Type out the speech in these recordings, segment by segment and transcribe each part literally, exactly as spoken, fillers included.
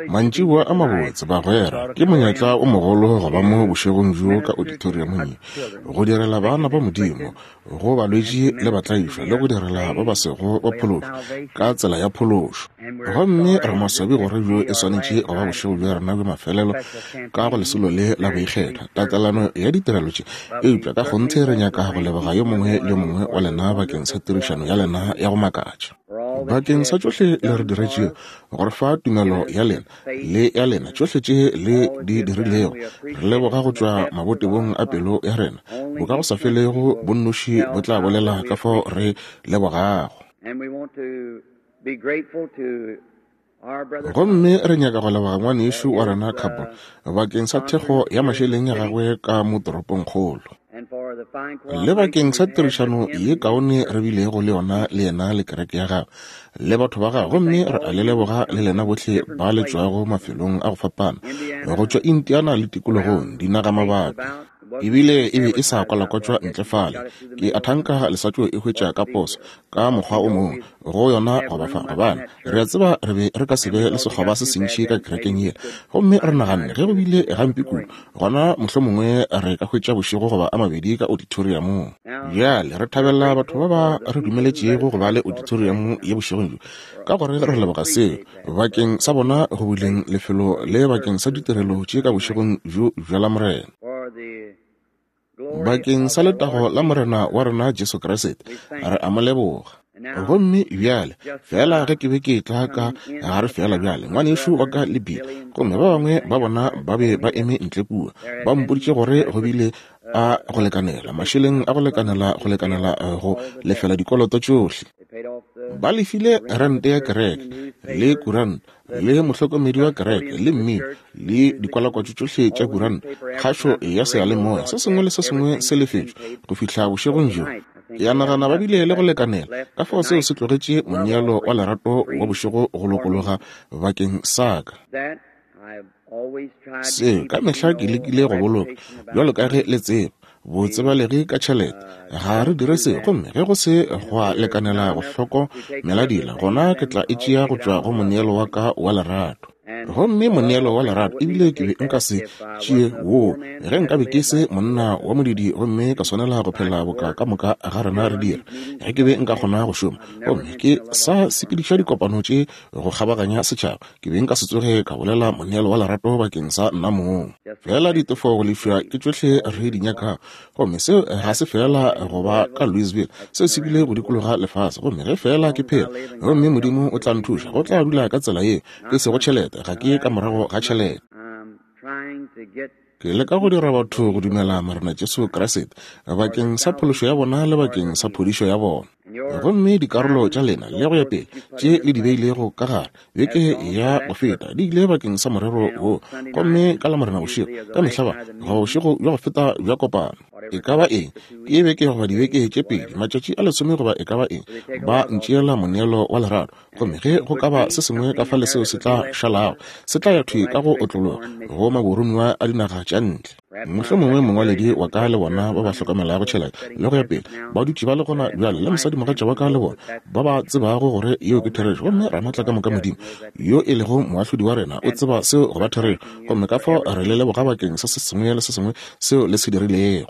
Mantšiboa a mabotse, bagwera. Ke monyetla o mogolo go ba mo bošegong bjo ka auditoriumong ye, go direla bana ba Modimo, go balwetši le batlaišwa, le go direla ba ba sego ba phološwa ka tsela ya phološo. Gomme re maswabi gore bjo e swanetše go ba bošego bja rena bja mafelelo ka go lesolo le la boikgetho, tatelano ya ditirelo tše. Eupša ka kgonthe re nyaka go leboga yo mongwe le yo mongwe wa lena bakeng sa tirišano ya lena ya go makatša, bakeng sa tšohle le re diretšego, go re fa tumelo ya lena le ya lena, tšohle tše le di dirilego. Re leboga go tšwa mabotebong a pelo ya rena. Bo ka go sa felego bonnoši bo tla bolela ka fao re lebogago. Gomme re nyaka go leboga ngwanešu wa rena Cable bakeng sa thekgo ya mašeleng ya gagwe ka mo toropongkgolo, le bakeng sa tirišano ye kaone re bilego le yona le yena le kereke ya gagwe le batho ba gagwe. Gomme re a le leboga le lena bohle ba le tšwago mafelong a go fapana, go tšwa Indiana le tikologong, dinagamabapi. Ebile e be e sa kwalakwatšwa ntle fale. Ke a thanka le sa tšo e hwetša ka poso ka mokgwa o mongwe go yona goba fa, gobane re a tseba re be re ka se be le sekgoba se sentši ka kerekeng yela. Gomme re naganne ge go bile gampe kudu, gona mohlomongwe re ka hwetša bošego goba a mabedi ka auditoriumong. Bjale re thabela batho ba ba re dumeletšego go ba le auditorium ye bošegong bjo, ka gore re leboga seo bakeng sa bona go buleng lefelo le bakeng sa ditirelo tše ka bošegong bjo bja Lamorena, bakeng sa letago la Morena wa rena Jesu Kriste. Re a mo leboga. Gomme bjale fela ge ke be ke tla ka gare fela bjale, ngwanešu wa ka le Bill, gomme ba bangwe ba bona ba be ba eme ntle kua, ba mpoditše gore go bile a go lekanela mašeleng a go lekanela go lekanela go lefela dikoloto tšohle. Ba lefile rente ya kereke le kuranta le mohlokomedi wa kereke le mmino le dikwalakwatšo tšohle tša kuranta, kgašo ya seyalemoya, se sengwe le se sengwe se lefetšwe go fihla bošegong bjo. Ke a nagana ba bile le go lekanela, ka fao seo se tlogetše moneelo wa lerato wa bošego go lokologa bakeng sa ka. Seo ka mehla ke lekile go boloka, bjalo ka ge le tseba, botsebalegi ka tšhelete. Ga re dire seo, gomme ge go se gwa lekanela go hlokomela dila, gona ke tla e tšea go tšwa go moneelo wa ka wa lerato. Gomme moneelo wa lerato, ebile ke be nka se tšee woo ge nka be ke se monna wa modidi gomme ka swanela go phela boka ka moka ga rena re dira. Ge ke be nka kgona go šoma gomme ke sa sepediša dikopano tše go kgabaganya setšhaba, ke be nka se tsoge ka bolela moneelo wa lerato bakeng sa nna mong. Fela ditefo go lefša ke tšohle re di nyakago, gomme seo ga se fela go ba ka Louisville, seo se bile go dikologa lefase. Gomme ge fela ke phela, gomme Modimo o tla nthuša, go tla dula ka tsela yeo, ke sego tšhelete, ga ke ka morago ga tšhelete. Ke leka go dira batho go dumela Morena Jesu Kriste bakeng sa phološo ya bona le bakeng sa phodišo ya bona. Gomme dikarolo tša lena le go ya pele tše le di beilego ka gare beke ya go feta di ile bakeng sa morero wo. Gomme ka Lamorena bošego ka mehla ba goba bošego bja go feta bja kopano, e ka ba eng, ke beke goba dibeke tše pedi, matšatši a lesome goba e ka ba eng, ba ntšeela moneelo wa lerato. Gomme ge go ka ba se sengwe ka fale seo se tla šalago, se tla ya thwi ka go otlologa go maboromiwa a dinaga tša ntle. Mohlomongwe mongwaledi wa ka le bona ba ba hlokomelago tšhelete le go ya pele ba dutše ba le gona bjale, le mosadimogatša wa ka le bona ba ba tsebago gore yeo ke therešo. Gomme Ramatla ka moka Modimo yo e lego moahlodi wa rena o tseba seo go ba therešo, gomme ka fao re le leboga bakeng sa se sengwe le se sengwe seo le se dirilego.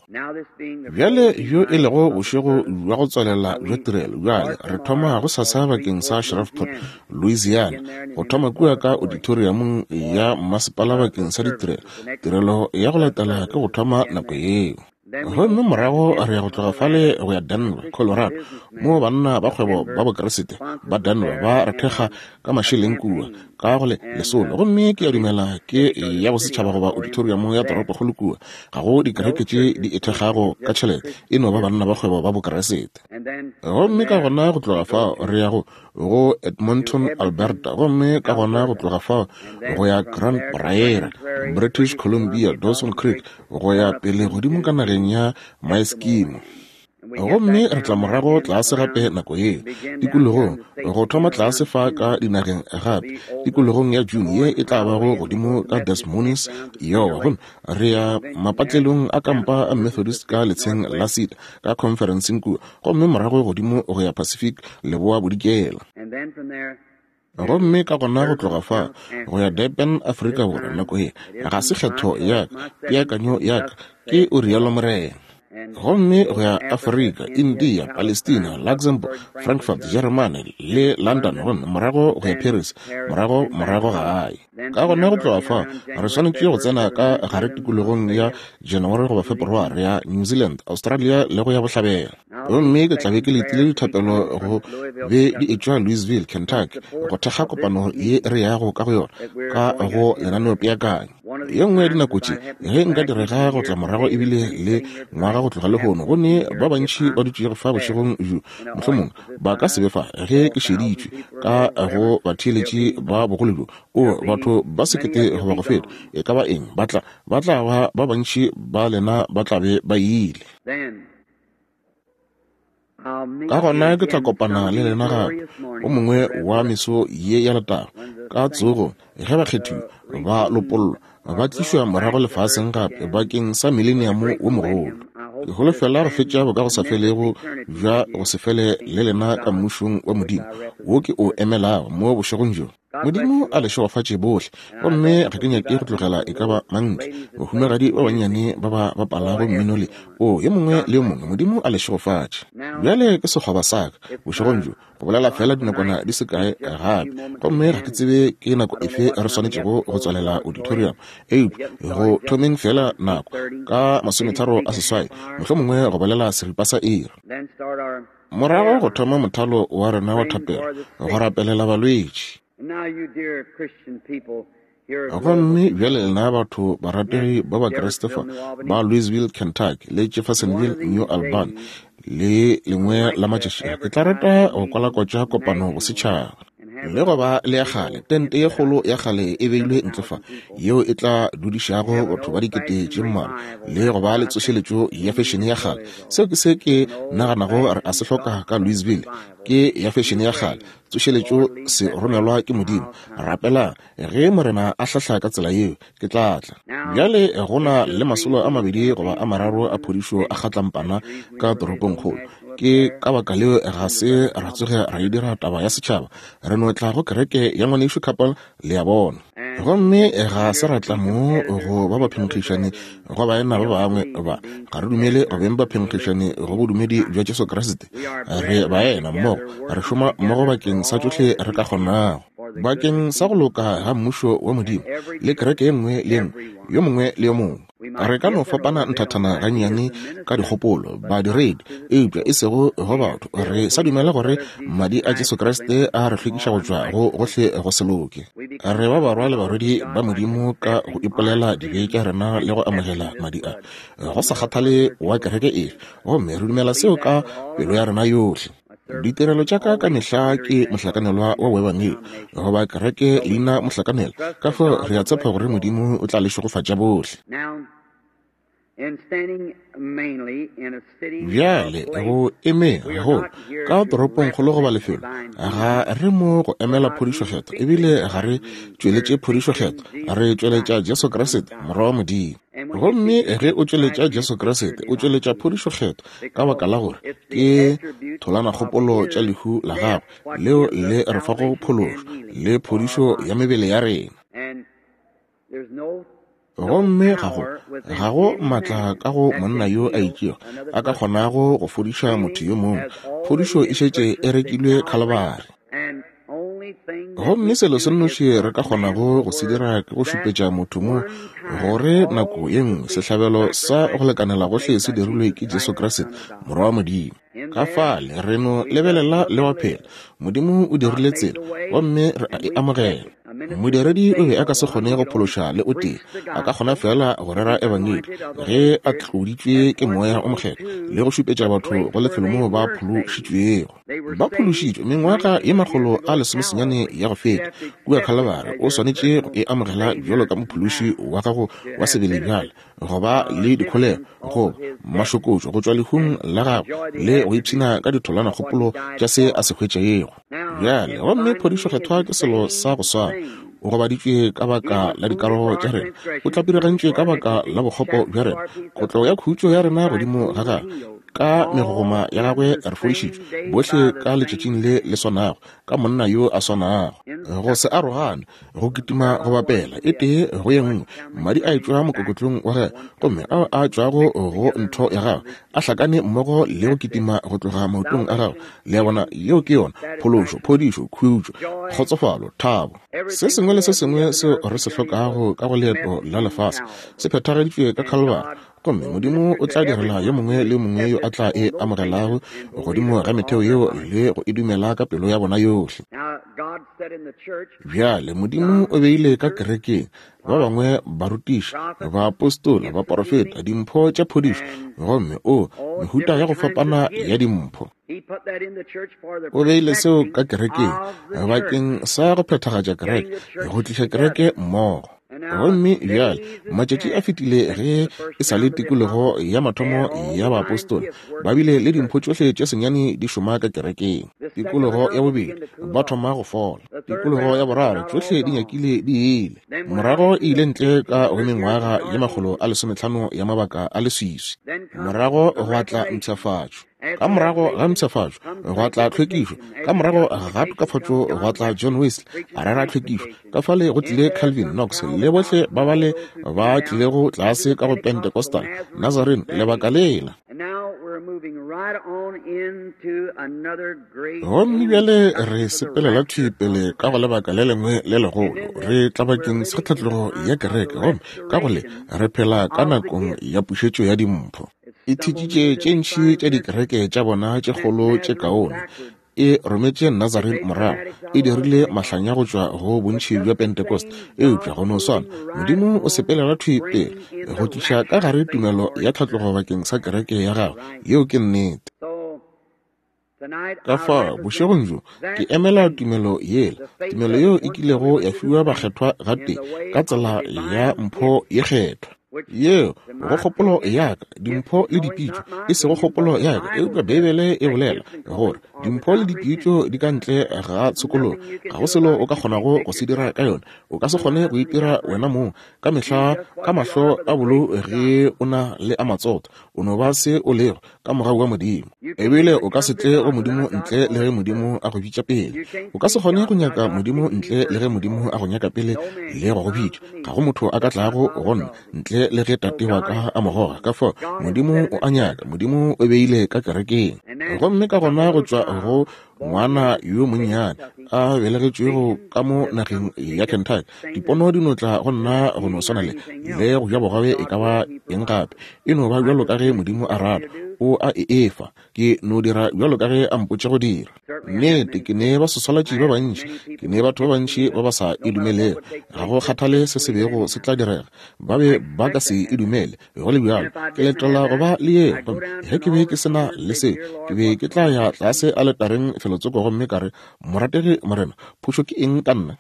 Bjale yo e lego bošego bja go tswalela bja tirelo, bjale re thoma go sasa bakeng sa Shreveport, Louisiana, go thoma kua ka auditoriumong ya mmasepala bakeng sa ditirelo. Tirelo ya go latela ke go thoma nako yeo. Gomme morago re ya go tloga fale go ya Denver, Colorado, moo banna ba kgwebo ba Bokriste ba Denver ba re thekga ka mašeleng kua ka go le lesolo. Gomme ke a dumela ke ya bosetšhaba goba auditorium ya toropokgolo kua. Ga go dikereke tše di e thekgago ka tšhelete, e no ba banna ba kgwebo ba Bokriste. Gomme ka gona go tloga fao re ya go go Edmonton, Alberta, gomme ka gona go tloga fao go ya Grand Prairie, British Columbia, Dawson Creek, go ya pele godimo ka nageng ya Maeskimo. Gomme re tla morago tlase gape nako yeo tikologong, go thoma tlase fa ka dinageng gape tikologong ya June ye e tla bago godimo ka Des Moines, Iowa. Gomme re ya mapatlelong a kampa a Methodist ka letsheng la Cedar ka conferenceng kua, gomme morago godimo go ya Pacific leboa bodikela. Gomme ka gona go tloga fa go ya Durban, Afrika Borwa, nako ye ga se kgetho ya ka, peakanyo ya ka, ke o rialo Morena. Gomme go ya Afrika, India, Palestina, Luxembourg, Frankfurt, Germany le London, gomme morago go ya Paris, morago morago gae. Ka gona go tloga fa re swanetše go tsena ka gare tikologong ya January goba February ya New Zealand, Australia le go ya bohlabela. Gomme ke tla be ke letile dithapelo go be di etšwa Louisville, Kentucky, go thekga kopano ye re yago ka go yona ka go lenaneopeakanyo. Ye nngwe ya dinako tše ge nka direga go tla morago ebile le ngwaga go tloga lehono, go ne ba bantši ba dutšego fa bošegong bjo, mohlomongwe ba ka se be fa ge ke šeditšwe ka go batheeletši ba bogolo bjo, o batho ba sekete goba go feta, e ka ba eng, ba tla ba tla ba ba bantši ba lena ba tla be ba ile. Ka gona ke tla kopana le lena gape o mongwe wa meso ye ya letago ka tsogo, ge bakgethiwa ba lopollwa ba tlišwa morago lefaseng gape bakeng sa mileniamo wo mogolo. Ke holofela go fetša bokagosafelego bja go se fele le lena ka mmušong wa Modimo wo ke o emelago mo bošegong bjo. Modimo a le šegofatše bohle, gomme ga ke nyake go tlogela e ka ba mantle bahumagadi ba bannyane ba ba bapalago mmino le o yo mongwe le yo mongwe. Modimo a le šegofatše. Bjale ke sekgoba sa ka bošegong bjo go bolela fela dinakwana di se kae gape, gomme ga ke tsebe ke nako efe re swanetšego go tswalela auditorium, eupša go thomeng fela nako ka masometharo a seswai, mohlomongwe go bolela seripa sa iri. Morago go thoma mothalo wa rena wa thapelo go rapelela balwetši. Gomme bjale lena batho barategi ba Bakriste fa ba Louisville, Kentucky le Jeffersonville, New Albany, le lengwe la matšatši ke tla rata go kwalakwatša kopano go setšhaba. Le go ba le ya kgale tente ye kgolo ya kgale e beilwe ntle fa, yeo e tla dudišago batho ba dikete tše mmalwa, le go ba le tsošeletšo ya fešene ya kgale. Seo ke se ke naganago re a se hloka ka Louisville, ke ya fešene ya kgale tsošeletšo se romelwa ke Modimo. Rapelang ge Morena a hlahla ka tsela yeo, ke tla tla. Bjale go na le masolo a mabedi goba a mararo a phodišo a kgatlampana ka toropongkgolo. Ke ka baka leo ga se ra tsoge ra e dira taba ya setšhaba, re no tla go kereke ya ngwanešu Couple, le a bona. Gomme ga se ra tla mo go ba baphenkgišani go baena ba bangwe ba, ga re dumele go beng baphenkgišani go bodumedi bja Jesu Kriste. Re baena mmogo, re šoma mmogo bakeng sa tšohle re ka kgonago, bakeng sa go loka ga mmušo wa Modimo le kereke ye nngwe le ye nngwe, yo mongwe le yo mongwe. Re ka no fapana nthathana gannyane ka dikgopolo badiredi, eupša e sego go batho. Re sa dumela gore madi a Jesu Kriste a re hlwekiša go tšwa go gohle go se loke. Re ba barwa le barwedi ba Modimo ka go ipolela dibe tša rena le go amogela madi a, go sa kgathale wa kereke efe, gomme re dumela seo ka pelo ya rena yohle. Ditirelo tša ka ka mehla ke mohlakanelwa wa boebangedi goba kereke leina mohlakanelwa, ka fao re a tshepa gore Modimo o tla le šegofatša bohle. Bjale go emeng gagolo ka toropongkgolo goba lefelo, ga re mo go emela phodišo kgethwa, ebile ga re tšweletše phodišo kgethwa, re tšweletša Jesu Kriste, Morwa wa Modimo. Gomme ge o tšweletša Jesu Kriste, o tšweletša phodišo kgethwa, ka baka la gore ke tholanakgopolo tša lehu la gagwe leo le re fago phološo le phodišo ya mebele ya rena. Gomme ga go ga go maatla ka go monna yo a itšego a ka kgonago go fodiša motho yo mongwe. Phodišo e šetše e rekilwe Khalibari. Gomme selo se nnoši re ka kgonago go se dira ke go šupetša motho mo gore nako ye nngwe sehlabelo sa go lekanela gohle se dirilwe ke Jesu Kriste, Morwa wa Modimo. Ka fale re no lebelela le wa phela. Modimo o dirile tsela, gomme re a e amogela. Modiredi o be a ka se kgone go phološa le o tee, a ka kgona fela go rera ebangedi ge a tloditšwe ke Moya o Mokgethwa le go šupetša batho go lefelo moo ba phološitšwego. Ba phološitšwe mengwaga ye makgolo a lesomesenyane ya go feta kua Khalibari. O swanetše go e amogela bjalo ka mophološi wa gago wa sebele bjale, go ba le dikholego goba mašokotšo go tšwa lehung la gagwe le go ipshina ka ditholanakgopolo tša se a se hwetšego bjale. Gomme phodišo kgethwa ke selo sa go swana. O gobaditšwe ka baka la dikarogo tša rena, o tlapirigantšwe ka baka la bokgopo bja rena, kotlo ya khutšo ya rena godimo ga gagwe, ka megogoma ya gagwe re fodišitšwe bohle ka letšatšing le le swanago, ka monna yo a swanago. Go se arogane, go kitima go bapela e tee go ye nngwe, madi a etšwa mokokotlong wa gagwe, gomme ao a tšwago go ntho ya gagwe a hlakane mmogo le go kitima go tloga maotong a gagwe. Le a bona, yeo ke yona phološo, phodišo, khutšo, kgotsofalo, thabo. Se sengwe le se sengwe seo re se hlokago ka go leeto la lefase se phethageditšwe ka Calvary, gomme Modimo o tla direla yo mongwe le mongwe yo a tla e amogelago godimo ga metheo yeo le go e dumela ka pelo ya bona yohle. Bjale Modimo o beile ka kerekeng ba bangwe barutiši, baapostola, baprofeta, dimpho tša phodišo, gomme o mehuta ya go fapana ya dimpho. O beile seo ka kerekeng bakeng sa go phethagatša kereke, go tliša kereke mmogo. Gomme bjale matšatši a fetile ge e sa le tikologo ya mathomo ya baapostola, ba bile le dimpho tšohle tše senyane di šoma ka kerekeng. Tikologo ya bobedi ba thoma go fola, tikologo ya boraro tšohle di nyakile di ile. Morago e ile ntle ka go mengwaga ye makgolo a lesometlhano ya mabaka a leswiswi. Morago gwa tla mpshafatšo. Ka morago ga mpshafatšo gwa tla tlhwekišo. Ka morago ga tokafatšo gwa tla John Wesley a rera tlhwekišo. Ka fale go tlile Calvin, Knox le bohle ba bale ba tlilego tlase ka go Pentecostal, Nazarene, lebaka lela. Gomme bjale re sepelela thwi pele ka go lebaka le lengwe le legolo. Re tla bakeng sa tlhatlogo ya kereke, gomme ka go le re phela ka nakong ya pušetšo ya dimpho. E thitšitše tše ntši tša dikereke tša bona tše kgolo tše kaone, e rometše Nazarene morago, e dirile mahlanya go tšwa go bontši bja Pentecost. Eupša go no swana, Modimo o sepelela thwi pele go tliša ka gare tumelo ya tlhatlogo bakeng sa kereke ya gagwe. Yeo ke nnete. Ka fao bošegong bjo ke emela tumelo yela, tumelo yeo e kilego ya fiwa bakgethwa gatee ka tsela ya mpho ye kgethwa. Yeo go kgopolo ya ka, dimpho le dipitšo, e sego kgopolo ya ka, eupša Beibele e bolela gore dimpho le dipitšo di ka ntle ga tshokologo. Ga go selo o ka kgonago go se dira ka yona. O ka se kgone go itira wena mong ka mehla ka mahlo a bolo ge o na le a matsotho. O no ba se o lego ka mogau wa Modimo. Ebile o ka se tle go Modimo ntle le ge Modimo a go bitša pele. O ka se kgone go nyaka Modimo ntle le ge Modimo a go nyaka pele le go go bitša. Ga go motho a ka tlago go nna ntle le ge Tate wa ka a mo goga. Ka fao Modimo o a nyaka, Modimo o beile ka kerekeng. Gomme ka gona go tšwa go ngwana yo monnyane a belegetšwego ka mo nageng ya Kentucky, dipono di no tla go nna go no swana le le go ja bogobe e ka ba eng gape. E no ba bjalo ka ge Modimo a rata, o a e efa. Ke no dira bjalo ka ge a mpotše go dira. Nnete, ke ne basoswalatši ba bantši, ke ne batho ba bantši ba ba sa e dumelego. Ga go kgathale se se bego se tla direga, ba be ba ka se e dumele. Go le bjalo, ke letela go ba le yeo. Gomme ge ke be ke se na le seo, ke be ke tla ya tlase aletareng felotsoko gomme ka re, Morategi Morena, phošo ke eng ka nna?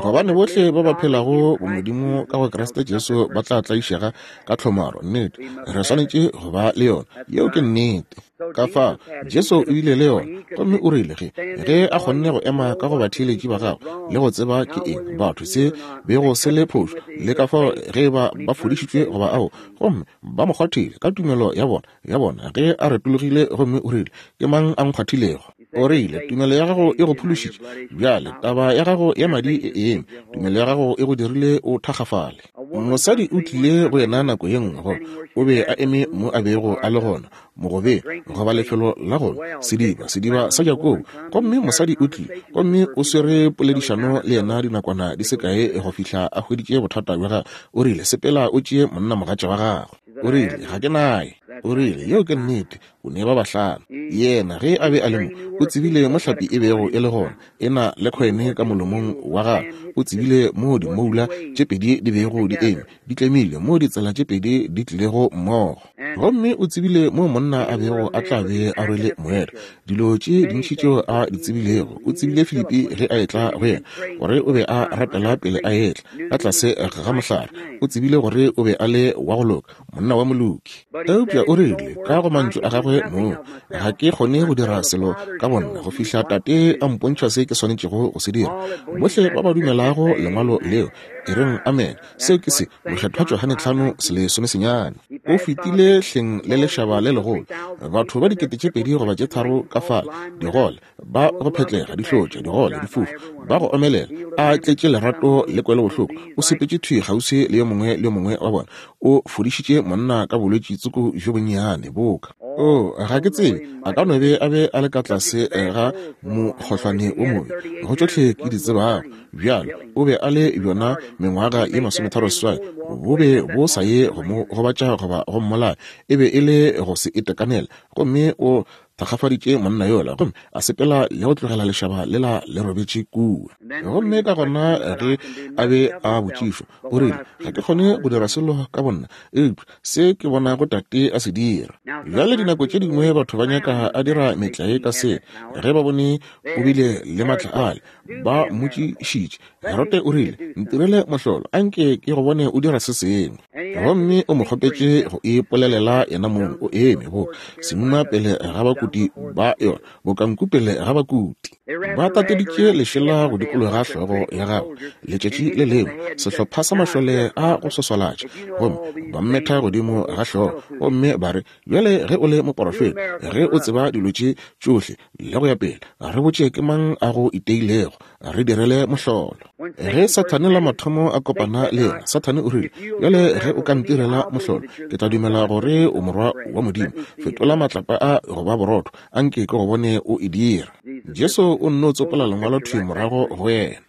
Gobane bohle ba ba phelago bomodimo ka go Kriste Jesu ba tla tlaišega ka tlhomaro. Nnete, re swanetše go ba le yona. Yeo ke nnete. Ka fao Jesu o ile le yona, gomme o rile ge ge a kgonne go ema ka go batheeletši ba gagwe le go tseba ke eng batho se bego se le phošo, le ka fao ge ba ba fodišitšwe goba ao, gomme ba mo kgwathile ka tumelo ya bona ya bona ge a retologile gomme o rile, ke mang a nkgwathilego? O rile, tumelo ya gago e go phološitše. Bjale taba ya gago ya madi e eme, tumelo ya gago e go dirile o thakgafale. Mosadi o tlile go yena nako ye nngwe, gore o be a eme mo a bego a le gona, mogobeng goba lefelo la gona, sediba, sediba sa Jakobo. Gomme mosadi o tlile, gomme o swere poledišano le yena dinakwana di se kae go fihla a hweditše bothata bja gagwe. O rile, sepela o tšee monnamogatša wa gago. O rile, ga ke naye. O rile, yeo ke nnete, o ne ba bahlano. Yena ge a be a le mo, o tsebile mo hlapi e bego e le gona, e na le kgwene ka molomong wa gagwe. O tsebile mo dimoula tše pedi di bego di eme, di tlemile, mo ditsela tše pedi di tlilego mmogo. Gomme o tsebile mo monna a bego a tla be a rwele moeta. Dilo tše dintši tšeo a di tsebilego. O tsebile Filipi ge a etla go yena, gore o be a rapela pele a etla ka tlase ga mohlare. O tsebile gore o be a le wa go loka, monna wa moloki. Eupša o rile ka go mantšu a gagwe mong, ga ke kgone go dira selo ka bonna go fihla Tate a mpontšha se ke swanetšego go se dira. Bohle ba ba dumelago lengwalo leo, E reng amen. Seo ke se Mokgethwa Johane tlhano selesome senyane. O fetile hleng le lešaba le legolo, batho ba dikete tše pedi goba tše tharo ka fale, digole, ba go phetlega, dihlotša, digole, difofu, ba go omelela, a tletše lerato le kwelobohloko. O sepetše thwi kgauswi le yo mongwe le yo mongwe wa bona. O fodišitše monna ka bolwetši tsoko bjo bonnyane boka. O, ga ke tsebe, a ka no be a be a le ka tlase ga mokgohlwane o mobe, go tšohle ke di tsebago. Bjalo, o be a le bjona mengwaga ye masometharo seswai, bo be bo sa ye go mo gobatša goba go mmolaya, e be e le go se itekanele. Gomme o thakgafaditše monna yola, gomme a sepela le go tlogela lešaba lela le robetše kua. Gomme ka gona ge a be a botšišwa, o rile, ga ke kgone go dira selo ka bonna, eupša se ke bonago Tate a se dira. Bjale dinako tše dingwe batho ba nyaka a dira metlae ka se, ge ba bone o bile le matla ale, ba mmotšišitše. Herote o rile, ntirele mohlolo, anke ke go bone o dira se sengwe. Gomme o mo kgopetše go ipolelela yena mong, o eme bo semuma pele ga bakuti ba yona, bokanku pele ga bakuti. Ba tateditše lešela go dikologa hlogo ya gagwe letšatši le lengwe, sehlopha sa mašole a go swaswalatša, gomme ba mmetha godimo ga hlogo, gomme ba re, bjale ge o le moporofeta, ge o tseba dilo tše tšohle le go ya pele, re botše ke mang a go iteilego, re direle mohlolo. Ge Sathane la mathomo a kopana le yena, Sathane o rile, bjale ge o ka ntirela mohlolo, ke tla dumela gore o morwa wa Modimo. Fetola matlapa a go ba borotho, anke ke go bone o e dira. Jesu o nno tsopola lengwalo thwi morago go yena.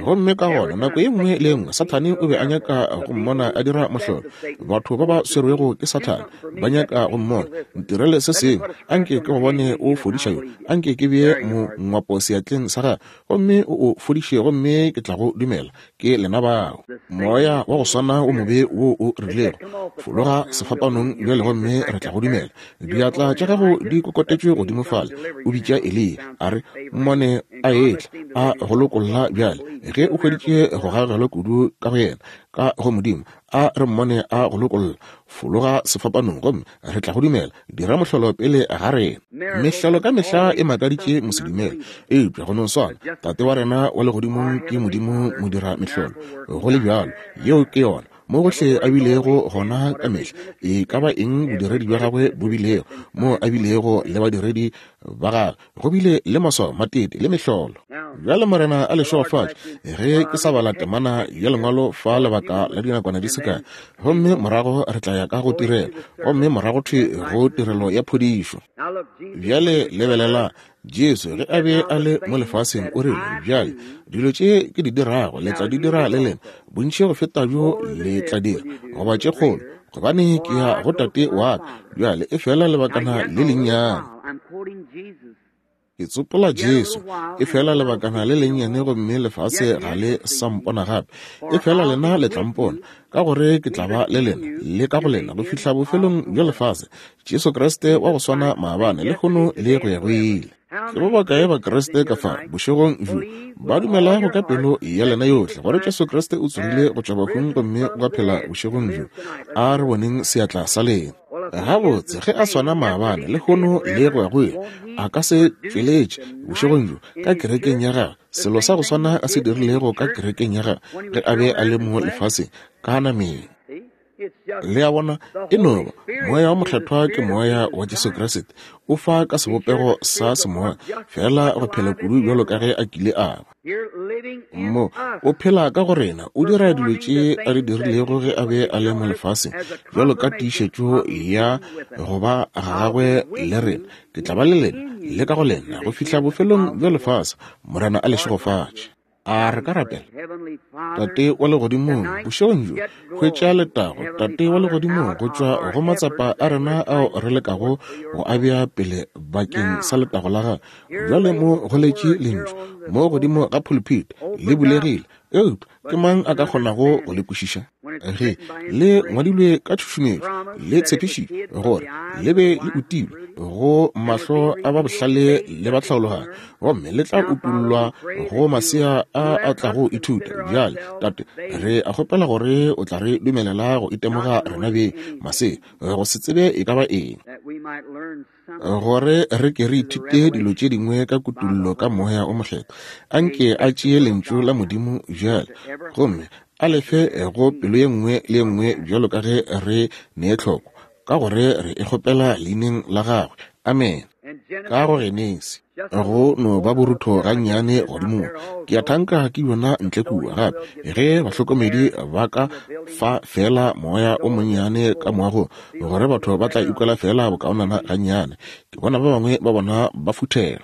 Gomme ka gona nako ye nngwe le ye nngwe Sathane o be a nyaka go mmona a dira mohlolo. Batho ba ba swerwego ke Sathane ba nyaka go mmona, ntirele se sengwe, anke ke go bone o fodiša yo, anke ke bee mongwapo seatleng sa gagwe, gomme o o fodiše, gomme ke tla go dumela. Ke lena bao. Moya wa go swana o mobe wo o rilego, fologa sefapanong bjale gomme re tla go dumela. Diatla tša gago di kokotetšwe godimo fale. O bitša Eliya, a re mmone a etla, a go lokolla bjale. Ge o hweditše go gagelwa kudu ka go yena, ka go Modimo, a re mmone a go lokolla, fologa sefapanong gomme re tla go dumela. Dira mohlolo pele ga rena. Mehlolo ka mehla e makaditše mosedumele, eupša go no swana, Tate wa rena wa legodimong ke Modimo modira mehlolo. Go le bjalo, yeo ke yona. Mo gohle a bilego gona ka mehla, e ka ba eng bodiredi bja gagwe bo bilego, mo a bilego le badiredi ba gagwe, go bile le maswao, matete le mehlolo. Bjale Morena a le šegofatše ge ke sa bala temana ya lengwalo fa lebaka la dinakwana di se kae, gomme morago re tla ya ka go tirelo, gomme morago thwi go tirelo ya phodišo. Bjale lebelela Jesu ge a be a le mo lefaseng, o rile, bjale dilo tše ke di dirago le tla di dira le lena, bontši go feta bjo le tla dira, goba tše kgolo, gobane ke ya go Tate wa ka. Bjale e fela lebakana le lennyane. Ke tsopola Jesu, e fela lebakana le lennyane, gomme lefase ga le sa mpona gape. E fela lena le tla mpona, ka gore ke tla ba le lena le ka go lena go fihla bofelong bja lefase. Jesu Kriste wa go swana maabane, lehono le go ya go ile. Ke ba bakae ba Kriste ka fa bošegong bjo ba dumelago ka pelo ya lena yohle gore Jesu Kriste o tsogile go tšwa bahung gomme wa phela bošegong bjo? A re boneng seatla sa lena. Gabotse, ge a swana maabane, lehono le go ya go ile, a ka se tšweletše bošegong bjo ka kerekeng ya gagwe selo sa go swana a se dirilego ka kerekeng ya gagwe ge a be a le mo lefaseng ka nameng. Le a bona, e no ba Moya wa Mokgethwa ke Moya wa Jesu Kriste, o fa ka sebopego sa semoya, fela go phela kudu bjalo ka ge a kile a ba. Mo o phela ka go rena, o dira dilo tše a di dirilego ge a be a le mo lefaseng, bjalo ka tiišetšo ya go ba ga gagwe le rena. Ke tla ba le lena le ka go lena go fihla bofelong bja lefase. Morena a le šegofatše. A re ka rapela. Tate wa legodimong, bošegong bjo hwetša letago, Tate wa legodimong, go tšwa go matsapa a rena ao re lekago go a bea pele bakeng sa letago la gago. Bjale mo go letše lentšu mo godimo ga pulpit, le bulegile, eupša ke mang a ka kgonago go le kwešiša? Ge le ngwadilwe ka tšhušumetšo, le tshepišitšwe gore le be le utilwe go mahlo a ba bohlale le ba tlhaologanyo, gomme le tla utollwa go masea a a tlago ithuta. Bjale Tate, re a kgopela gore o tla re dumelela go itemoga rena beng masea, go se tsebe e ka ba eng, gore re ke re ithute dilo tše dingwe ka kutullo ka Moya o Mokgethwa. Anke a tšee lentšu la Modimo bjale gomme A lefe go pelo ye nngwe le ye nngwe bjalo ka ge re nee tlhoko, ka gore re e kgopela leineng la gagwe. Amen. Ka go Genesi, go no ba borutho gannyane godimo. Ke a thanka ke yona ntle kua gape ge bahlokomedi ba ka fa fela moya o monnyane ka moagong, gore batho ba tla ikwela fela bokaonana gannyane. Ke bona ba bangwe ba bona ba futhela.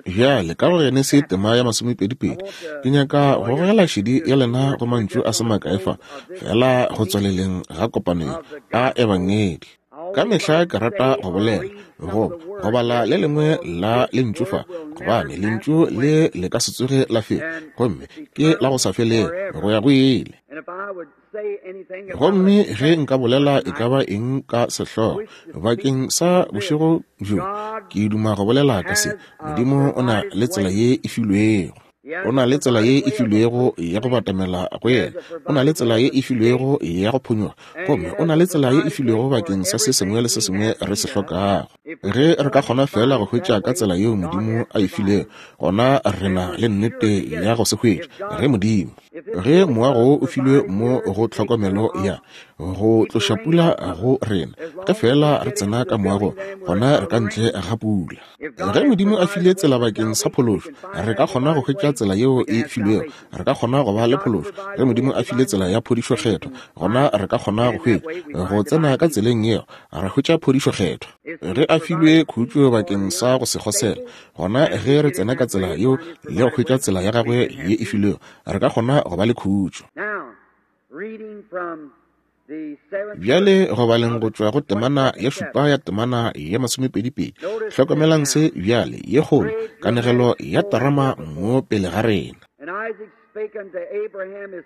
Bjale ka go Genesi tema ya masomepedi-pedi, ke nyaka go gogela šedi ya lena go mantšu a se makae fa, fela go tswaleleng ga kopanelo a ebangedi. Ka mehla ke rata go bolela, go go bala le lengwe la lentšu fa, gobane lentšu le le ka se tsoge la fela, gomme ke la go sa felego go ya go ile. Gomme ge nka bolela e ka ba eng ka sehlogo bakeng sa bošego bjo, ke duma go bolela ka se. Modimo o na le tsela ye e filwego. O na le tsela ye e filwego ya go batamela go yena. O na le tsela ye e filwego ya go phonyoga. Gomme o na le tsela ye e filwego bakeng sa se sengwe le se sengwe re se hlokago. Ge re ka kgona fela go hwetša ka tsela yeo Modimo a e filego, gona re na le nnete ya go se hwetša. Ge Modimo, ge moago wo o filwe mo go tlhokomelo ya go tloša pula go rena, ge fela re tsena ka moago, gona re ka ntle ga pula. Ge Modimo a file tsela bakeng sa phološo, re ka kgona go hwetša tsela yeo e filwego, re ka kgona go ba le phološo. Ge Modimo a file tsela ya phodišo kgethwa, gona re ka kgona go hwetša, go tsena ka tseleng yeo, ra hwetša phodišo kgethwa. Ge a filwe khutšo bakeng sa go se kgosela, gona ge re tsena ka tsela yeo le go hwetša tsela ya gagwe ye e filwego, re ka kgona go ba le khutšo. Bjale go baleng go tšwa go temana ya šupa ya temana ya masomepedi-pedi, hlokomelang se bjale ye kgolo kanegelo ya terama mo pele ga rena.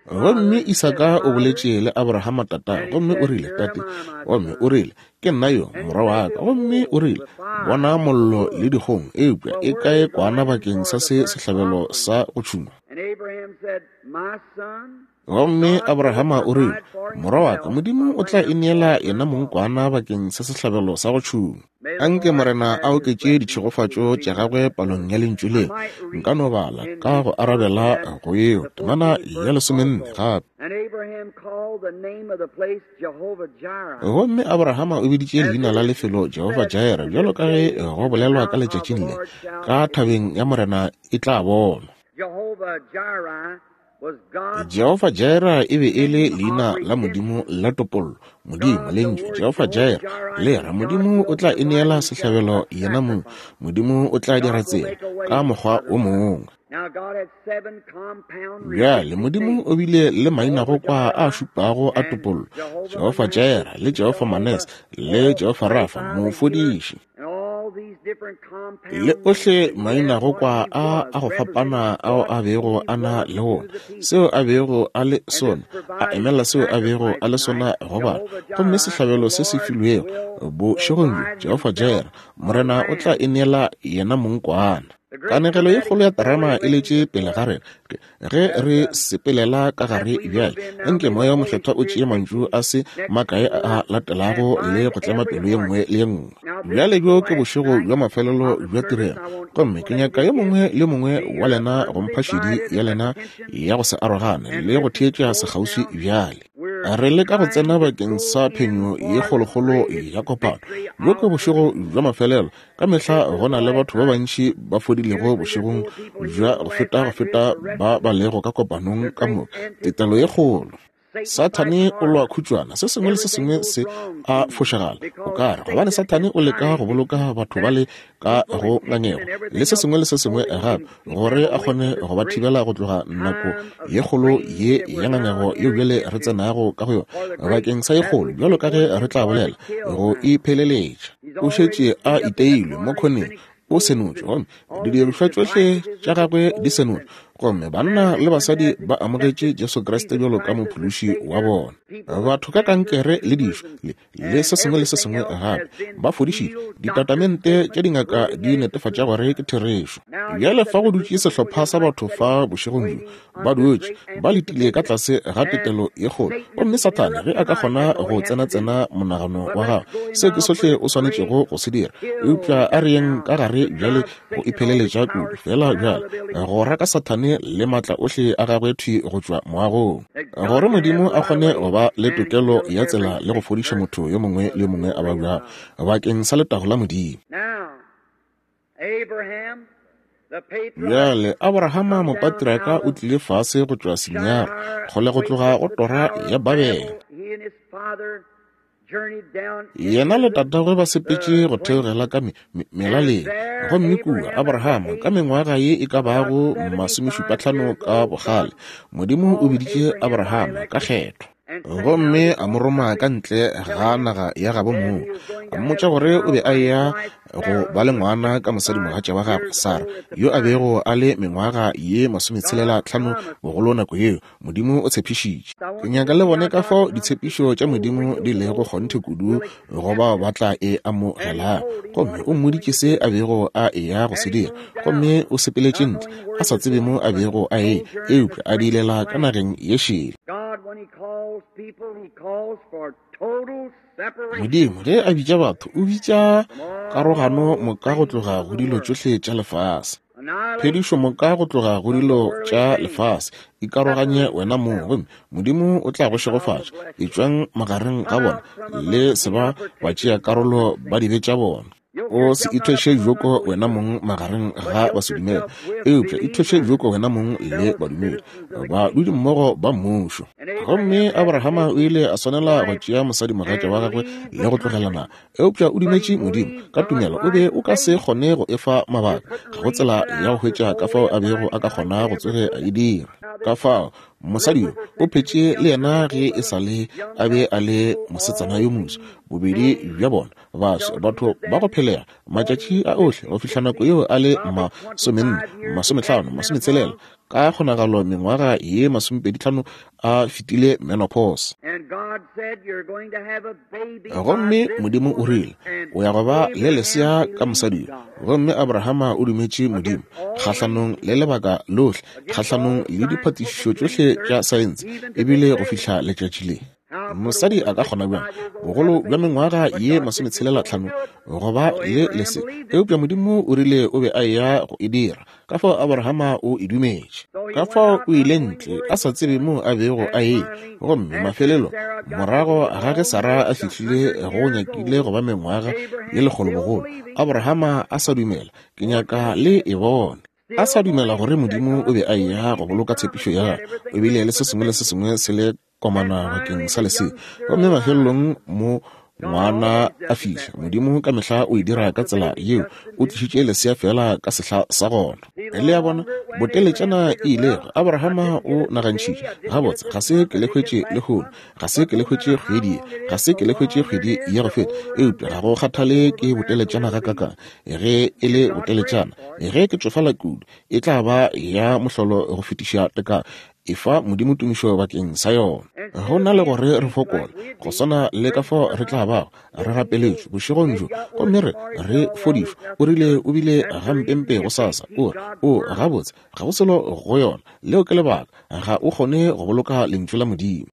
Gomme Isaka o boletše le Abrahama tata, gomme o rile, Tate, gomme o rile, ke nna yo morwa wa ka. Gomme o rile, bona mollo le dikgong, eupša e kae kwana bakeng sa se sehlabelo sa go tšhungwa? Gomme Abrahama o rile, morwa wa ka, Modimo o tla ineela yena mong kwana bakeng sa sehlabelo sa go tšhungwa. Anke Morena a oketše ditšhegofatšo tša gagwe palong ya lentšu le. Nka no bala ka go arabela go yeo temana ya lesomenne gape. Gomme Abrahama o biditše leina la lefelo Jehovah Jireh, bjalo ka ge go bolelwa ka letšatšing le, ka thabeng ya Morena e tla bonwa. Jehovah Jireh e be e le leina la Modimo la topollo. Modimo, lentšu Jehovah Jireh le ra Modimo o tla ineela sehlabelo yena mong. Modimo o tla dira tsela ka mokgwa o mongwe. Bjale Modimo o bile le maina go kwa a šupago a topollo, Jehovah Jireh le Jehovah Manes le Jehovah Rafa, mofodiši. Le ohle maina go kwa a a go fapana ao a bego a na le wona, seo a bego a le sona, a emela seo a bego a le sona go batho. Gomme sehlabelo se se filwego bošegong bjo, Jehovah Jireh, Morena o tla ineela yena mong kwana. Kanegelo ye kgolo ya terama e letše pele ga rena ge re sepelela ka gare bjale. Nke moya o mokgethwa o tšee mantšu a se makae a latelago le go tlema pelo ye nngwe le ye nngwe. Bjale bjo ke bošego bja mafelelo bja tirelo, gomme ke nyaka yo mongwe le mongwe wa lena go mpha šedi ya lena ya go se arogane le go theetša sekgauswi bjale. Re leka go tsena bakeng sa phenyo ye kgolokgolo ya kopano. Bjo ke bošego bja mafelelo. Ka mehla go na le batho ba bantši ba fodilego bošegong bja go feta go feta ba ba lego ka kopanong ka moka. Tetelo ye kgolo. Sathane o lwa khutšwana, se sengwe le se sengwe se a fošagala. O ka re gobane Sathane o leka go boloka batho ba le ka go ngangego le se sengwe le se sengwe gape, gore a kgone go ba thibela go tloga nako ye kgolo ye ya ngangego yeo bjale re tsenago ka go yona bakeng sa ye kgolo, bjalo ka ge re tla bolela, go ipheleletša. O šetše a iteilwe mo khoneng, o senotšwe, gomme didirišwa tšohle tša gagwe di senotšwe, gomme banna le basadi ba amogetše Jesu Kriste bjalo ka mophološi wa bona. Batho ka kankere le dišo le, le se sengwe le se sengwe gape ba fodišitšwe. Ditatamente tša dingaka di netefatša gore ke therešo. Bjale fa go dutše sehlopha sa batho fa bošegong bjo, ba dutše ba letile ka tlase ga tetelo ye kgolo, gomme Sathane ge a ka kgona go tsena-tsena monagano wa gago, seo ke sohle o swanetšego go se dira. Eupša a re yeng ka gare bjale go ipheleletša kudu fela bjale go raka Sathane Sathane le maatla ohle a gagwe thwi go tšwa moagong, gore Modimo a kgone go ba le tokelo ya tsela le go fodiša motho yo mongwe le yo mongwe a babjago bakeng sa letago la Modimo. Bjale Abrahama mopatriaka o tlile fase go tšwa Sinara, kgole go tloga go tora ya Babele. Yena le tatagwe ba sepetše go theogela ka melaleng, gomme kua Abrahama ka mengwaga ye e ka bago masomešupatlhano ka bogale, Modimo o biditše Abrahama ka kgetho, gomme a mo roma ka ntle ga naga ya gabo moo, a mmotša gore o be a eya go ba le ngwana ka mosadimogatša wa gagwe Sara, yo a bego a le mengwaga ye masometshelela tlhano bogolo nako yeo. Modimo o tshepišitše. Ke nyaka le bone ka fao ditshepišo tša Modimo di lego kgonthe kudu go bao ba tla e amogelago. Gomme o mmoditše se a bego a eya go se dira, gomme o sepeletše ntle a sa tsebe mo a bego a e, eupša a diilela ka nageng ye šele. Modimo ge a bitša batho, o bitša karogano moka go tloga go dilo tšohle tša lefase, phedišo moka go tloga go dilo tša lefase. Ikaroganye wena mong, gomme Modimo o tla go šegofatša. Etšwang magareng ga bona, le se ba ba tšea karolo ba dibe tša bona. O se ithweše joko wena mong magareng ga basedumele, eupša ithweše joko wena mong le badumedi, badudi mmogo ba mmušo. Gomme Abrahama o ile a swanela go tšea mosadimogatša wa gagwe le go tlogelana, eupša o dumetše Modimo ka tumelo. O be o ka se kgone go efa mabaka, ga go tsela ya go hwetša ka fao a bego a ka kgona go tsoge a e dira. Ka fao mosadi yo o phetše le yena ge e sa le a be a le mosetsana yo moswa, bobedi bja bona baswa, batho ba go phelega matšatši a ohle go fihla nako yeo a le masomenne, masomehlano, masometshelela, ka kgonagalo mengwaga ye masomepeditlhano a fetile menopause. Gomme Modimo o rile, o ya go ba le lesea ka mosadi yo. Gomme Abrahama o dumetše Modimo kgahlanong le lebaka lohle, kgahlanong le diphatišišo tšohle tša saense, ebile go fihla letšatši le. Mosadi a ka kgona bjang bogolo bja mengwaga ye masometshelela tlhano go ba le lesea? Eupša Modimo o rile o be a eya go e dira. Ka fao Abrahama o e dumetše. Ka fao o ile ntle a sa tsebe mo a bego a e. Gomme mafelelo morago ga ge Sara a fihlile go nyakile go ba mengwaga ye lekgolo bogolo, Abrahama a sa dumela. Ke nyaka le e bone. A sa dumela gore Modimo o be a eya go boloka tshepišo ya gagwe. O bile le se sengwe le se sengwe se le komana bakeng sa lesea. Gomme mafelelong mo ngwana a fihla, Modimo ka mehla o e dira ka tsela yeo, o tlišitše lesea fela ka sehla sa gona. Le a bona, boteletšana e ilego. Abrahama o nagantšhitše, gabotse, ga se ke le hwetše lehono, ga se ke le hwetše kgwedi ye, ga se ke le hwetše kgwedi ya go feta, eupša ga go kgathale ke boteletšana ga kakang. Ge e le boteletšana, ge ke tšofala kudu, e tla ba ya mohlolo go fetiša tekano. Efa Modimo tumišo bakeng sa yona. Go na le gore re fokole, go swana le ka fao re tla bago re rapeletšwe bošegong bjo, gomme re re fodišwe. O rile o bile gampempe go sasa. O re, o gabotse, ga go selo go yona. Leo ke lebaka, ga o kgone go boloka lentšu la Modimo.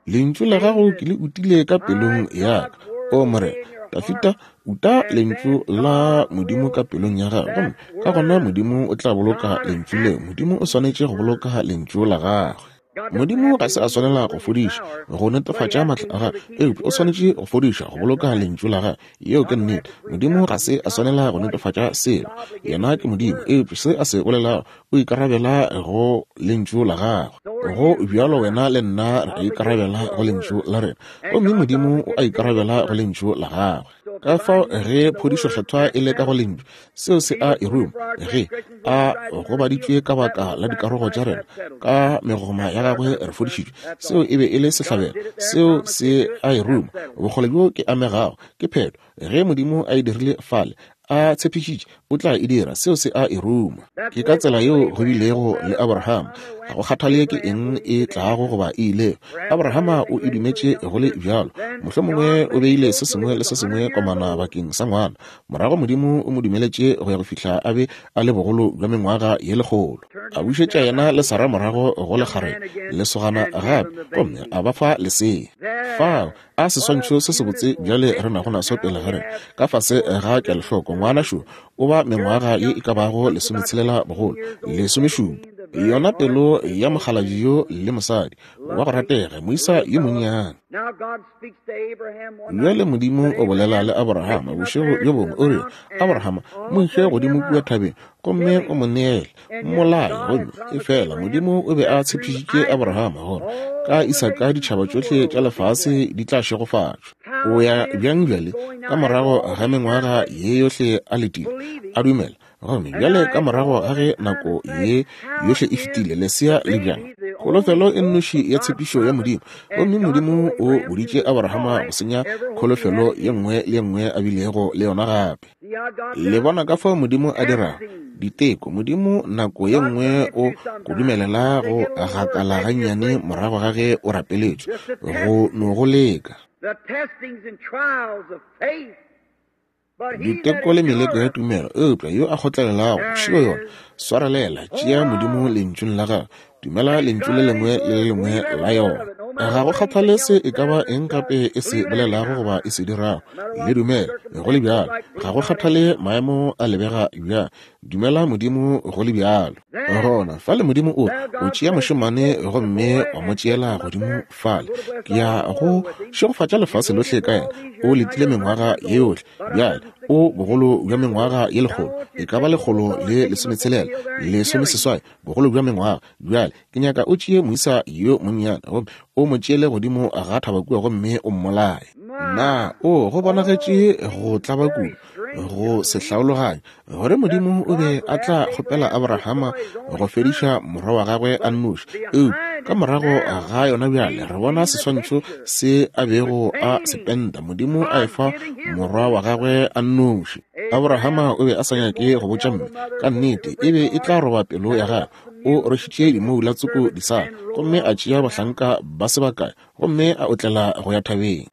Lentšu la gago ke le utile ka pelong ya ka, o Morena. Dafita, uta lentšu la Modimo ka pelong ya gagwe, gomme ka gona Modimo o tla boloka lentšu leo. Modimo o swanetše go boloka lentšu la gagwe. Modimo ga se a swanela go fodiša go netefatša maatla a gagwe, eupša o swanetše go fodiša go boloka lentšu la gagwe. Yeo ke nnete. Modimo ga se a swanela go netefatša selo, yena ke Modimo, eupša se a se bolelago o ikarabela go lentšu la gagwe. Go bjalo wena le nna re ikarabela go lentšu la rena, gomme Modimo o a ikarabela go lentšu la gagwe. Ka fao ge phodišo kgethwa e le ka go lentšu, seo se a e ruma. Ge a gobaditšwe ka baka la dikarogo tša rena, ka megoma ya gagwe re fodišitšwe, seo e be e le sehlabelo, seo se a e ruma. Bokgole bjo ke amegago ke phetho. Ge Modimo a e dirile fale, a tshepišitše o tla e dira, seo se a e ruma. Ke ka tsela yeo go bilego le Abrahama. Ga go kgathale ke eng e tlago goba e ilego, Abrahama o e dumetše go le bjalo. Mohlomongwe o beile se sengwe le se sengwe komana bakeng sa ngwana. Morago Modimo o mo dumeletše go ya go fihla a be a le bogolo bja mengwaga ye lekgolo. A bušetša yena le Sara morago go lekgarebe lesogana gape, gomme a ba fa lesea. Fao a seswantšho se sebotse bjale re nago naso pele ga rena, ka fase ga kelohloko. Ngwana šo o ba mengwaga ye e ka bago lesometshelela bogolo, lesomešupa. Yona pelo ya mokgalabje yo le mosadi wa go ratega, moisa yo monnyane. Bjale Modimo o bolela le Abrahama bošego bjo bongwe, o re, Abrahama, mo iše godimo kua thabeng gomme o mo neele, mmolaye. Gomme efela Modimo o be a tshepišitše Abrahama gore ka Isaka ditšhaba tšohle tša lefase di tla šegofatšwa. O ya bjang bjale ka morago ga mengwaga ye yohle a letile, a dumela? Gomme bjale ka morago ga ge nako ye yohle e fetile, lesea le bjang? Kholofelo e nnoši ya tshepišo ya Modimo. Gomme Modimo o boditše Abrahama go senya kholofelo ye nngwe le ye nngwe a bilego le yona gape. Le bona ka fao Modimo a dirago diteko. Modimo nako ye nngwe o go dumelela go gakala gannyane morago ga ge o rapeletšwe, go no go leka. Diteko le meleko ya tumelo, eupša yo a kgotlelelago šio yona. Swarelela, tšea Modimo lentšung la gagwe, dumela lentšu le lengwe le le lengwe la yona. Ga go kgathale se e ka ba eng gape e se bolelago goba e se dirago, le dumele go le bjalo. Ga go kgathale maemo a lebega bjang, dumela Modimo go le bjalo. Gona fale Modimo o o tšea mošemane gomme wa mo tšeela godimo fale. Ke ya go šegofatša lefase lohle ka yena. O letile mengwaga ye yohle. Bjale o bogolo bja mengwaga ye lekgolo, e ka ba lekgolo le lesometshelela, lesomeseswai, bogolo bja mengwaga. Bjale ke nyaka o tšee moisa yo monnyane gomme o mo tšeele godimo ga thaba kua gomme o mmolaye. Na o go bonagetše go tlaba kudu, go se hlaologanye, gore Modimo o be a tla kgopela Abrahama go fediša morwa wa gagwe a nnoši? Eupša ka morago ga yona bjale re bona seswantšho se a bego a se penta, Modimo a efa morwa wa gagwe a nnoši. Abrahama o be a sa nyake go botša mme, ka nnete e be e tla roba pelo ya gagwe. O rwešitše dimoula tsoko disala gomme a tšea bahlanka ba se bakae gomme a otlela go ya thabeng.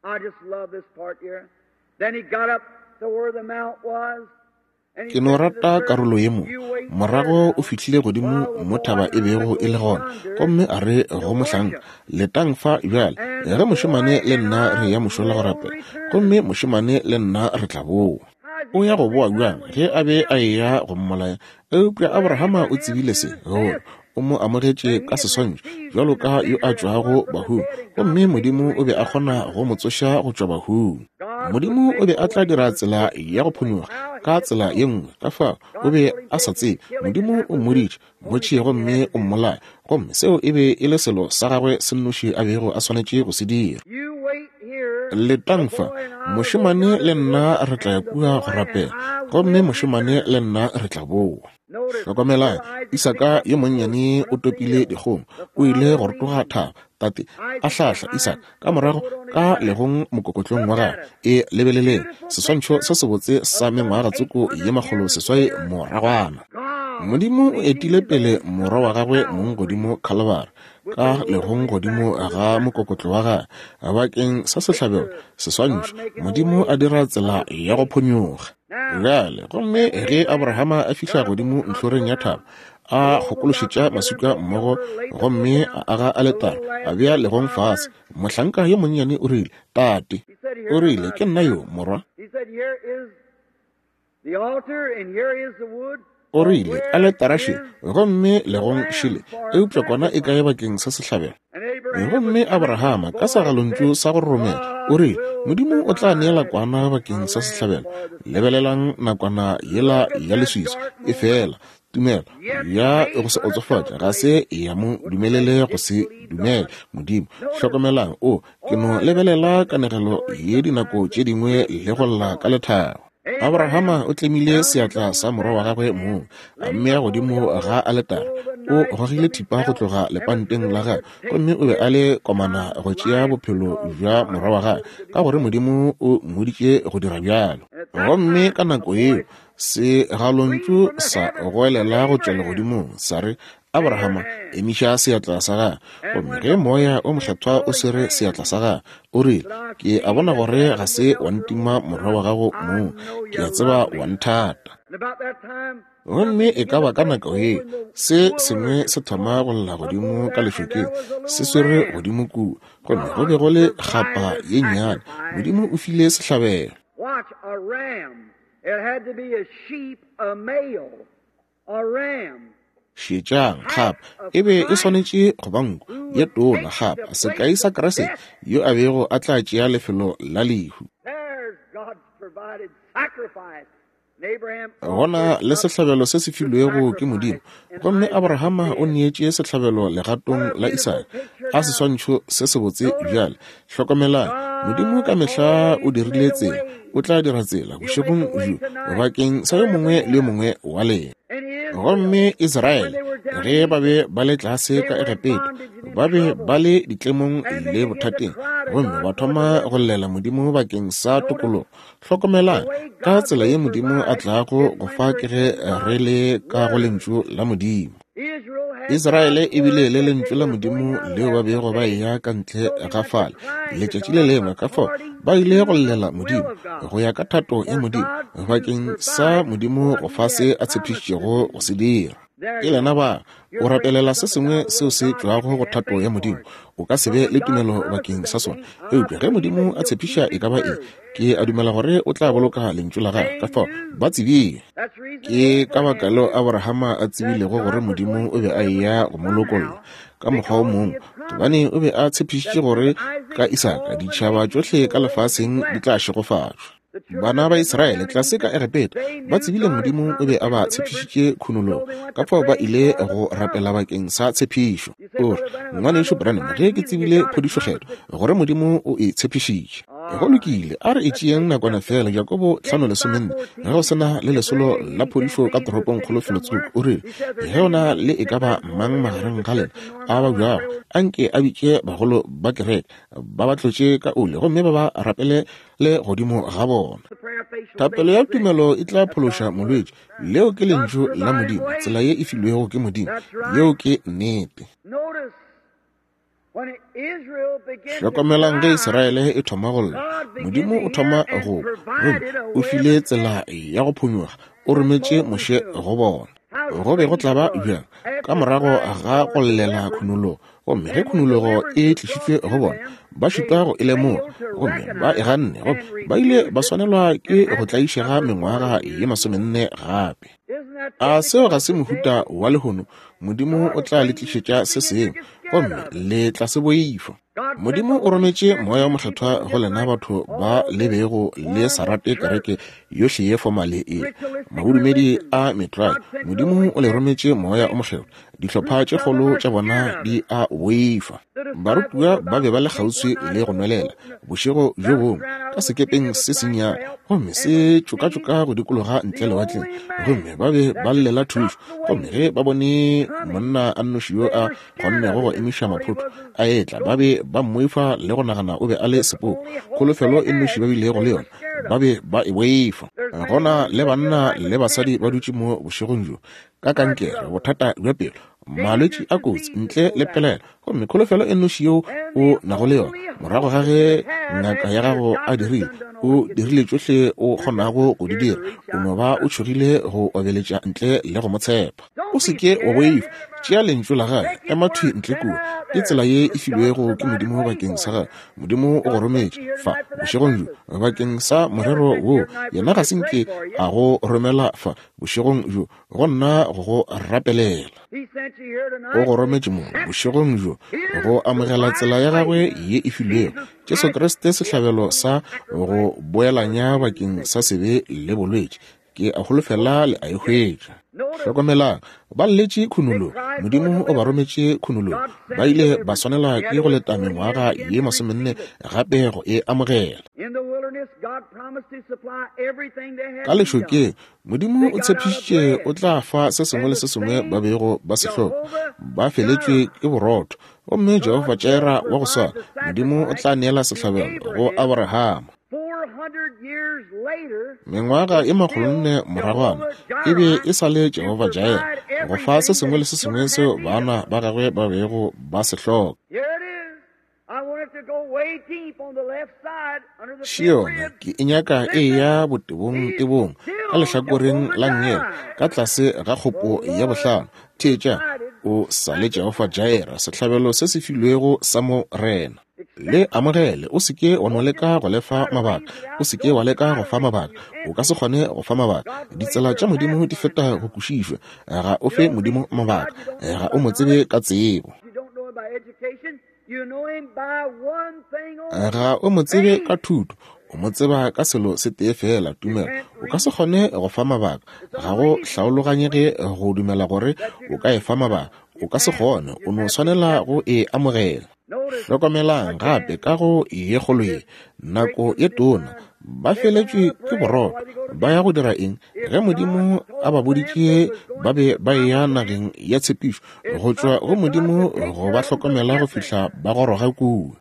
Ke no rata karolo ye mo. Morago o fihlile godimo mo thaba e bego e le gona, gomme a re go mohlanka, letang fa bjale ge mošemane le nna re ya mošola go rapela, gomme mošemane le nna re tla boa. O ya go boa bjang ge a be a eya go mmolaya? Eupša Abrahama o tsebile se, gore o mo amogetše ka seswantšho bjalo ka yo a tšwago bahung, gomme Modimo o be a kgona go mo tsoša go tšwa bahung. Modimo o be a tla dira tsela ya go phonyokga ka tsela ye nngwe. Ka fao o be a sa tsebe. Modimo o mmoditše, mo tšee gomme o mmolaye, gomme seo e be e le selo sa gagwe se nnoši a bego a swanetše go se dira. Letang fa, mošemane le nna re tla ya kua go rapela, gomme mošemane le nna re tla boa. Hlokomelang, Isaka yo monnyane o topile dikgong, o ile go rotoga thaba, tate a hlahla Isaka ka morago ka legong mokokotlong wa gagwe. E lebeleleng seswantšho se sebotse sa mengwaga tsoko ye makgolo seswai moragwana. Modimo o etile pele morwa wa gagwe mong godimo Khalibari, ka legong godimo ga mokokotlo wa gagwe bakeng sa sehlabelo, seswantšho. Modimo a dira tsela ya go phonyokga. Bjale gomme ge Abrahama a fihla godimo ntlhoreng ya thaba, a kgokološetša maswika mmogo gomme a aga aletare, a bea legong fase. Mohlanka yo monnyane o rile, tate. O rile, ke nna yo, morwa. O rile, aletara še, gomme legong šele, eupša kwana e kae bakeng sa sehlabelo? Gomme Abrahama ka segalontšu sa go roromela o rile, Modimo o tla neela kwana bakeng sa sehlabelo. Lebelelang nakwana yela ya leswiswi e fela. Tumelo ya go se otsofatša ga se ya mo dumelele go se dumele Modimo. Hlokomelang, o ke no lebelela kanegelo ye dinako tše dingwe le go lla ka lethabo. Abrahama o tlemile seatla sa morwa wa gagwe mong, a mmea godimo ga aletara. O gogile thipa go tloga lepanteng la gagwe, gomme o be a le komana go tšea bophelo bja morwa wa gagwe, ka gore Modimo o mmoditše go dira bjalo. Gomme ka nako yeo segalontšu sa goelela go tšwa legodimong sa re, Abrahama, emiša seatla sa gagwe. Gomme ge moya o mokgethwa o swere seatla sa gagwe, o rile, ke a bona gore ga se wa ntima morwa wa gago mong, ke a tseba wa nthata. Gomme e ka ba ka nako ye se sengwe se thoma go lla godimo ka lešokeng, se swere godimo kua, gomme go be go le kgapa ye nnyane. Modimo o file sehlabelo. Šetšang, gape e be e swanetše go ba nku ye tona, gape sekai sa Kriste yo a bego a tla tšea lefelo la lehu. Gona le sehlabelo se se filwego ke Modimo, gomme Abrahama o neetše sehlabelo legatong la Isaka. A seswantšho se sebotse bjale. Hlokomelang, Modimo ka mehla o dirile tsela, o tla dira tsela bošegong bjo bakeng sa yo mongwe le yo mongwe wa lena. Gomme Israele, ge ba be ba le tlase ka Egepeta, ba be ba le ditlemong le bothateng, gomme ba thoma go llela Modimo bakeng sa tokologo. Hlokomelang ka tsela ye Modimo a tlago go fa ke ge re le ka go lentšu la Modimo. Israele e bile le lentšu la Modimo leo ba bego ba eya ka ntle ga fale letšatši le lengwe, ka fao ba ile go llela Modimo go ya ka thato ya Modimo bakeng sa Modimo go fa se a tshepišitšego go se dira. Ke lena ba o rapelela se sengwe seo se tšwago go thato ya Modimo, o ka se be le tumelo bakeng sa sona. Eupša ge Modimo a tshepiša e ka ba eng, ke a dumela gore o tla boloka lentšu la gagwe. Ka fao ba tsebile. Ke ka baka leo Abrahama a tsebilego gore Modimo o be a eya go mo lokolla ka mokgwa o mongwe, gobane o be a tshepišitše gore ka Isaka ditšhaba tšohle ka lefaseng di tla šegofatšwa. Bana ba Israele tlase ka Egepeta ba tsebile Modimo o be a ba tshepišitše khunologo, ka fao ba ile go rapela bakeng sa tshepišo. O re, ngwanešu Branham, ge ke tsebile phodišokgetho gore Modimo o e tshepišitše. Go lokile, a re e tšeeng nakwana fela. Jakobo hlano lesomenne, ge go sena le lesolo la phodišo ka toropong kgolo felotsoko, o rile, ge o na le e ka ba mang magareng ga lena a ba bjago, anke a bitše bagolo ba kereke, ba ba tlotše ka oli gomme ba ba rapele le godimo ga bona. Thapelo ya tumelo e tla phološa molwetši. Leo ke lentšu la Modimo, tsela ye e filwego ke Modimo. Yeo ke nnete. Hlokomelang ge Israele e thoma go lla, Modimo o thoma go gomme o file tsela ya go phonyoga, o rometše Moshe go bona. Go be go tla ba bjang ka morago ga go llela khunologo, gomme ge khunologo e tlišitšwe go bona, ba šitwa go e lemoga, gomme ba e ganne, gomme ba ile ba swanelwa ke go tlaišega mengwaga ye masomenne gape. A seo ga se mohuta wa lehono? Modimo o tla le tlišetša se sengwe, gomme le tla se boifa. Modimo o rometše Moya o Mokgethwa go lena batho ba le bego le sa rate kereke yohle ye fomale e mabodumedi a metlwae. Modimo o le rometše Moya o Mokgethwa. Dihlopha tše kgolo tša bona di a boifa. Barutiwa ba be ba le kgauswi le go nwelela bošego bjo bongwe ka sekepeng se sennyane, gomme se tšokatšoka go dikologa ntle lewatleng, gomme ba be ba llela thušo. Gomme ge ba bone monna a nnoši yo a kgonnego go emiša maphoto a etla, ba be ba mmoifa le go nagana o be a le sepoko. Kholofelo e nnoši ba bilego le yona, ba be ba e boifa. Gona le banna le basadi ba dutše mo bošegong bjo ka kankere, bothata bja pelo, malwetši a kotsi ntle le pelaelo, gomme kholofelo e nnoši yeo o nago le yona morago ga ge ngaka ya gago a dirile, o dirile tšohle o kgonago go di dira, o no ba o tšhogile go obeletša ntle le go mo tshepa. O se ke wa boifa, tšea lentšu la gagwe, ema thwi ntle kua. Ke tsela ye e filwego ke Modimo bakeng sa gagwe. Modimo o go rometše fa bošegong bjo bakeng sa morero wo. Yena ga se nke a go romela fa bošegong bjo go nna go go rapelela. O go rometše mo bošegong bjo go amogela tsela ya gagwe ye e filwego, Jesu Kriste, sehlabelo sa go boelanya bakeng sa sebe le bolwetši. Ke a holofela le a e hwetša. Hlokomelang, ba lletše khunologo. Modimo o ba rometše khunologo. Ba ile ba swanela ke go leta mengwaga ye masomenne gape go e amogela. Ka lešokeng, Modimo o tshepišitše o tla fa se sengwe le se sengwe ba bego ba se hloka. Ba feletšwe ke borotho, gomme Jehofa Jireh wa go swana, Modimo o tla neela sehlabelo go Abrahama. Mengwaga e makgolonne moragwana e be e sa le Jehofa Jireh go fa se sengwe le se sengwe seo bana ba gagwe ba bego ba se hloka. Šiona ke e nyaka e ya botebong tebong ka lehlakoreng la nngele ka tlase ga kgopo ya bohlano. Theetša, o sa le Jehofa Jireh, sehlabelo se se filwego sa Morena. Le amogele, o se ke wa no leka go lefa mabaka, o se ke wa leka go fa mabaka, o ka se kgone go fa mabaka. Ditsela tša Modimo di feta go kwešišwa. Ga o fe Modimo mabaka, ga o mo tsebe ka tsebo, ga o mo tsebe ka thuto, o mo tseba ka selo se tee fela, tumelo. O ka se kgone go fa mabaka, ga go hlaologanyege go dumela gore o ka e fa mabaka, o ka se kgone, o no swanela go e amogela. Hlokomelang gape ka go ye kgolo ye, nako ye tona, ba feletšwe ke borotho. Ba ya go dira eng? Ge Modimo a ba boditše ba be ba eya nageng ya tshepišo, go tšwa go Modimo go ba hlokomela go fihla ba goroga kua.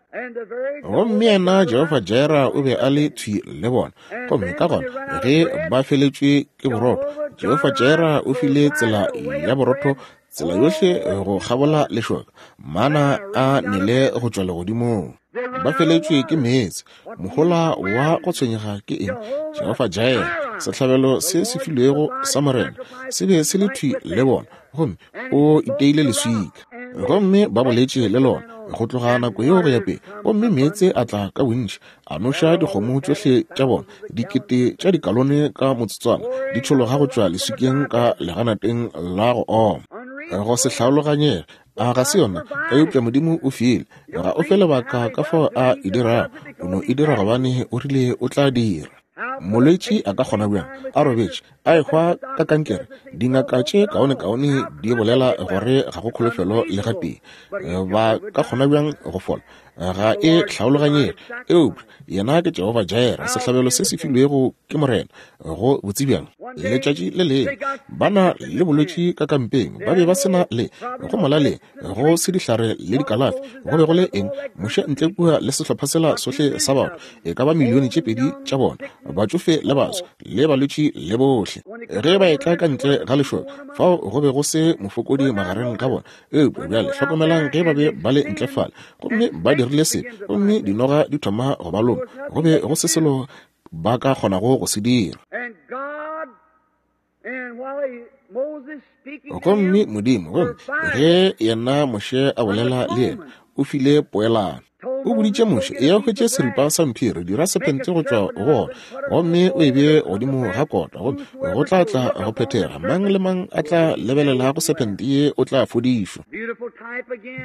Gomme yena Jehofa Jireh o be a le thwi le bona. Gomme ka gona ge ba feletšwe ke borotho, Jehofa Jireh o file tsela ya borotho, tsela yohle go kgabola lešoka, mana a nele go tšwa legodimong. Ba feletšwe ke meetse. Mohola wa go tshwenyega ke eng? Jehofa Jireh, sehlabelo se se filwego sa Morena, se be se le thwi le bona, gomme o iteile leswika. Gomme ba boletše le lona go tloga nako yeo go ya pele, gomme meetse a tla ka bontši, a noša dikgomo tšohle tša bona, dikete tša dikalone ka motsotswana di tšhologa go tšwa leswikeng ka leganateng la go oma. Go se hlaologanyege, a ga se yona? Eupša Modimo o file, ga o fe lebaka ka fao a e dirago, o no e dira gobane o rile o tla dira. Molwetši a ka kgona bjang a robetše a ehwa ka kankere? Dingaka tše kaonekaone di bolela gore ga go kholofelo le gatee. Ba ka kgona bjang go fola? Ga e hlaologanyege. Eupša yena ke Jehofa Jireh, sehlabelo se se filwego ke Morena. Go botse bjang? Letšatši le lengwe ba na le bolwetši ka kampeng, ba be ba se na le go molaleng, go se dihlare le dikalafi. Go be go le eng? Moshe ntle kua le sehlopha sela sohle sa batho, e ka ba milione tše pedi tša bona, batšofe le baswa le balwetši le bohle. Ge ba etla ka ntle ga lešoka, fao go be go se mofokodi magareng ga bona. Eupša bjale hlokomelang ge ba be ba le ntle fale, gomme ba dirile se, gomme dinoga di thoma go ba loma, go be go se selo ba ka kgonago go se dira. Gomme Modimo, gomme ge yena Moshe a bolela le yena, o file poelano. O boditše Moshe, eya hwetše seripa sa mphiri, dira sephente go tšwa go ona, gomme o e bee godimo ga kota, gomme go tla tla go phethega. Mang le mang a tla lebelela go sephente ye o tla fodišwa.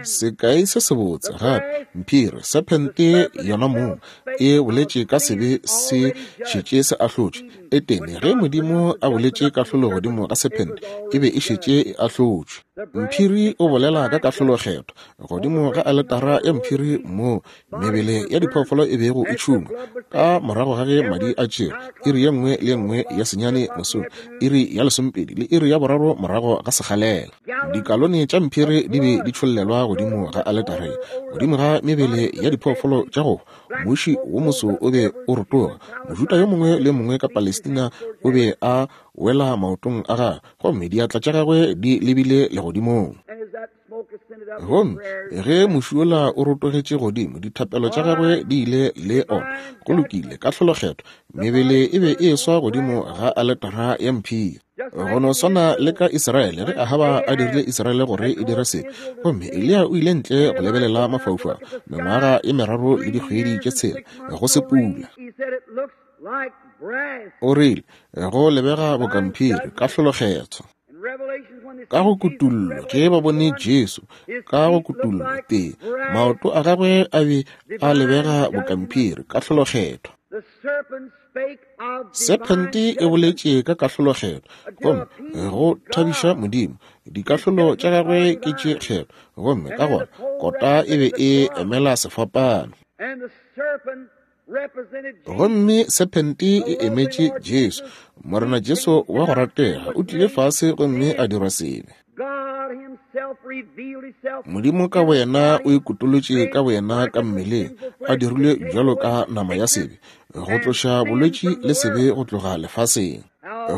Sekai se sebotse gape, mphiri, sephente yona mong e boletše ka sebe se šetše se ahlotšwe. Etene ge Modimo a boletše kahlolo godimo ga sephente, e be e šetše e ahlotšwe. Mphiri o bolela ka kahlolokgetho godimo ga aletara ya mphiri moo mebele ya diphoofolo e bego e tšhungwa ka morago ga ge madi a tšerwe, iri ye nngwe le ye nngwe ya senyane mosong, iri ya lesomepedi le iri ya boraro morago ga sekgalela. Dikalone tša mphiri di be di tšhollelwa godimo ga aletare, godimo ga mebele ya diphoofolo tša go hwa. Muši wo moso o be o rotoga. Mojuda yo mongwe le mongwe ka Palestina o be a wela maotong a gagwe, gomme diatla tša gagwe di lebile legodimong. Gomme ge muši wola o rotogetše godimo, dithapelo tša gagwe di ile le ona. Go lokile, kahlolokgetho, mebele e be e eswa godimo ga aletara ya mphiri. Go no swana le ka Israele, ge Ahaba a dirile Israele gore e dire sebe, gomme Eliya o ile ntle go lebelela mafaufau mengwaga e meraro le dikgwedi tše tshela, go se pula. O rile, go lebega bokamphiri, kahlolokgetho. Ka go kutullo, ge ba bone Jesu ka go kutullo tee, maoto a gagwe a be a lebega bokamphiri, kahlolokgetho. Sephente e boletše ka kahlolokgetho, gomme go thabiša Modimo. Dikahlolo tša gagwe ke tše kgetho, gomme ka gona kota e be e emela sefapano. Gomme sephente e emetše Jesu. Morena Jesu wa go ratega o tlile fase gomme a dirwa sebe. Modimo ka boyena o ikutolotše ka boyena ka mmeleng, a dirilwe bjalo ka nama ya sebe, go tloša bolwetši le sebe go tloga lefaseng.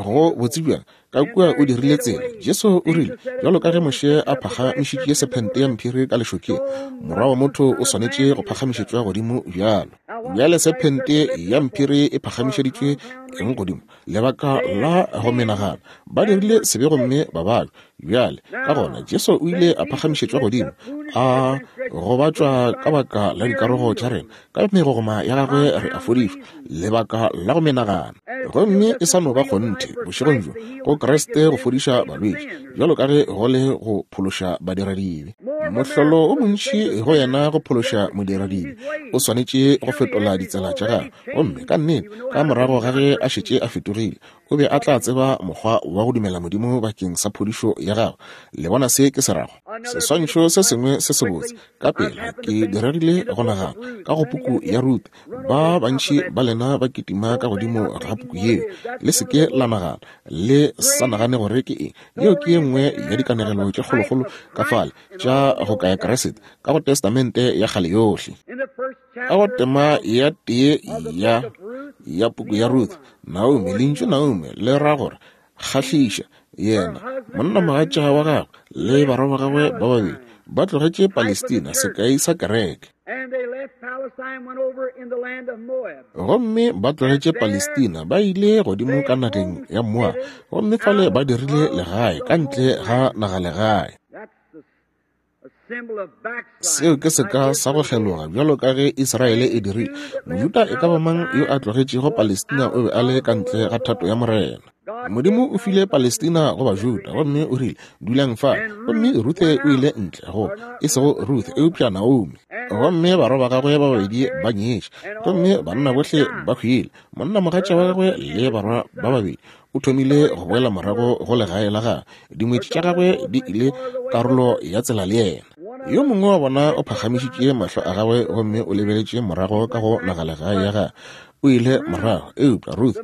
Go botse bjang? Ka kua o dirile tsela. Jesu o rile, bjalo ka ge Moshe a phagamišitše sephente ya mphiri ka lešokeng, morwa wa motho o swanetše go phagamišetšwa godimo bjalo. Bjale sephente ya mphiri e phagamišeditšwe eng godimo? Lebaka la go menagana. Ba dirile sebe gomme ba babja. Bjale, ka gona, Jesu o ile a phagamišetšwa godimo, a gobatšwa ka baka la dikarogo tša rena, ka megogoma ya gagwe re a fodišwa, lebaka la go menagana. Gomme e sa no ba kgonthe bošegong bjo go Kriste go fodiša balwetši, bjalo ka ge go le go phološa badiradibe. Mohlolo o montši go yena go phološa modiradibe, o swanetše go fetola ditsela tša gagwe. Gomme ka nnete, ka morago ga ge a šetše a fetogile, o be a tla tseba mokgwa wa go dumela Modimo bakeng sa phodišo ya gagwe. Le bona se ke se rago? Seswantšho se sengwe se sebotse ka pela ke diregile go nagana ka go puku ya Ruth. Ba bantši ba lena ba kitima ka godimo ga puku yeo. Le se ke la nagana, le sa nagane gore ke eng. Yeo ke ye nngwe ya dikanegelo tše kgolokgolo ka fale tša go kaya Kriste ka go Testamente ya kgale yohle. Ka go tema ya tee ya ya puku ya Ruth, Naomi, lentšu Naomi le ra gore kgahliša. Yena, monnamogatša wa gagwe le barwa ba gagwe ba babedi ba tlogetše Palestina, sekai sa kereke. Gomme ba tlogetše Palestina, ba ile godimo ka nageng ya Moab, gomme fale ba dirile legae ka ntle ga nagalegae. Seo ke seka sa go kgeloga, bjalo ka ge Israele e dirile. Mojuda e ka ba mang yo a tlogetšego Palestina o be a le ka ntle ga thato ya Morena. Modimo o file Palestina go Bajuda, gomme o rile, dulang fa. Gomme Ruthe o ile ntle go, e sego Ruth, eupša Naomi. Gomme barwa ba gagwe ba babedi ba nyetše, gomme banna bohle ba hwile. Monnamogatša wa gagwe le barwa ba babedi o thomile go boela morago go legae la gagwe. Dingwetši tša gagwe di ile karolo ya tsela le yena. Yo mongwe wa bona o phagamišitše mahlo a gagwe gomme o lebeletše morago ka go nagalegae ya gagwe. O ile morago, eupša Ruth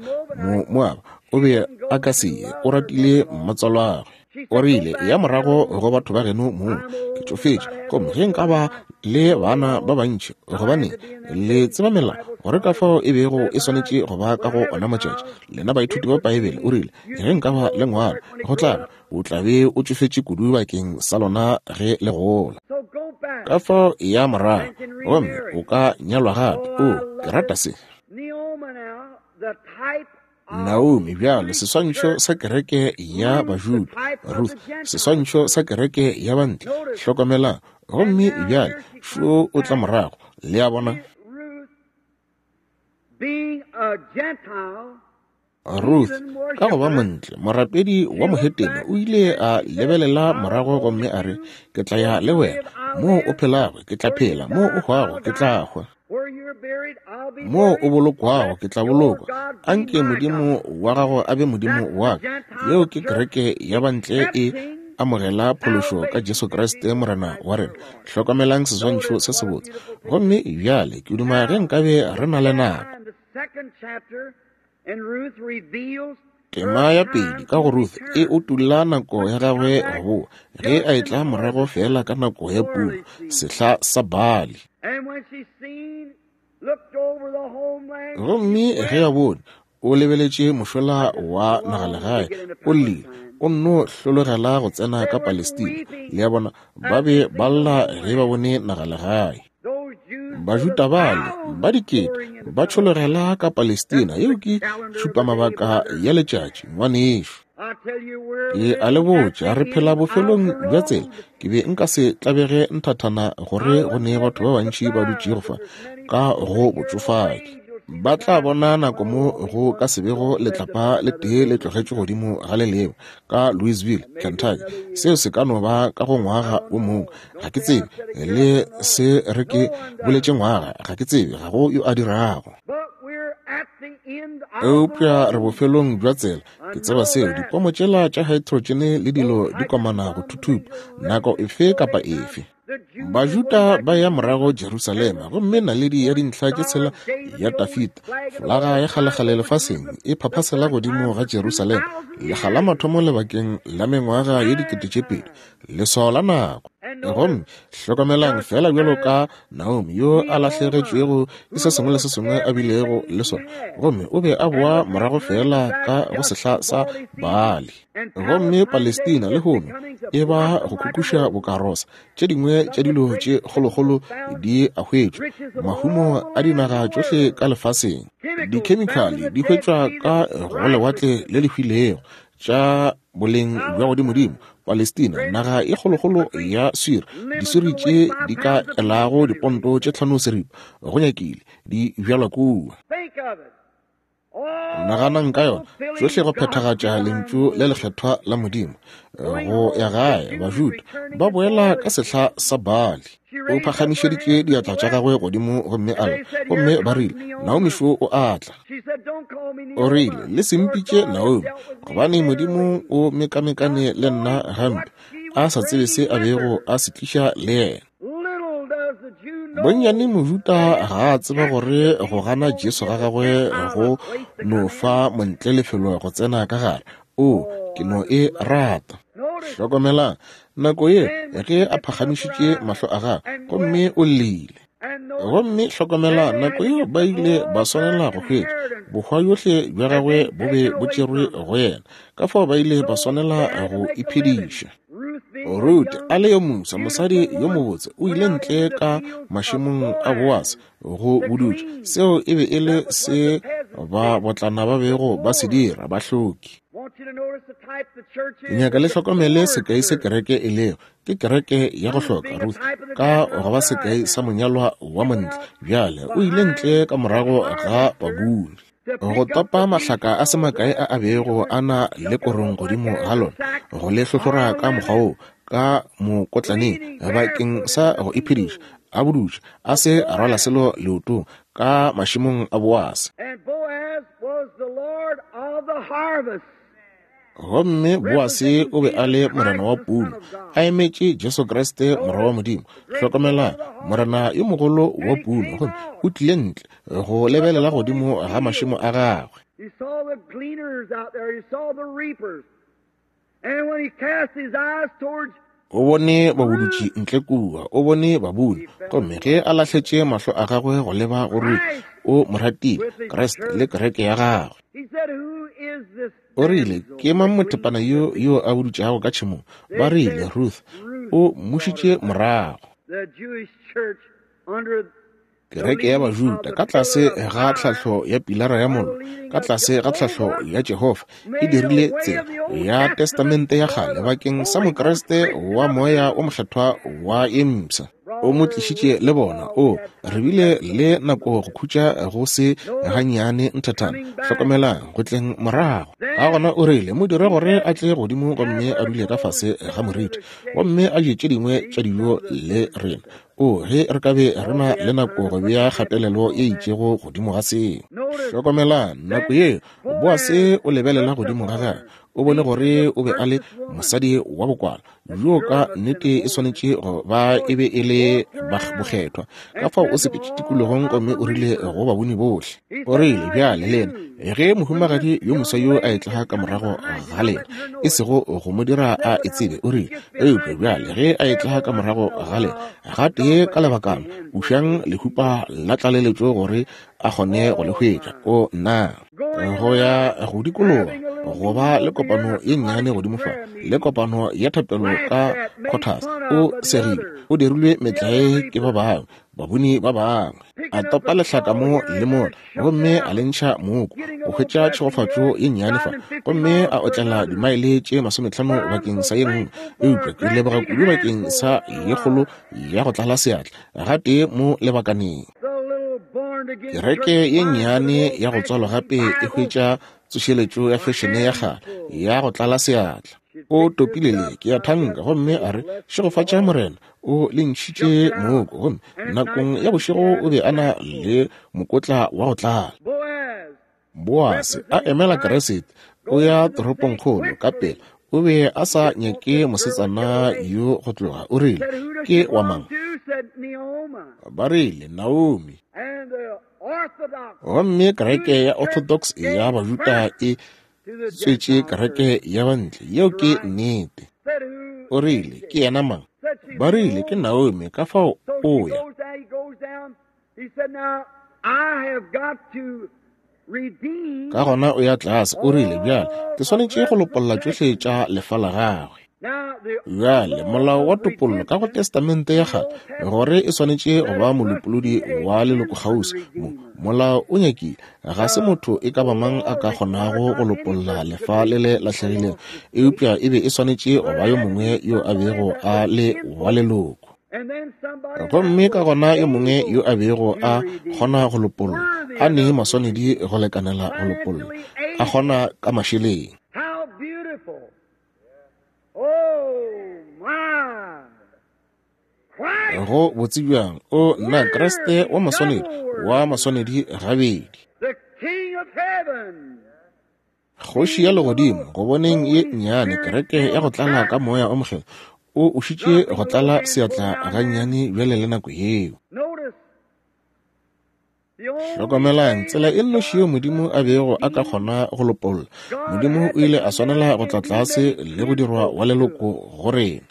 Moaba o be a ka se ye, o ratile mmatswalwagwe. O rile, ya morago go batho ba geno mong, ke tšofetše, gomme ge nka ba le bana ba bantši, gobane le tseba melao gore ka fao e bego e swanetše go ba ka go ona matšatši. Lena baithuti ba Paebele, o rile, ge nka ba le ngwana, go tla ba o tla be o tšofetše kudu bakeng sa lona ge le gola. Ka fao ya morago, gomme o ka nyalwa gape. O, ke rata se. Naomi bjalo, seswantšho sa kereke ya Bajuda. Ruth, seswantšho sa kereke ya bantle. Hlokomelang. Gomme bjale šo o tla morago. Le a bona? Ruth, ka go ba montle, morapedi wa mohetene, o ile a lebelela morago gomme a re, ke tla ya le wena. Moo o phelago, ke tla phela. Moo o hwago, ke tla hwa. Moo o bolokwago, ke tla bolokwa. Anke Modimo wa gago a be Modimo wa ka. Yeo ke kereke ya bantle e amogela phološo ka Jesu Kriste Morena wa rena. Hlokomelang seswantšho se sebotse. Gomme bjale ke duma ge nkabe re na le nako. Tema ya pedi ka go Ruth e utulla nako ya gagwe go boa, ge a etla morago fela ka nako ya puno, sehla sa bali. Gomme ge a bone, o lebeletše mošola wa nagalegae, o llile, o nno hlologela go tsena ka Palestina. Le a bona, ba be ba lla ge ba bone nagalegae. Bajuda bale ba dikete ba tšhologela ka Palestina. Yeo ke tšhupamabaka ya letšatši, ngwanešo. Ke a le botša, re phela bofelong bja tsela. Ke be nka se tlabege nthathana gore go ne batho ba bantši ba dutšego fa ka go botšofadi. Ba tla bona nako mo go ka se bego letlapa le tee le tlogetšwe godimo ga le lengwe ka Louisville, Kentucky. Seo se ka no ba ka go ngwaga o mongwe, ga ke tsebe. Le se re ke boletše ngwaga, ga ke tsebe, ga go yo a dirago. Eupša re bofelong bja tsela. Ke tseba seo, dipomo tšela tša hydrogen le dilo di komana go thuthupa nako efe kapa efe. Bajuda ba ya morago Jerusalema, gomme naledi ya dintlha tše tshela ya Dafida, folaga ya kgalekgale lefaseng, e phaphasela godimo ga Jerusalema lekga la mathomo lebakeng la mengwaga ye dikete tše pedi, leswao la nako. Gomme hlokomelang fela bjalo ka Naomi yo a lahlegetšwego ke se sengwe le se sengwe a bilego le sona, gomme o be a boa morago fela ka go sehla sa Baali. Gomme Palestina lehono e ba go kukuša bokarosa. Tše dingwe tša dilo tše kgolokgolo di a hwetšwa, mahumo a dinaga tšohle ka lefaseng. Dikhemikhale di hwetšwa ka go lewatle le le hwilego. tša boleng bja godimodimo, Palestina, naga e kgolokgolo ya swiri, diswiri tše di ka elago diponto tše tlhano seripa, go nyakile, di bjalwa kua. Naganang ka yona, tšohle go phethagatša lentšu le lekgethwa la Modimo. Go ya gae, Bajuda ba boela ka sehla sa Bali. O phagamišeditše diatla tša gagwe godimo gomme a lla, gomme ba rile, Naomi šo o a tla. O rile, le se mpitše Naomi, gobane Modimo o mekamekane le nna gampe, a sa tsebe se a bego a se tliša le yena. Bonnyane Mojuta ga a tseba gore go gana Jesu ga gagwe go no fa montle lefelo go tsena ka gare. O, ke no e rata. Hlokomelang, nako ye ge a phagamišitše mahlo a gagwe, gomme o llile. Gomme hlokomela, nako yeo ba ile ba swanela go hwetša bohwa yohle bja gagwe bo be bo tšerwe go yena, ka fao ba ile ba swanela go iphediša. Ruth, a le yo mofsa, mosadi yo mobotse, o ile ntle ka mašemong a Boase go budutša. Seo e be e le se ba botlana ba bego ba se dira, bahloki. Ke nyaka le hlokomele sekai se kereke e lego. Ke kereke ya go hloka, Ruth, ka go ba sekai sa monyalwa wa montle. Bjale o ile ntle ka morago ga babuni, go topa mahlaka a se makae a a bego a na le korong godimo ga lona, go le hlohlora ka mokgwa wo ka mokotlaneng bakeng sa go iphediša, a budutša, a se a rwala selo leotong ka mašemong a Boase. Gomme Boase o be a le morena wa puno, a emetše Jesu Kriste morwa wa Modimo. Hlokomela, morena yo mogolo wa puno, gomme o tlile ntle go lebelela godimo ga mašemo a gagwe. O bone babudutši ntle kua, o bone babuni, gomme ge a lahletše mahlo a gagwe go leba go Ruth, o mo ratile, Kriste le kereke ya gagwe. O rile, ke mang mothepana yo yo a budutšago ka tšhemong? Ba rile, Ruth, o mmušitše morago. Kereke ya Bajuda ka tlase ga tlhahlo ya pilara ya mollo, ka tlase ga tlhahlo ya Jehofa, e dirile tsela ya testamente ya kgale bakeng sa Mokriste wa moya o mokgethwa wa ye mpsha. O mo tlišitše le bona. O re bile le nako go khutša go se gannyane nthathana. Hlokomelang, go tleng morago. Ka gona o rile, mo dire gore a tle godimo gomme a dule ka fase ga moriti, gomme a je tše dingwe tša dijo le rena. O, ge re ka be re na le nako go bea kgatelelo e itšego godimo ga seo. Hlokomelang, nako ye Boase o lebelela godimo ga gagwe, o bone gore o be a le mosadi wa bokwala, yo ka nnete e swanetše go ba e be e le bokgethwa. Ka fao o sepetše tikologong gomme o rile go babuni bohle. O rile, bjale lena, ge mohumagadi yo moswa yo a etla ka morago ga lena, e sego go mo dira a e tsebe, o rile, eupša bjale ge a etla ka morago ga lena, gatee ka lebakana, ušang lehupa la tlaleletšo gore a kgone go le hwetša. O nna go ya go dikologa, go ba le kopano ye nnyane godimo fa, le kopano ya thapelo ka Cotas. O segile, o dirilwe metlae ke ba bangwe, babuni ba bangwe. A topa lehlaka mo le mola, gomme a le ntšha mooko, go hwetša tšhegofatšo ye nnyane fa, gomme a otlela dimaele tše masometlhano bakeng sa ye nngwe. Eupša ke leboga kudu bakeng sa ye kgolo ya go tlala seatla gatee mo lebakaneng. Kereke ye nnyane ya go tswalwa gape e hwetša tsošeletšo ya fešene ya kgale ya go tlala seatla. O topile le ke ya thanka gomme a re, šegofatša morena, o le ntšhitše mooko. Gomme nakong ya bošego o be a na le mokotla wa go tlala. Boase a emela Kriste, o ya toropongkgolo ka pela. O be a sa nyake mosetsana yo go tloga. O rile, ke wa mang? Ba rile, Naomi. Gomme kereke ya Orthodox ya Bajuda e tswetše kereke ya bantle. Yeo ke nnete. O rile, ke yena mang? Ba rile, ke Naomi. Ka fao o ya. Ka gona o ya tlase. O rile, bjale ke swanetše go lopolla tšohle tša lefa la gagwe. Bjale molao wa topollo ka go Testamente ya Kgale, gore e swanetše go ba molopolodi wa lelokokgauswi, mo molao o nyakile, ga se motho e ka ba mang a ka kgonago go lopolla lefa le le lahlegilego, eupša e be e swanetše go ba yo mongwe yo a bego a le wa leloko. Gomme ka gona yo mongwe yo a bego a kgona go lopolla, a ne maswanedi go lekanela go lopolla, a kgona ka mašeleng. Go botse bjang, o nna Kriste wa maswanedi, wa maswanedi gabedi. Kgoši ya legodimo, go boneng ye nnyane kereke ya go tlala ka moya o mokgethwa, o ušitše go tlala seatla gannyane bjale le nako yeo. Hlokomelang tsela e nnoši yeo Modimo a bego a ka kgona go lopolla. Modimo o ile a swanela go tla tlase le go dirwa wa leloko go rena.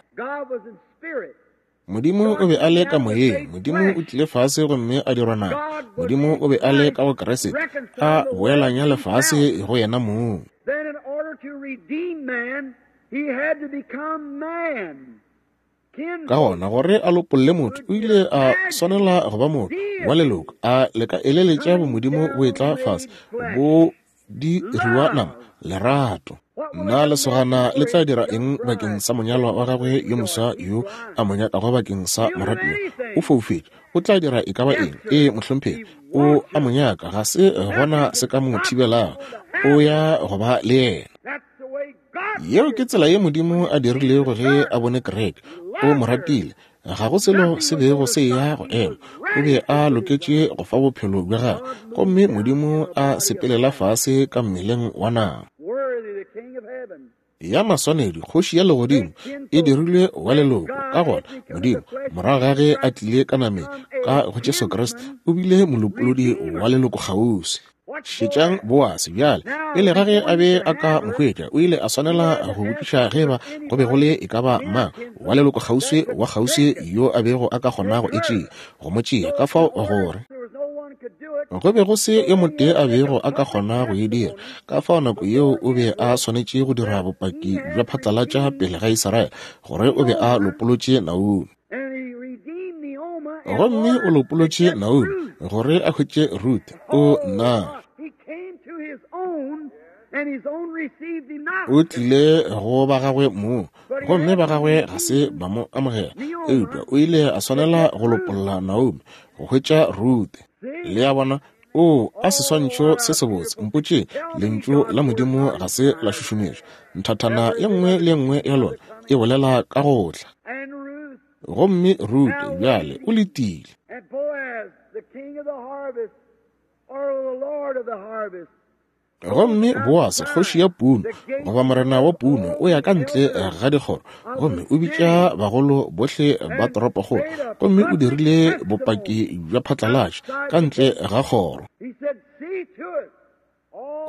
Modimo o be a le ka moyeng. Modimo o tlile fase gomme a dirwa nama. Modimo o be a le ka go Kriste, a boelanya lefase go yena mong. Ka gona gore a lopolle motho, o ile a swanela go ba motho wa leloko, a leka eleletša bomodimo bo etla fase, bo diriwa nama, lerato. Nna lesogana le tla dira eng bakeng sa monyalwa wa gagwe yo moswa yo a mo nyakago bakeng sa moratiwa? O foufetše, o tla dira e ka ba eng? Ee, mohlomphegi, o a mo nyaka, ga se gona se ka mo thibelago, o ya go ba le yena. Yeo ke tsela ye Modimo a dirilego ge a bone kereke. O mo ratile, ga go selo se bego se ya go ema, o be a loketše go fa bophelo bja gagwe, gomme Modimo a sepelela fase ka mmeleng wa nama. Ya maswanedi, kgoši ya legodimo e dirilwe wa leloko. Ka gona Modimo, morago ga ge a tlile ka nameng ka go Jesu Kriste, o bile molopolodi wa leloko kgauswi. Šetšang Boase bjale, pele ga ge a be a ka mo hwetša, o ile a swanela go botšiša ge ba go be go le e ka ba mang wa leloko kgauswi wa kgauswi yo a bego a ka kgona go e tšea, go mo tšea, ka fao gore go be go se yo motee a bego a ka kgona go e dira. Ka fao nako yeo o be a swanetše go dira bopaki bja phatlalatša pele ga Israele gore o be a lopolotše Naomi. Gomme o lopolotše Naomi gore a hwetše Ruth. O nna o tlile go ba gagwe mong, gomme ba gagwe ga se ba mo amogela, eupša o ile a swanela go lopolla Naomi go hwetša Ruth. Le a bona? O a seswantšho se sebotse. Mpotše, lentšu la Modimo ga se la šušumetšwa. Nthathana ye nngwe le ye nngwe ya lona e bolela ka go tla. Gomme Ruth bjale o letile. Gomme Boase, kgoši ya puno, goba morena wa puno, o ya ka ntle ga dikgoro, gomme o bitša bagolo bohle ba toropokgolo, gomme o dirile bopaki bja phatlalatša ka ntle ga kgoro.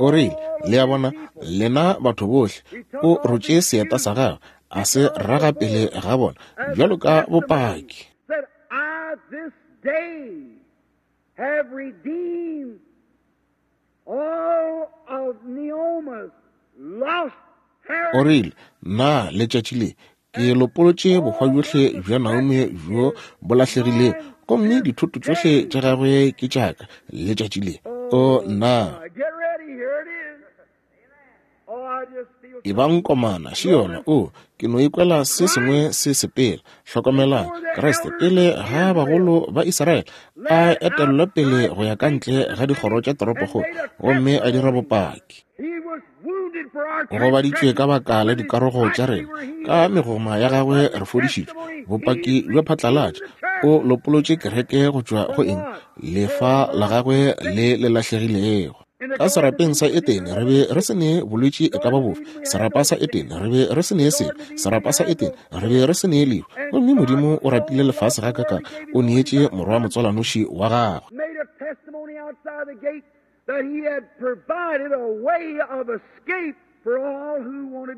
O rile, le a bona, lena batho bohle, o rotše seeta sa gagwe, a se raga pele ga bona, bjalo ka bopaki. O rile, nna letšatši le ke lopolotše bohwa bjohle bja Naomi bjo bo lahlegilego, gomme dithoto tšohle tša gagwe ke tša ka letšatši le. O nna e bang komana še yona. O ke no ikwela se sengwe se sepela. Hlokomelang Kriste pele ga bagolo ba Israele a etellwa pele go ya ka ntle ga dikgoro tša toropokgolo, gomme a dira bopaki. O gobaditšwe ka baka la dikarogo tša rena, ka megoma ya gagwe re fodišitšwe. Bopaki bja phatlalatša. O lopolotše kereke go tšwa go eng? Lefa la gagwe le le lahlegilego. Ka serapeng sa Etene re be re se ne bolwetši e ka ba bofe. Serapa sa Etene re be re se ne sebe. Serapa sa Etene re be re se ne lehu. Gomme Modimo o ratile lefase ga kaka, o neetše morwa motswalanoši wa gagwe.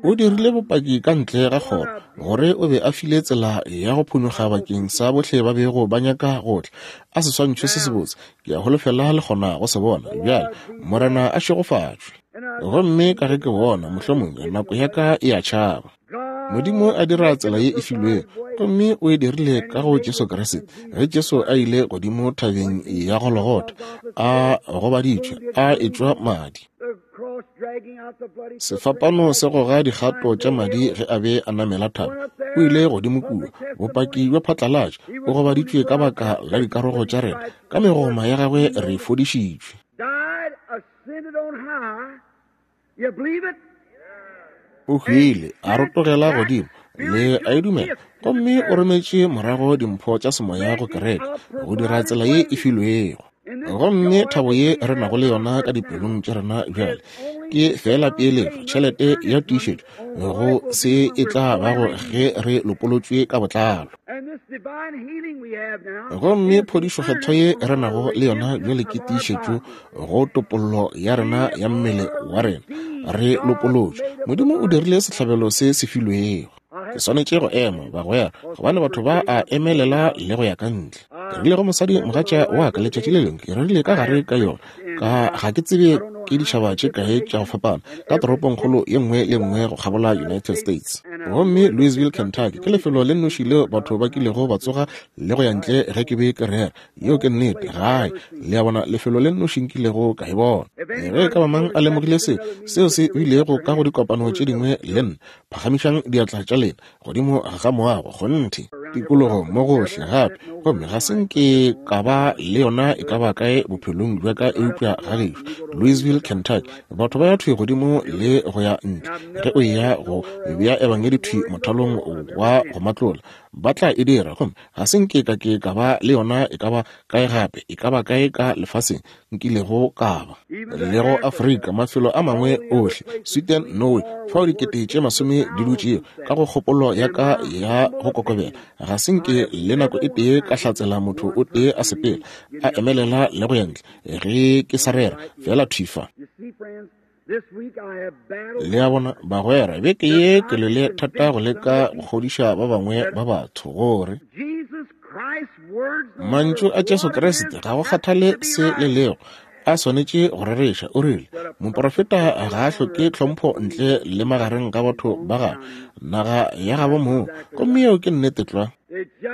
O dirile bopaki ka ntle ga kgoro gore o be a file tsela ya go phonyokga bakeng sa bohle ba bego ba nyaka go tla. A seswantšho se sebotse, ke a holofela le kgona go se bona bjale. Morena a šegofatšwe. Gomme ka ge ke bona mohlomongwe nako ya ka e a tšhaba. Modimo a dira tsela ye e filwego, gomme o e dirile ka go Jesu Kriste. Ge Jesu a ile godimo thabeng ya Golgotha, a gobaditšwe, a etšwa madi. Sefapano se goga dikgato tša madi ge a be a namela thaba. O ile godimo kua, bopaki bja phatlalatša, o gobaditšwe ka baka la dikarogo tša rena, ka megoma ya gagwe re fodišitšwe. O hwile, a rotogela godimo, le a e dumela, gomme o rometše morago dimpho tša semoya go kereke, go dira tsela ye e filwego. Gomme thabo ye re nago le yona ka dipelong tša rena bjale ke fela peeletšo, tšhelete ya tiišetšo go se e tla bago ge re lopolotšwe ka botlalo. Gomme phodišo kgethwa ye re nago le yona bjale ke tiišetšo go topollo ya rena ya mmele wa rena. Re lopolotšwe. Modimo o dirile sehlabelo se se filwego. Ke swanetše go ema, bagwera, gobane batho ba a emelela le go ya ka ntle. Ke rile go mosadi mogatša wa ka letšatši le lengwe, ke rerile ka gare ka yona, ka ga ke tsebe ke ditšhaba tše kae tša go fapana ka toropongkgolo ye nngwe le nngwe go kgabola United States. Gomme Louisville, Kentucky ke lefelo le nnoši leo batho ba kilego ba tsoga le go ya ntle ge ke be ke rera. Yeo ke nnete, gae. Le a bona, lefelo le nnoši nkilego ka e bona. Ge e ka ba mang a lemogile se, seo se bilego ka go dikopano tše dingwe le nna, phagamišang diatla tša lena godimo ga moago, kgonthe, tikologo mo gohle gape. Gomme ga se nke ka ba le yona e ka ba kae bophelong bja ka eupša ga gešo, Louisville, Kentucky. Batho ba ya thwi godimo le go ya ntle ge o eya go bea ebangedi thwi mothalong wa go matlola, ba tla e dira. Gomme ga se nke ka ke ka ba le yona e ka ba kae gape, e ka ba kae ka lefaseng nkilego ka ba. Le go Afrika, mafelo a mangwe ohle, Sweden, Norway, fao dikete tše masome di dutšego ka go kgopolo ya ka ya go kokobela. Ga se nke le nako e tee ka hlatsela motho o tee a sepela, a emelela le go ya ntle ge ke sa rera, fela thwi fa. Le a bona, bagwera, beke ye ke lwele thata go leka go kgodiša ba bangwe ba batho gore mantšu a Jesu Kriste ga go kgathale se le lego, a swanetše go rereša. O rile, moprofeta ga a hloke tlhompho ntle le magareng ga batho ba gagwe, naga ya gabo moo. Gomme yeo ke nnete tlwa.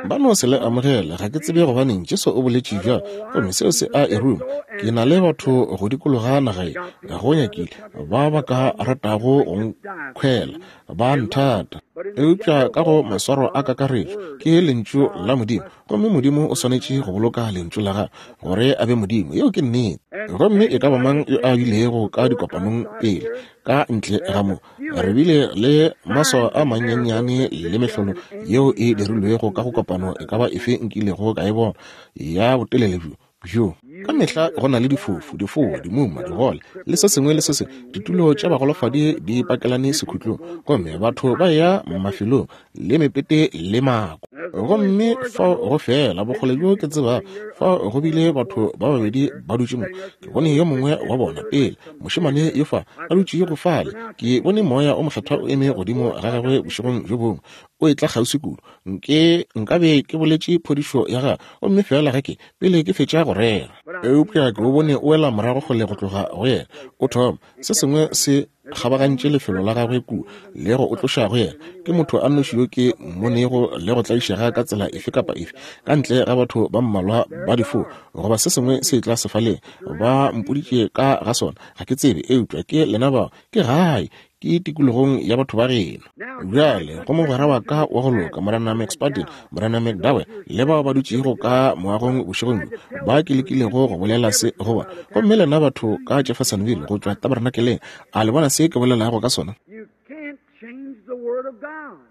Ba no se le amogela. Ga ke tsebe gobaneng Jesu o boletše bjalo, gomme seo se a e ruma. Ke na le batho go dikologa naga ye, go nyakile ba ba ka ratago go nkhwela, ba nthata. Eupša ka go maswaro a kakaretšo ke lentšu la Modimo, gomme Modimo o swanetše go boloka lentšu la gagwe gore a be Modimo. Yeo ke nnete. Gomme e ka ba mang yo a bilego ka dikopanong pele ka ntle ga mo, re bile le maswao a mannyane le mehlolo yeo e dirilwego ka go kopano e ka ba efe nkilego ka e bona ya botelele bjo bjo. Ka mehla go na le difofu, difoa, dimuma, digole le se sengwe le se sengwe. Ditulo tša bagolofadi di pakelane sekhutlong, gomme batho ba ya mafelong le mepete le mako. Gomme fao go fela bokgole bjo ke tsebago, fao go bile batho ba babedi ba dutše mo. Ke bone yo mongwe wa bona pele, mošemane yo fa a dutšego fale. Ke bone moya o mokgethwa o eme godimo ga gagwe bošegong bjo bongwe, o etla kgauswi kudu. Nke nkabe ke boletše phodišo ya gagwe, gomme fela ge ke pele ke fetša go rera. Eupša ke o bone o wela morago kgole go tloga go yena. O thoma se sengwe se kgabagantše lefelo la gagwe kua le go o tloša go yena. Ke motho a nnoši yo ke mmonego le go tlaišega ka tsela efe kapa efe, ka ntle ga batho ba mmalwa ba difoa goba se sengwe se tla sefaleng. Ba mpoditše ka ga sona, ga ke tsebe, eupša ke lena bao, ke gae, ke tikologong ya batho ba geno. Bjale go mogwera wa ka wa go loka, Morena McSpadden, Morena McDowell, le bao ba dutšego ka moagong bošegong bjo, ba ke lekilego go bolela se go bona. Gomme lena batho ka Jeffersonville go tšwa tabernakeleng, a le bona se ke bolelago ka sona?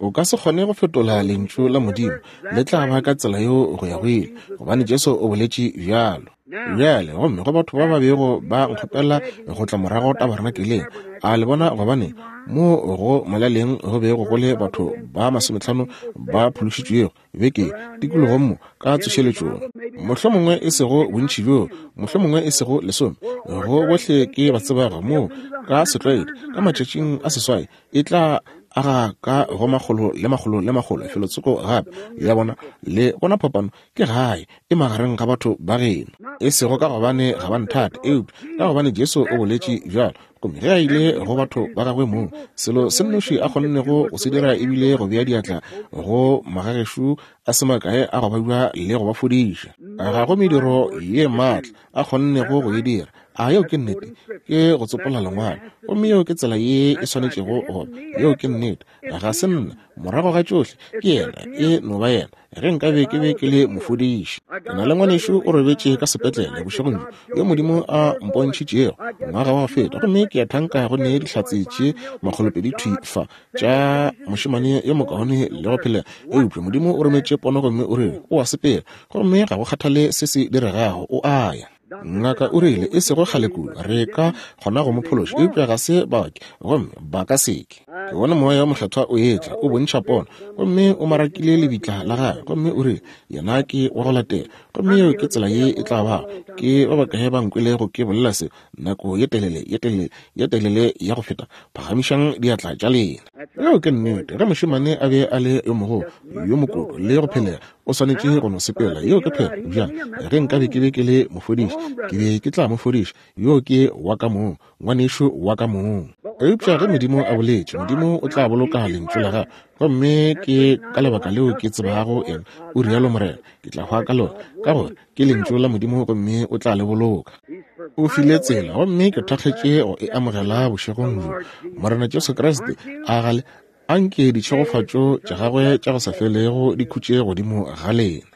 O ka se kgone go fetola lentšu la Modimo, le tla ba ka tsela yeo go ya go ile, gobane Jesu o boletše bjalo. Bjale gomme go batho ba ba bego ba nkgopela go tla morago tabernakeleng, a le bona gobane mo go molaleng go bego go le batho ba masometlhano ba phološitšwego beke tikologong mo ka tsošeletšong, mohlomongwe e sego bontši bjo, mohlomongwe e sego lesome, go bohle ke ba tsebago mo ka setlwaedi ka matšatšing a seswai e tla aga ka go makgolo le makgolo le makgolo felotsoko gape. Le bona, le bona phapano ke gae e magareng ga batho ba geno. E sego ka gobane ga ba nthate, eupša ka gobane Jesu o boletše bjalo. Gomme ge a ile go batho ba gagwe mong, selo se nnoši a kgonnego go se dira ebile go bea diatla go magagešo a se makae a go babja le go ba fodiša. Ga go mediro ye maatla a kgonnego go e dira. A yeo ke nnete, ke go tsopola lengwalo. Gomme yeo ke tsela ye e swanetšego go ba. Yeo ke nnete. Ga se nna, morago ga tšohle, ke yena, e no ba yena. Ge nkabe ke be ke le mofodiši. Ke na le ngwanešu o robetše ka sepetlele bošegong bjo, yo Modimo a mpontšhitšego ngwaga wa go feta, gomme ke a thanka go ne dihlatse tše makgolopedi thwi fa tša mošemane yo mokaone le go phelega. Eupša Modimo o rometše pono gomme o rile o a sepela, gomme ga go kgathale se se diregago, o a ya. Ngaka o rile e sego kgale kudu re ka kgona go mo phološa, eupša ga se baoki gomme ba ka seke. Ke bone moya wa mokgethwa o etla o bontšha pono, gomme o marakile lebitla la gagwe, gomme o rile yena ke wa go latela, gomme yeo ke tsela ye e tla bago. Ke ba bakae ba nkwelego ke bolela se nako ye telele ye telele ye telele ya go feta? Phagamišang diatla tša lena. Yeo ke nnete. Ge mošemane a be a le yo mogolo yo mokoto le go phelega, o swanetše go no sepela. Yeo ke phela. Bjang ge nkabe ke be ke le mofodiši, ke be ke tla mo fodiša. Yo ke wa ka mong, ngwanešu wa ka mong. Eupša ge Modimo a boletše, Modimo o tla boloka lentšu la gagwe. Gomme ke ka lebaka leo ke tsebago yena, o rialo Morena, ke tla hwa ka lona, ka gore ke lentšu la Modimo gomme o tla le boloka. O file tsela, gomme ke thakgetše go e amogela bošegong bjo. Morena Jesu Kriste a gale anke ditšhegofatšo tša gagwe tša go sa felego di khutše godimo ga lena.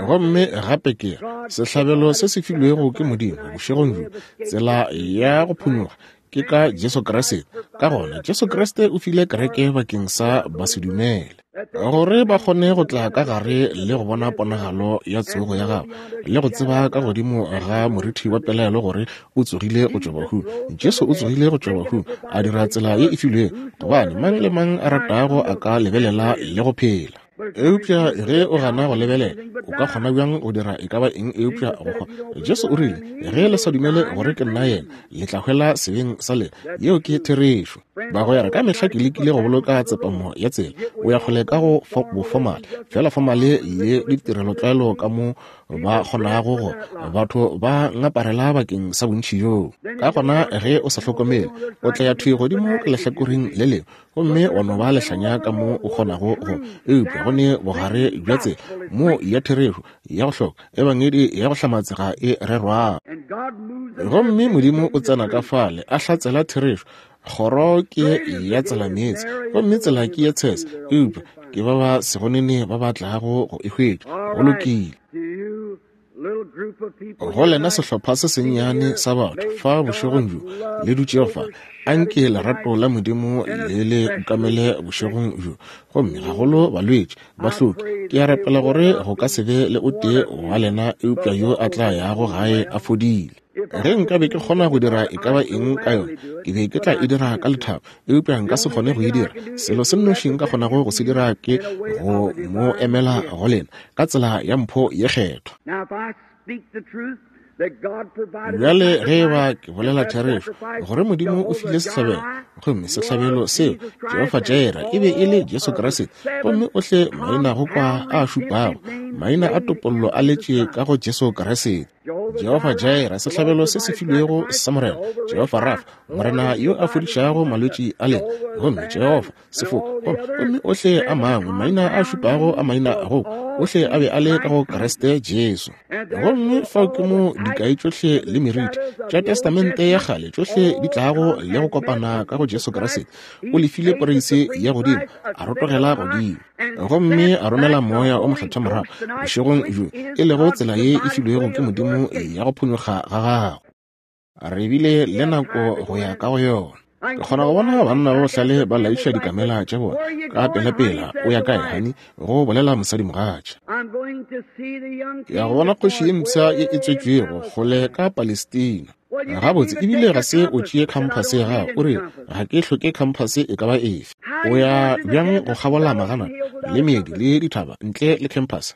Gomme gape ke sehlabelo se se filwego ke Modimo bošegong bjo, tsela ya go phonyokga ke ka Jesu Kriste. Ka gona Jesu Kriste o file kereke bakeng sa basedumele, gore ba kgone go tla ka gare le go bona ponagalo ya tsogo ya gagwe, le go tseba ka godimo ga morithi wa pelaelo gore o tsogile go tšwa bahung. Jesu o tsogile go tšwa bahung, a dira tsela ye e filwego, gobane mang le mang a ratago a ka lebelela le go phela. Eupša ge o gana go lebelela, o ka kgona bjang go dira e ka ba eng eupša go hwa? Jesu o rile, ge le sa dumele gore ke nna yena, le tla hwela sebeng sa lena. Yeo ke therešo. Bagwera, ka mehla ke lekile go boloka tsepamo ya tsela. O ya kgole ka go bofomale, fela fomale le ditirelotlwaelo ka mo ba kgonago go batho ba ngaparela bakeng sa bontši bjoo. Ka gona ge o sa hlokomele, o tla ya thwi godimo ka lehlakoreng le lengwe, gomme wa no ba lehlanya ka mo o kgonago go. Eupša go ne bogare bja tsela mo ya therešo ya go hloka ebangedi ya go hlamatsega e rerwago. Gomme Modimo o tsena ka fale a hlatsela therešo. Kgoro ke ya tsela meetse, gomme tsela ke ye tshese, eupša ke ba ba segonene ba ba tlago go e hwetša. Go lokile. Go lena sehlopha se sennyane sa batho fa bošegong bjo le dutšego fa, anke lerato la Modimo le le ukamele bošegong bjo. Gomme gagolo balwetši bahloki, ke a rapela gore go ka se be le o tee wa lena eupša yo a tla yago gae a fodile. Ge nkabe ke kgona go dira e ka ba eng ka yona, ke be ke tla e dira ka lethabo, eupša nka se kgone go e dira. Selo se nnoši nka kgonago go se dira ke go mo emela go lena ka tsela ya mpho ye kgethwa. Bjale ge e ba ke bolela therešo, gore Modimo o file sehlabelo, gomme sehlabelo seo Jehofa Jireh e be e le Jesu Kriste, gomme ohle maina go kwa a šupago, maina a topollo a letše ka go Jesu Kriste. Jehofa Jireh, sehlabelo se se filwego sa Morena, Jehofa Rafa, Morena yo a fodišago malwetši a lena, gomme Jehofa Sefoko, gomme ohle a mangwe maina a šupago a maina go ohle a be a le ka go Kriste Jesu. Gomme fao ke mo dikai tšohle le meriti tša Testamente ya kgale tšohle di tlago le go kopana ka go Jesu Kriste. O lefile poreise ya godimo, a rotogela godimo, gomme a romela moya o mokgethwa morago bošegong bjo, e lego tsela ye e filwego ke Modimo ya go phonyokga ga gago. Re bile le nako go ya ka go yona. Ke kgona go bona banna ba bohlale ba laiša dikamela tša bona ka pelapela. O ya kae, honey? Go bolela mosadimogatša. Ke ya go bona kgoši ye mpsha ye e tswetšwego kgole ka Palestina. Gabotse, ebile ga se o tšee khamphase ya gago. O re, ga ke hloke khamphase e ka ba efe. O ya bjang go kgabola magana le meedi le dithaba ntle le khamphase?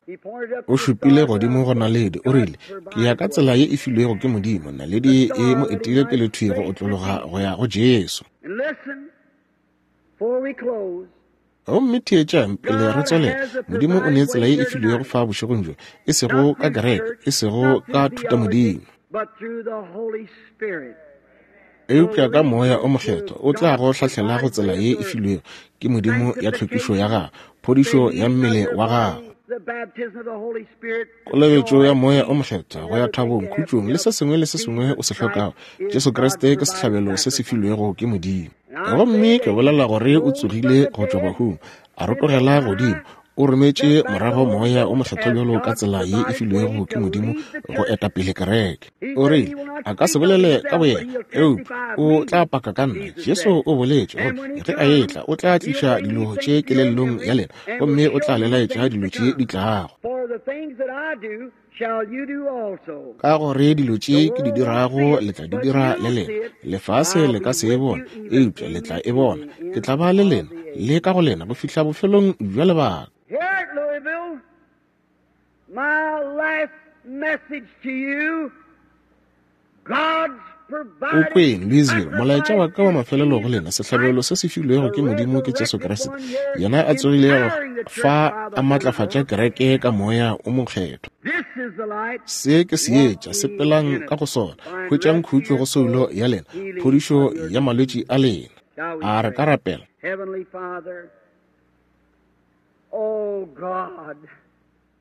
O šupile godimo go naledi, o rile, ke ya ka tsela ye e filwego ke Modimo. Naledi e mo etile pele thwi go otlologa go ya go Jesu. Gomme theetšang pele re tswelela, Modimo o nee tsela ye e filwego fa bošegong bjo, e sego ka kereke, e sego ka thutamodimo, eupša ka Moya o Mokgethwa o tla go hlahlela go tsela ye e filwego ke Modimo ya tlhwekišo ya gago, phodišo ya mmele wa gago, kolobetšo ya Moya o Mokgethwa go ya thabong, khutšong le se sengwe le se sengwe o se hlokago. Jesu Kriste ke sehlabelo se se filwego ke Modimo. Gomme ke bolela gore o tsogile go tšwa bahung, a rotogela godimo, o rometše morago Moya o Mokgethwa bjalo ka tsela ye e filwego ke Modimo go eta pele kereke. O rile a ka se bolele ka boyena, eupša o tla paka ka nna. Jesu o boletše gore ge a etla o tla tliša dilo tše kelellong ya lena, gomme o tla le laetša dilo tše di tlago. Ka gore dilo tše ke di dirago le tla di dira le lena. Lefase le ka se e bone, eupša le tla e bona. Ke tla ba le lena le ka go lena go fihla bofelong bja lebaka. Here at Louisville, my last message to you, God's O kweng Louisville, molaetša wa ka wa mafelelo go lena, sehlabelo se se filwego ke Modimo ke Jesu Kriste, yena a tsogilego fa a matlafatša kereke ka Moya o Mokgethwa. Se ke seetša, sepelang ka go sona, hwetšang khutšo go soulo ya lena, phodišo ya malwetši a lena. A re ka rapela.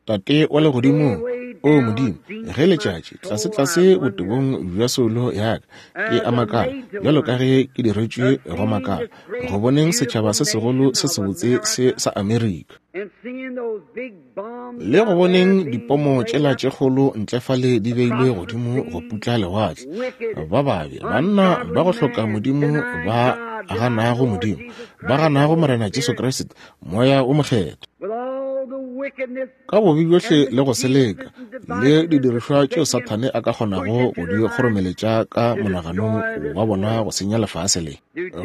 Tate wa legodimong, o Modimo, ge letšatši tlase-tlase botebong bja soulo ya ka, ke a makala, bjalo ka ge ke diretšwe go makala, go boneng setšhaba se segolo se sebotse se sa Amerika, le go boneng dipomo tšela tše kgolo ntle fale di beilwe godimo go putla lewatle, ba babe, banna ba go hloka Modimo, ba ganago Modimo, ba ganago Morena Jesu Kriste, Moya o Mokgethwa, ka bobe bjohle le go seleka le didirišwa tšeo Sathane a ka kgonago go di kgoromeletša ka monaganong wa bona go senya lefase le,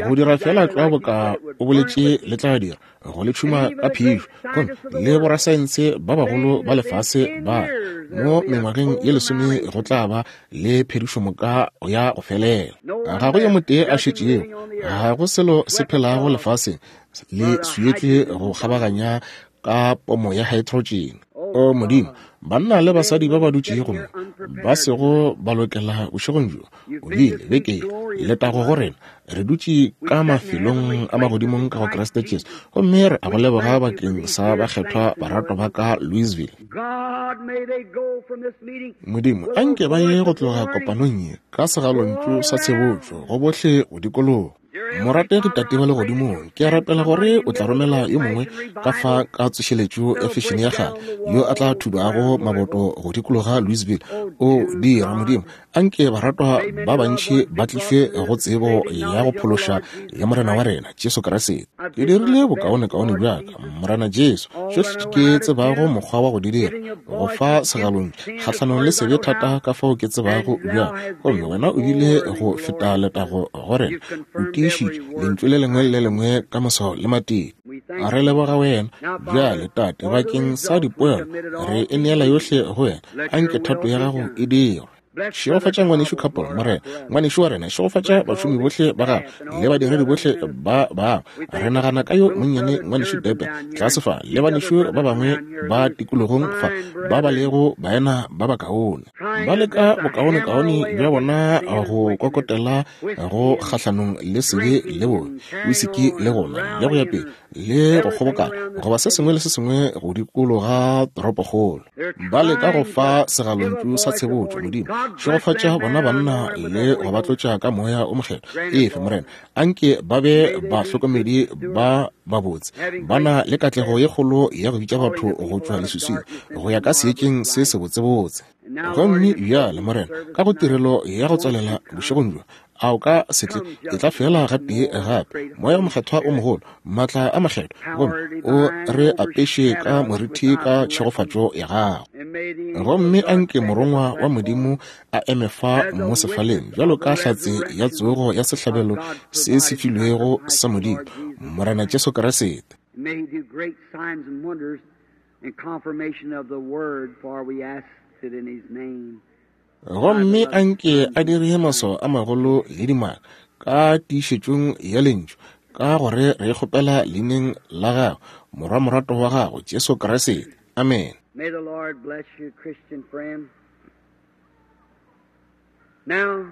go dira fela tlwa boka o boletše le tla dira, go le tšhuma ka phišo. Gomme le borasaense ba bagolo ba lefase ba mo mengwageng ye lesome go tla ba le phedišomoka ya go felela. Ga go yo motee a šetšego, ga go selo se phelago lefaseng le swietšwe go kgabaganya ka pomo ya hydrogen. O Modimo, banna le basadi ba ba dutšego mo ba sego ba lokela bošegong bjo, o bile beke letago go rena, re dutše ka mafelong a magodimong ka go Kriste Jesu, gomme re a go leboga bakeng sa bakgethwa baratwa ba ka Louisville. Modimo, anke ba ye go tloga kopanong ye ka segalontšu sa tshebotšo go bohle go dikologa. Morategi Tate wa legodimong, ke a rapela gore o tla romela yo mongwe ka fa ka tsošeletšo ya fešene ya kgale yo a tla thubago maboto go dikologa Louisville. O dira, Modimo, anke baratwa ba bantši ba tlišwe go tsebo ya go phološa ya Morena wa rena Jesu Kriste. Ke dirile bokaonekaone bja ka, Morena Jesu, tšohle ke tsebago mokgwa wa go di dira, go fa segalontšu kgahlanong le sebe thata ka fao ke tsebago bjang, gomme wena o bile go feta letago go rena, o tiišitše lentšu le lengwe le lengwe ka maswao le matete. A re leboga wena bjale, Tate, bakeng sa dipoelo re e neela yohle go wena. Anke thato ya gago e dirwe. Šegofatša ngwanešu Couple, Morena, ngwanešu wa rena, šegofatša bašomi bohle ba gago le badiredi bohle ba bangwe. Re nagana ka yo monnyane ngwanešu Depe tlase fa, le banešu ba bangwe ba tikologong fa ba ba lego baena ba bakaone, ba leka bokaonekaone bja bona go kokotela go kgahlanong le sebe le bobe, wisiki le gona le go ya pele le go kgobokana goba se sengwe le se sengwe go dikologa toropokgolo. Ba leka go fa segalontšu sa tshebotšo. Modimo, šegofatša bona banna le go ba tlotša ka Moya o Mokgethwa. Efe, Morena, anke ba be bahlokomedi ba babotse, ba na le katlego ye kgolo ya go bitša batho go tšwa leswiswing go ya ka seetšeng se sebotsebotse. Gomme bjale, Morena, ka go tirelo ya go tswalela bošegong bjo, a o ka se tle e tla fela gatee gape, Moya o Mokgethwa o mogolo, maatla a makgethwa, gomme o re apeše ka moriti ka tšhegofatšo ya gago. Gomme anke morongwa wa Modimo a eme fa mo sefaleng bjalo ka hlatse ya tsogo ya sehlabelo se se filwego sa Modimo, Morena Jesu Kriste. Gomme anke a dire maswao a magolo le dimaka ka tiišetšong ya lentšu, Ka gore re kgopela leineng la gago, morwa morato wa gago, Jesu Kriste. Amen. May the Lord bless you, Christian friend. Now,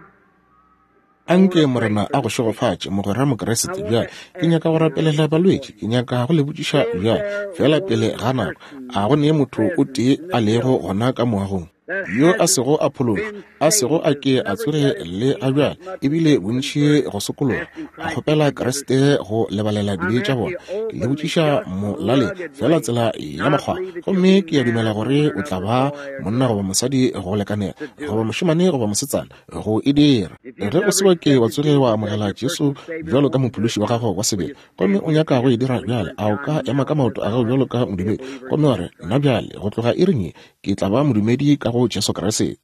Anke Morena a go šegofatše, mogwera Mokriste. Bjale ke nyaka go rapelela balwetši, ke nyaka go le botšiša bjale fela pele ga nako, a go ne motho o tee a lego gona ka moagong yo a sego a phološwa, a sego a ke a tsoge le a bjale, ebile bontši go sokologa, a kgopela Kriste go lebalela dibe tša bona? Ke le botšiša molaleng fela tsela ya mokgwa, gomme ke a dumela gore o tla ba monna goba mosadi go lekanela, goba mošemane goba mosetsana go e dira. Ge o se wa ke wa tsoge wa amogela Jesu bjalo ka mophološi wa gago wa sebele, gomme o nyaka go e dira bjale, a o ka ema ka maoto a gago bjalo ka modumedi gomme wa re, nna bjale go tloga iring ye ke tla ba modumedi ka go Jesu Kriste.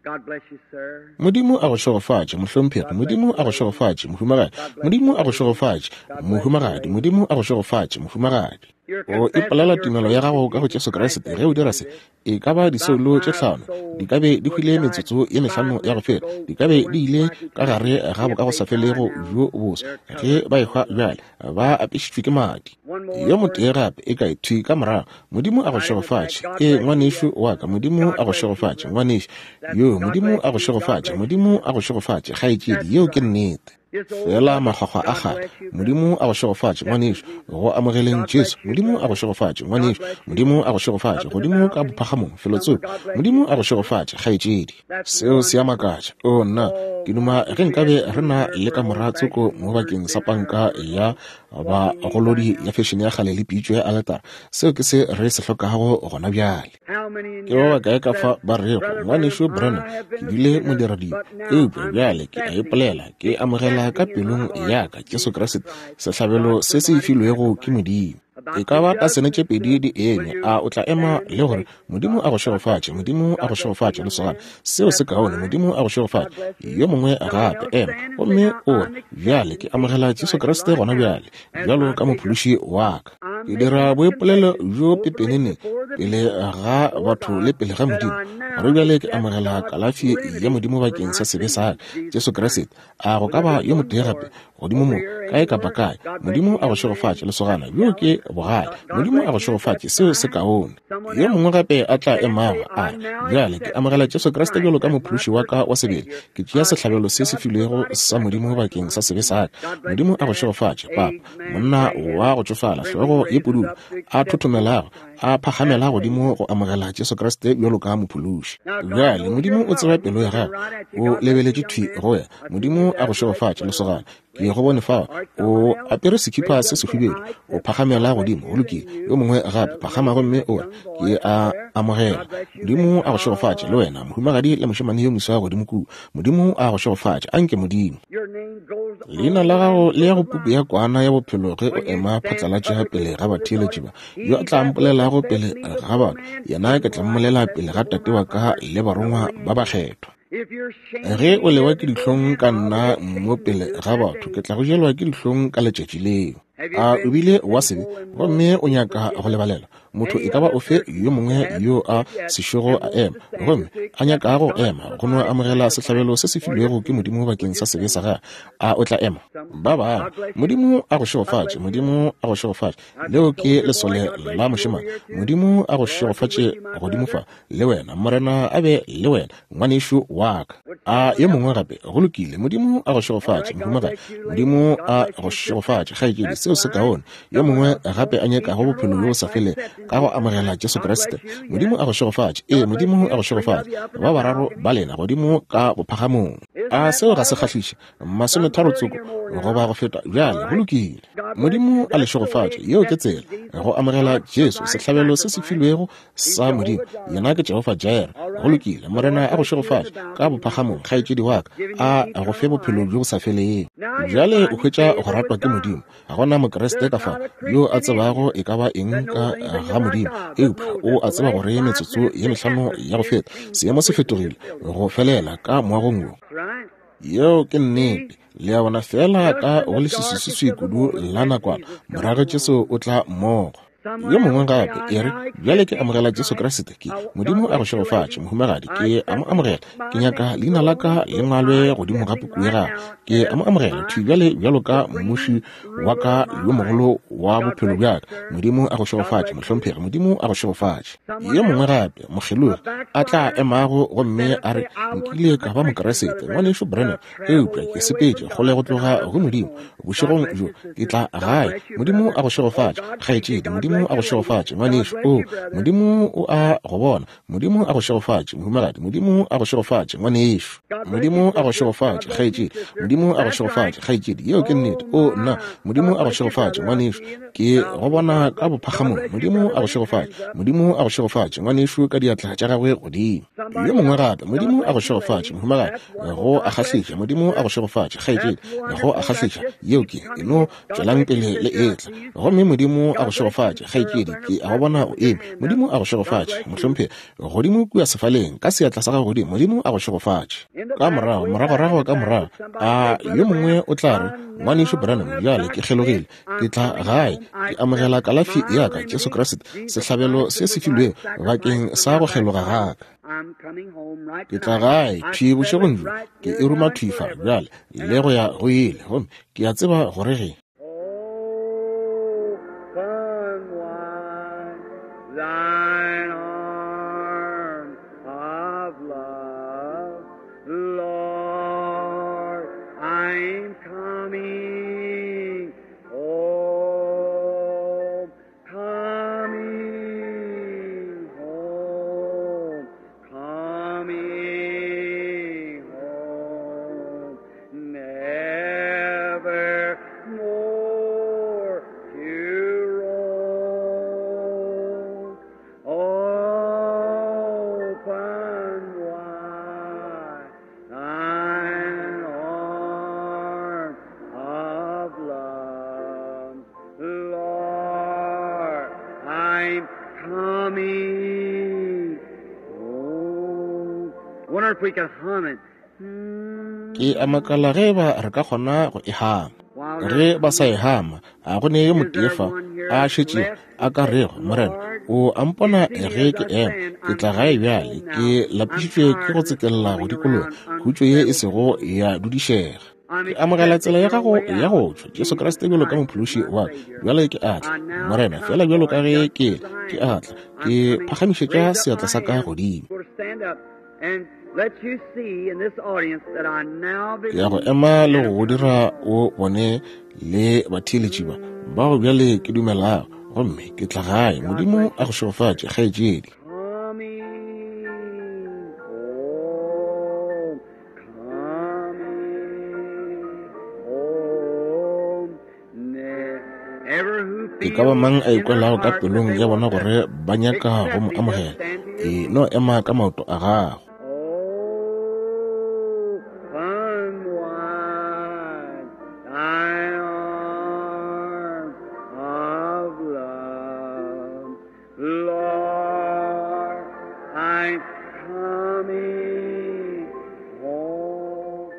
Modimo a go šegofatše, mohlomphegi. Modimo a go šegofatše, mohumagadi. Modimo a go šegofatše, mohumagadi. Modimo a go šegofatše, mohumagadi. O ipolela tumelo ya gago ka go Jesu Kriste. Ge o dira se, e ka ba disoulo tše hlano di ka be di hwile metsotso ye mehlano ya go feta, di ka be di ile ka gare ga bokagosafelego bjo boso ge ba ehwa bjale, ba apešitšwe ke madi. Yo motee gape e kae thwi ka morago. Modimo a go šegofatše. E ngwanešu wa ka, Modimo a go šegofatše, ngwanešu yo. Modimo a go šegofatše, Modimo a go šegofatše, kgaetšedi. Yeo ke nnete. Fela makgwakgwa a kgale. Modimo a go šegofatše, ngwanešu, go amogeleng Jesu. Modimo a go šegofatše, ngwanešu. Modimo a go šegofatše, godimo ka bophagamong felotsoko. Modimo a go šegofatše, kgaetšedi. Seo se a makatša. O nna, ke duma ge nkabe re na le kamora tsoko mo bakeng sa panka ya bagolodi ya fešene ya kgale le pitšo ya aletara. Seo ke se re se hlokago gona bjale. Ke ba bakae ka fa ba rego, ngwanešu Branham, ke bile modiradibe, eupša bjale ke a ipolela, ke amogela ka pelong ya ka Jesu Kriste, sehlabelo se se filwego ke Modimo. E ka ba tasene tše pedi di eme, a o tla ema le gore Modimo a go šegofatše, Modimo a go šegofatše, lesogana. Seo se kaone. Modimo a go šegofatše. Yo mongwe gape ema gomme o re, bjale ke amogela Jesu Kriste gona bjale bjalo ka mophološi wa ka. Ke dira boipolelo bjo pepenene pele ga batho le pele ga Modimo, gore bjale ke amogela kalafi ya Modimo bakeng sa sebe sa ka, Jesu Kriste. A go ka ba yo motee gape godimo mo, kae kapa kae? Modimo a go šegofatše, lesogana. Bjo ke bogale. Modimo a go šegofatše. Seo se kaone. Yo mongwe gape a tla emago a re, bjale ke amogela Jesu Kriste bjalo ka mophološi wa ka wa sebele. Ke tšea sehlabelo se se filwego sa Modimo bakeng sa sebe sa ka. Modimo a go šegofatše, papa. Monna wa go tšofala, hlogo ye pududu, a thothomelago, a phagamela godimo go amogela Jesu Kriste bjalo ka mophološi. Bjale Modimo o tseba pelo ya gago, o lebeletše thwi go wena. Modimo a go šegofatše, lesogana. Ke go bone fao o apere sekipa se sehubedu, o phagamela godimo. Go lokile. Yo mongwe gape phagama gomme o re, ke a amogela. Modimo a go šegofatše le wena, mohumagadi le mošemane yo moswa godimo kua. Modimo a go šegofatše. Anke Modimo. Leina la gago le ya go puku ya kwana ya bophelo ge o ema phatlalatša pele ga batheeletši ba. Yo a tla mpolelago pele ga batho, yena ke tla mmolela pele ga Tate wa ka le barongwa ba bakgethwa. Ge o lewa ke dihlong ka nna mo pele ga batho, ke tla go jelwa ke dihlong ka letšatši leo. A o bile wa sebe gomme o nyaka go lebalelwa? Motho e ka ba ofe yo mongwe yo a sešogo a ema gomme a nyakago go ema go no amogela sehlabelo se se filwego ke Modimo bakeng sa sebe sa gagwe, a o tla ema? Ba bangwe. Modimo a go šegofatše. Modimo a go šegofatše. Leo ke lesole la mošemane. Modimo a go šegofatše godimo fa le wena. Morena a be le wena, ngwanešu wa ka. A yo mongwe gape? Go lokile. Modimo a go šegofatše, mohumagadi. Modimo a go šegofatše, kgaetšedi. Seo se kaone. Yo mongwe gape a nyakago bophelo bjo bo sa felego ka go amogela Jesu Kriste. Modimo a go šegofatše. Ee, Modimo a go šegofatše. Ba bararo ba lena godimo ka bophagamong. A seo ga se kgahliše? Masometharo tsoko goba go feta bjale. Go lokile. Modimo a le šegofatše. Yeo ke tsela go amogela Jesu, sehlabelo se se filwego sa Modimo. Yena ke Jehofa Jireh. Go lokile. Morena a go šegofatše ka bophagamong, kgaetšedi wa ka. A go fe bophelo bjo bo sa felego. Bjale o hwetša go ratwa ke Modimo. Ga gona Mokriste ka fa yo a tsebago e ka ba eng ka ga Modimo, eupša o a tseba gore metsotso ye mehlano ya go feta seemo se fetogile go felela ka moagong wo. Yeo ke nnete. Le a bona, fela ka go leswiswiswi kudu la nakwana, morago Jesu o tla mmogo. Yo mongwe gape e re, bjale ke amogela Jesu Kriste, ke Modimo a go šegofatše, mohumagadi, ke a mo amogela. Ke nyaka leina la ka le ngwalwe godimo ga puku ya gagwe. Ke a mo amogela thwi bjale bjalo ka mmuši wa ka yo mogolo wa bophelo bja ka. Modimo a go šegofatše, mohlomphegi, Modimo a go šegofatše. Yo mongwe gape, mokgelogi, a tla emago gomme a re, nkile ka ba Mokriste, ngwanešu Branham, eupša ke sepetše kgole go tloga go Modimo. Bošegong bjo ke tla gae. Modimo a go šegofatše, kgaetšedi. Modimo a go šegofatše, ngwanešu. O, Modimo o a go bona. Modimo a go šegofatše, mohumagadi. Modimo a go šegofatše, ngwanešu. Modimo a go šegofatše, kgaetšedi. Modimo a go šegofatše, kgaetšedi. Yeo ke nnete. O, nna. Modimo a go šegofatše, ngwanešu. Ke go bona ka bophagamong. Modimo a go šegofatše. Modimo a go šegofatše, ngwanešu, ka diatla tša gagwe godimo. Yo mongwe gape. Modimo a go šegofatše, mohumagadi. Go a kgahliša. Modimo a go šegofatše, kgaetšedi. Go a kgahliša. Yeo ke e no tšwelang pele le etla. Gomme Modimo a go šegofatše, kgaetšedi. Ke a go bona o eme. Modimo a go šegofatše, mohlomphegi, godimo kua sefaleng ka seatla sa gago godimo. Modimo a go šegofatše. Ka morago, moragorago ka morago, a yo mongwe o tla re, ngwanešu Branham, bjale ke kgelogile, ke tla gae, ke amogela kalafi ya ka, Jesu Kriste, sehlabelo se se filwego bakeng sa go kgeloga ga ka. Ke tla gae thwi bošegong bjo, ke e ruma thwi fa bjale le go ya go ile, gomme ke a tseba gore ge Thine arm of love, Lord, I'm coming home, coming home, coming home, never more to roam. Open wide thine arm of love, Lord, I'm coming home. Wonder if we could hum it. Ke a makala ge ba re ka kgona go e hama. Ge ba sa e hama, a go ne yo motee fa a šetšego a ka rego, Morena, o a mpona ge ke ema, ke tla gae bjale, ke lapišitšwe ke go tsekella go dikologa, khutšo ye e sego ya dudišega. Ke amogela tsela ya gago ya go tšwa, Jesu Kriste bjalo ka mophološi wa ka. Bjale ke a tla, Morena, fela bjalo ka ge ke ke a tla, ke phagamišetša seatla sa ka godimo. Ke ya go ema le go go dira o bone le batheeletši ba bao bjale ke dumelago, gomme ke tla gae. Modimo a go šegofatše, kgaetšedi. E ka ba mang a ikwelago ka pelong ya bona gore ba nyaka go mo amogela, e no ema ka maoto a gago. Open wide thine arm of love, Lord, I'm coming home.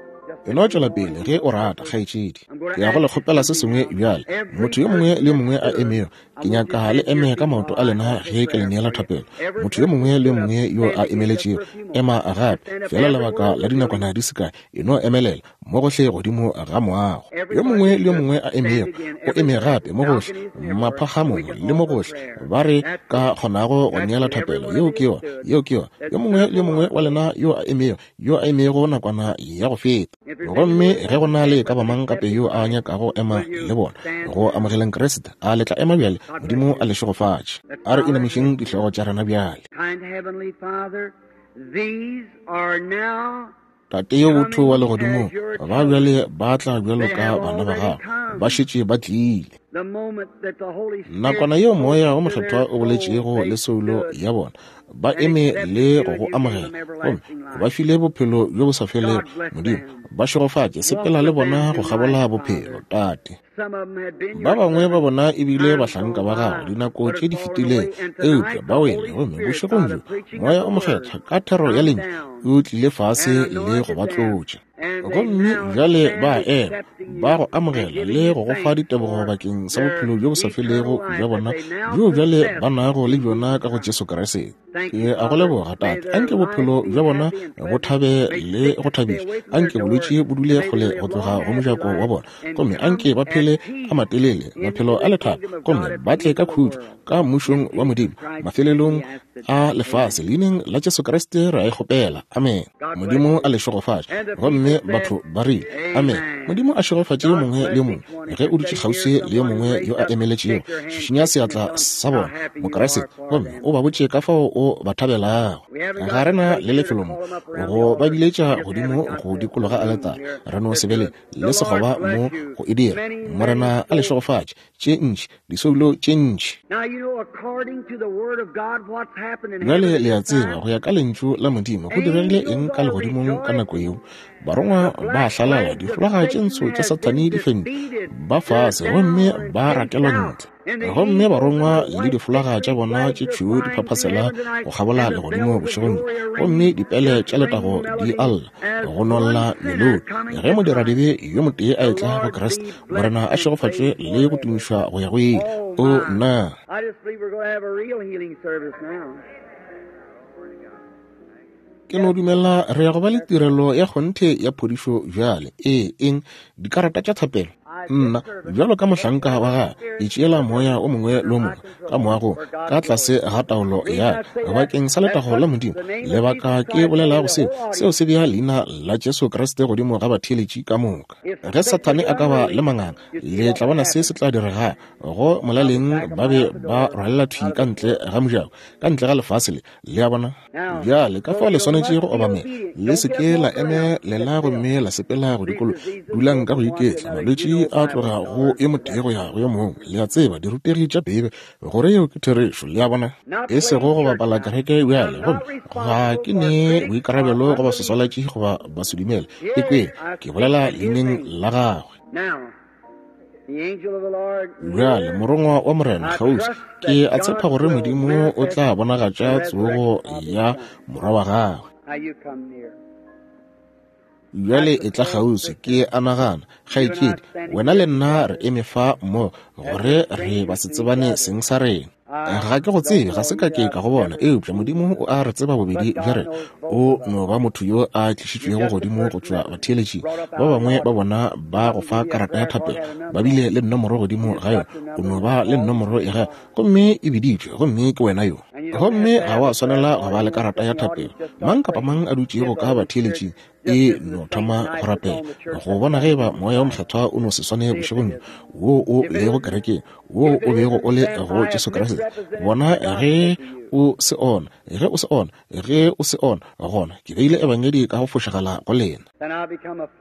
E no tšwela pele ge o rata, kgaetšedi. Ke ya go le kgopela se sengwe bjale. Motho yo mongwe le yo mongwe a emego, ke nyaka le eme ka maoto a lena ge ke le neela thapelo. Motho yo mongwe le yo mongwe yo a emeletšego, ema gape fela lebaka la dinakwana di se kae. E no emelela mo gohle godimo ga moago. Yo mongwe le yo mongwe a emego, o eme gape mo gohle maphagamong le mo gohle ba re ka kgonago go neela thapelo. Yeo ke yona, yeo ke yona. Yo mongwe le yo mongwe wa lena yo a emego, yo a emego nakwana ya go feta. Gomme ge go na le ka ba mang gape yo a nyakago ema le bona go amogeleng Kriste, a le tla ema bjale. Modimo a le šegofatše. A re inamišeng dihlogo tša rena bjale. Kind Heavenly Father, these are now Tate yo botho wa legodimong, ba bjale ba tla bjalo ka bana ba gago, ba šetše ba tlile. the moment that the Holy Spirit Nakwana yeo moya wo spoke to mokgethwa their o boletšego soul, le they soulo stood ya bona, ba eme le go go amogela, gomme ba file bophelo bjo bo sa felego. Modimo, ba šegofatše, sepela le bona go kgabola bophelo, Tate. Some of them had been Ba your bangwe ba servants bona e bile times bahlanka gone ba gago by, dinako but tše have di fallen fetilego, away. And eupša tonight ba the wele. Holy Gomme Spirit, bošegong by the bjo preaching moya of o the word, mokgethwa ka thero ya come lentšu down o tlile fase and le go ba anointed them tlotša. Gomme bjale ba ema, ba go amogela le go go fa ditebogo bakeng sa bophelo bjo bo sa felego bja bona bjo bjale ba nago le bjona ka go Jesu Kriste. Ke a go leboga, Tate. Anke bophelo bja bona bo thabe le go thabiša. Anke bolwetši bo dule kgole go tloga go mojako wa bona. Gomme anke ba phele a matelele, maphelo a lethabo, gomme ba tle ka khutšo ka mmušong wa Modimo mafelelong a lefase. Leineng la Jesu Kriste re a e kgopela. Amen. Modimo a le šegofatše. Gomme batho ba rile amen. Modimo a šegofatše yo mongwe le yo mongwe. Ge o dutše kgauswi le yo mongwe yo a emeletšego, šišinya seatla sa bona, Mokriste, gomme o ba botše ka fao o ba thabelago. Ga re na le lefelo mo go ba biletša godimo go dikologa aletare. Re no se be le le sekgoba mo go e dira. Morena a le šegofatše tše ntši, disoulo tše ntši. Bjale le a tseba, go ya ka lentšu la Modimo, go diregile eng ka legodimong ka nako yeo? Barongwa ba hlalala, difolaga tše ntsho tša Sathane di fentšwe, ba fase gomme ba rakelwa ntle. Gomme barongwa le difolaga tša bona tše tšhweu di phaphasela go kgabola legodimo bošegong bjo, gomme dipele tša letago di alla go nolla melodi. Ge modiradibe yo motee a etla go Kriste, Morena a šegofatšwe le go tumišwa go ya go ile. O nna. Ke no dumela re ya go ba le tirelo ya kgonthe ya phodišo bjale. Ee, eng? Dikarata tša thapelo? Nna, bjalo ka mohlanka wa gagwe, ke tšeela moya o mongwe le o mongwe ka moagong ka tlase ga taolo ya ka bakeng sa letago la Modimo. Lebaka ke bolelago seo, seo se bea leina la Jesu Kriste godimo ga batheeletši ka moka. Ge Sathane a ka ba le manganga, le tla bona se se tla direga. Go molaleng ba be ba rwalela thwi ka ntle ga mojako, ka ntle ga lefase le. Le a bona? Bjale ka fao le swanetše go obamela. Le se ke la emelela gomme la sepela go dikolo. Dulang ka go iketla. Malwetši a tloga go yo motee go ya go yo mongwe. Le a tseba, dirutegi tša Beibe, gore yeo ke therešo. Le a bona? E sego go bapala kereke bjale, gomme ga ke ne boikarabelo go baswaswalatši goba basedumele. Ekweng, ke bolela leineng la gagwe. Bjale morongwa wa Morena kgauswi, ke a tshepa gore Modimo o tla bonagatša tsogo ya morwa wa gagwe. Bjale e tla kgauswi, ke a nagana, kgaetšedi, wena le nna re eme fa mmogo gore re ba se tsebane seng sa rena. Ga ke go tsebe, ga se ka ke ka go bona, eupša Modimo o a re tseba bobedi bja rena. O no ba motho yo a tlišitšwego godimo go tšwa batheeletšing. Ba bangwe ba bona ba go fa karata ya thapelo, ba bile le nomoro godimo ga yona. O no ba le nomoro ya gago, gomme e biditšwe, gomme ke wena yo. Gomme ga wa swanela go ba le karata ya thapelo. Mang kapa mang a dutšego ka batheeletšing e no thoma go rapela go bona ge eba moya wo mokgethwa o no se swane bošegong wo o lego kerekeng, wo o bego o le go Jesu Kriste. Bona ge o se ona, ge o se ona, ge o se ona, gona ke beile ebangedi ka go fošagala go lena.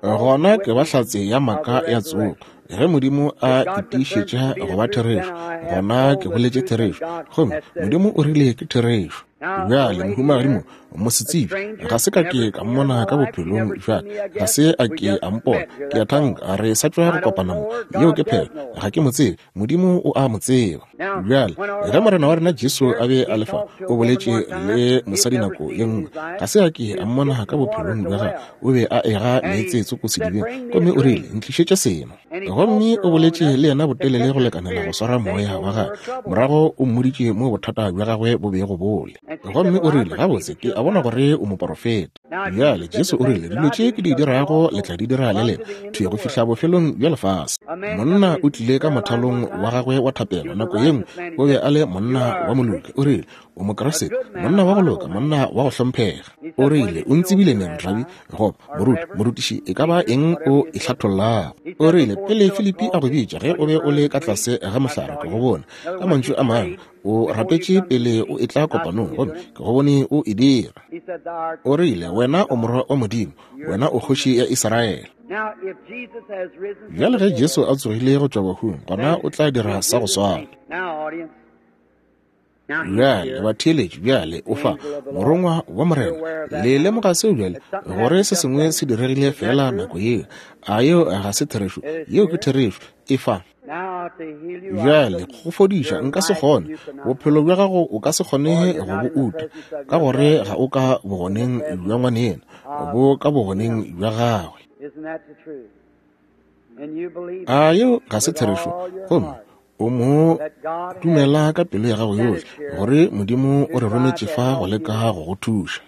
Gona ke ba hlatse ya maaka ya tsogo. Ge Modimo a itiišetša go ba therešo, gona ke boletše therešo, gomme Modimo o rile ke therešo. Bjale mohumagadi mo, mosetsebje, ga se ka ke ka mmona ka bophelong bja ka, ga se a ke a mpona. Ke a thanka re sa tšwa go kopana mo. Yeo ke phelo. Ga ke mo tsebe, Modimo o a mo tseba. Bjale ge Morena wa rena Jesu a be a le fa, o boletše le mosadi nako ye nngwe, ga se a ke a mmona ka bophelong bja gagwe. O be a ega meetse tsoko sedibeng, gomme o rile, ntlišetše seno. Gomme o boletše le yena botelele go lekanela go swara moya wa gagwe. Morago o mmoditše mo bothata bja gagwe bo bego bo le. Gomme o rile, gabotse, ke a bona gore o moporofeta. Bjale Jesu o rile, dilo tše ke di dirago le tla di dira le lena, thwi go fihla bofelong bja lefase. Monna o tlile ka mothalong wa gagwe wa thapelo nako ye nngwe, o be a le monna wa moloki. O rile, o Mokriste, monna wa go loka, monna wa go hlomphega. O rile, o ntsebile neng, rabi, goba moruti, morutiši, e ka ba eng o e hlathollago? O rile, pele Filipi a go bitša, ge o be o le ka tlase ga mohlare, ke go bone. Ka mantšu a mangwe, o rapetše pele o etla kopanong, gomme ke go bone o e dira. O rile, wena o morwa wa Modimo, wena o kgoši ya Israele. Bjale ge Jesu a tsogile go tšwa bahung, gona o tla dira sa go swana. Bjale batheeletši, bjale o fa morongwa wa Morena. Le lemoga seo bjale, gore se sengwe se diregile fela nako yeo. A yeo ga se therešo? Yeo ke therešo. E fa. Bjale go fodiša nka se kgone. Bophelo bja gago o ka se kgone go bo uta, ka gore ga o ka bogoneng bja ngwaneno, bo ka bogoneng bja gagwe. A yeo ga se therešo? Gomme o mo dumela ka pelo ya gago yohle gore Modimo o re rometše fa go leka go go thuša.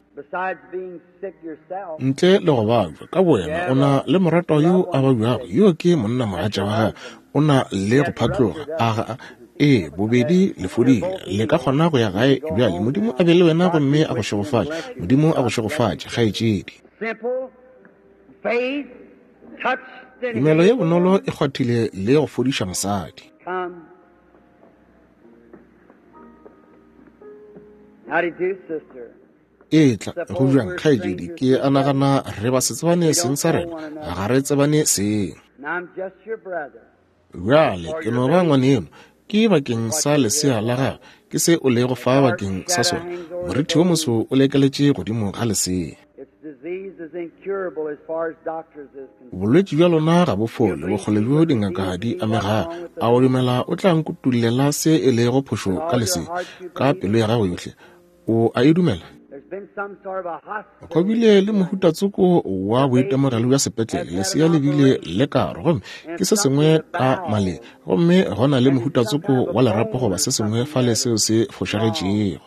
Ntle le go babja ka bowena, o na le moratwa yo a babjago, yo ke monna mogatša wa gago, o na le go phatloga. A ga ee, bobedi le fodile, le ka kgona go ya gae bjale. Modimo a be le wena gomme a go šegofatše. Modimo a go šegofatše, kgaetšedi. Tumelo ye bonolo e kgwathile le go fodiša mosadi. Etla go bjang, kgaetšedi? Ke a nagana re ba se tsebane seng sa rena, ga re tsebane seng. Bjale ke no ba ngwaneno, ke bakeng sa lesea la gago, ke se o lego fa bakeng sa sona. Morithi wo moso o lekeletše godimo ga lesea. Bolwetši bja lona ga bo fole, bokgole bjo dingaka di amegago. A o dumela o tla nkutollela se e lego phošo ka lesea ka pelo ya gago yohle? O a e dumela? Go bile le mohutatsoko wa boitemogelo bja sepetlele, lesea le bile le karo, gomme ke se sengwe ka maleng, gomme go na le mohutatsoko wa lerapo goba se sengwe fale seo se fošagetšego.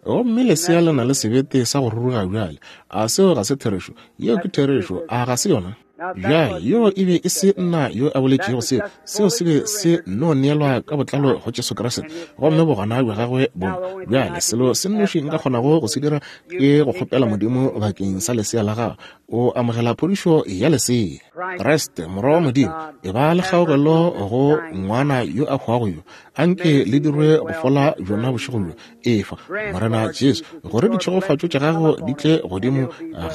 Gomme lesea le na le sebete sa go ruruga bjale. A seo ga se therešo? Yeo ke therešo, a ga se yona? Bjale yo e be e se nna yo a boletšego seo, seo se be se no neelwa ka botlalo go Jesu Kriste, gomme bogona bja gagwe bo. Bjale selo se nnoši nka kgonago go se dira ke go kgopela Modimo bakeng sa lesea la gago. O amogela phodišo ya lesea. Kriste, Morwa wa Modimo, e ba le kgaogelo go ngwana yo a hwago yo. Anke le dirwe go fola bjona bošego bjo. Efa, Morena Jesu, gore ditšhegofatšo tša gago di tle godimo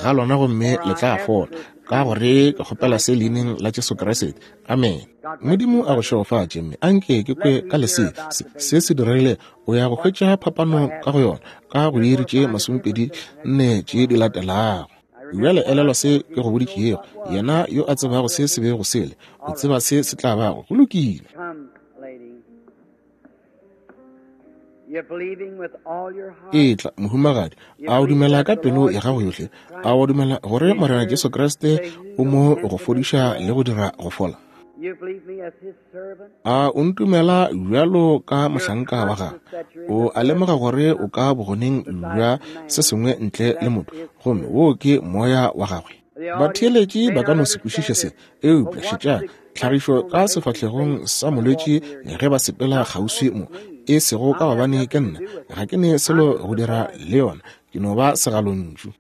ga lona gomme le tla fola. Ka gore ke kgopela se leineng la Jesu Kriste. Amen. Modimo a go šegofatše, mme anke ke kwe ka lesea. Se, se se diregile, o ya go hwetša phapano ka go yona ka go diiri tše masomepedi nne tše di latelago. Bjale elelwa se ke go boditšego. Yena yo a tsebago se se bego sele, o tseba se se tla bago. Go lokile. Etla, mohumagadi, a o dumela ka pelo ya gago yohle? A o dumela gore Morena Jesu Kriste o mo go fodiša le go dira go fola? A o ntumela bjalo ka mohlanka wa gagwe? O a lemoga gore o ka bogoneng bja se sengwe ntle le motho, gomme wo ke moya wa gagwe. Batheeletši ba ka no se kwešiše se, eupša šetšang tlhagišo ka sefahlegong sa molwetši ge ba sepela kgauswi mo, e sego ka gobane ke nna, ga ke ne selo go dira le yona, ke no ba segalontšu.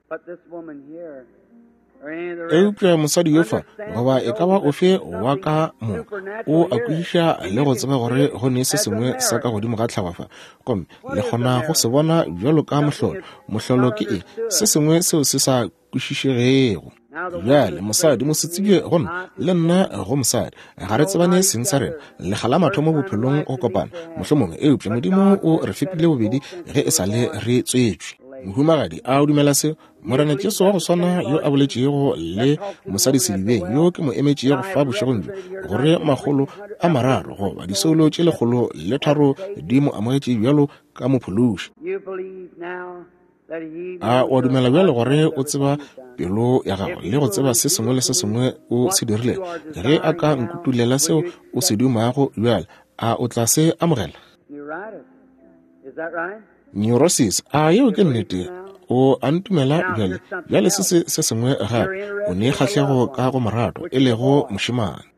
Eupša mosadi yo fa, goba e ka ba ofe wa ka mo, o a kwešiša le go tseba gore go ne se sengwe sa ka godimo ga tlhago fa, gomme le kgona go se bona bjalo ka mohlolo. Mohlolo ke eng? Se sengwe seo se sa kwešišegego. Bjale mosadi mosetsebje go nna, le nna go mosadi, ga re tsebane seng sa rena, lekga la mathomo bophelong go kopana mohlomongwe, eupša Modimo o re fepile bobedi ge e sa le re tswetšwe. Mohumagadi, a o dumela seo? Morena Jesu wa go swana yo a boletšego le mosadi sedibeng, yo ke mo emetšego fa bošegong bjo, gore makgolo a mararo goba disoulo tše lekgolo le tharo di mo amogetše bjalo ka mophološi. A o dumela bjale gore o tseba pelo ya gago le go tseba se sengwe le se sengwe o se dirilego? Ge a ka nkutulela seo o se dumago bjale, a o tla se amogela? Neurosis, a yeo ke nnete? O a ntumela bjale? Bjale se se se sengwe gape, o ne kgahlego ka go morato, e lego mošemane.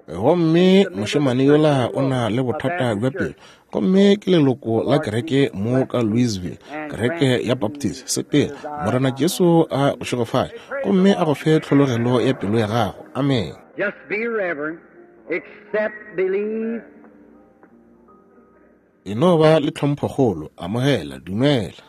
Gomme mošemane yola o na le bothata bja pelo, gomme ke leloko la kereke mo ka Louisville, kereke ya Baptist. Sepela, Morena Jesu a go šegofatše gomme a go fe tlhologelo ya pelo ya gago. Amen. E no ba le tlhomphokgolo, amogela, dumela.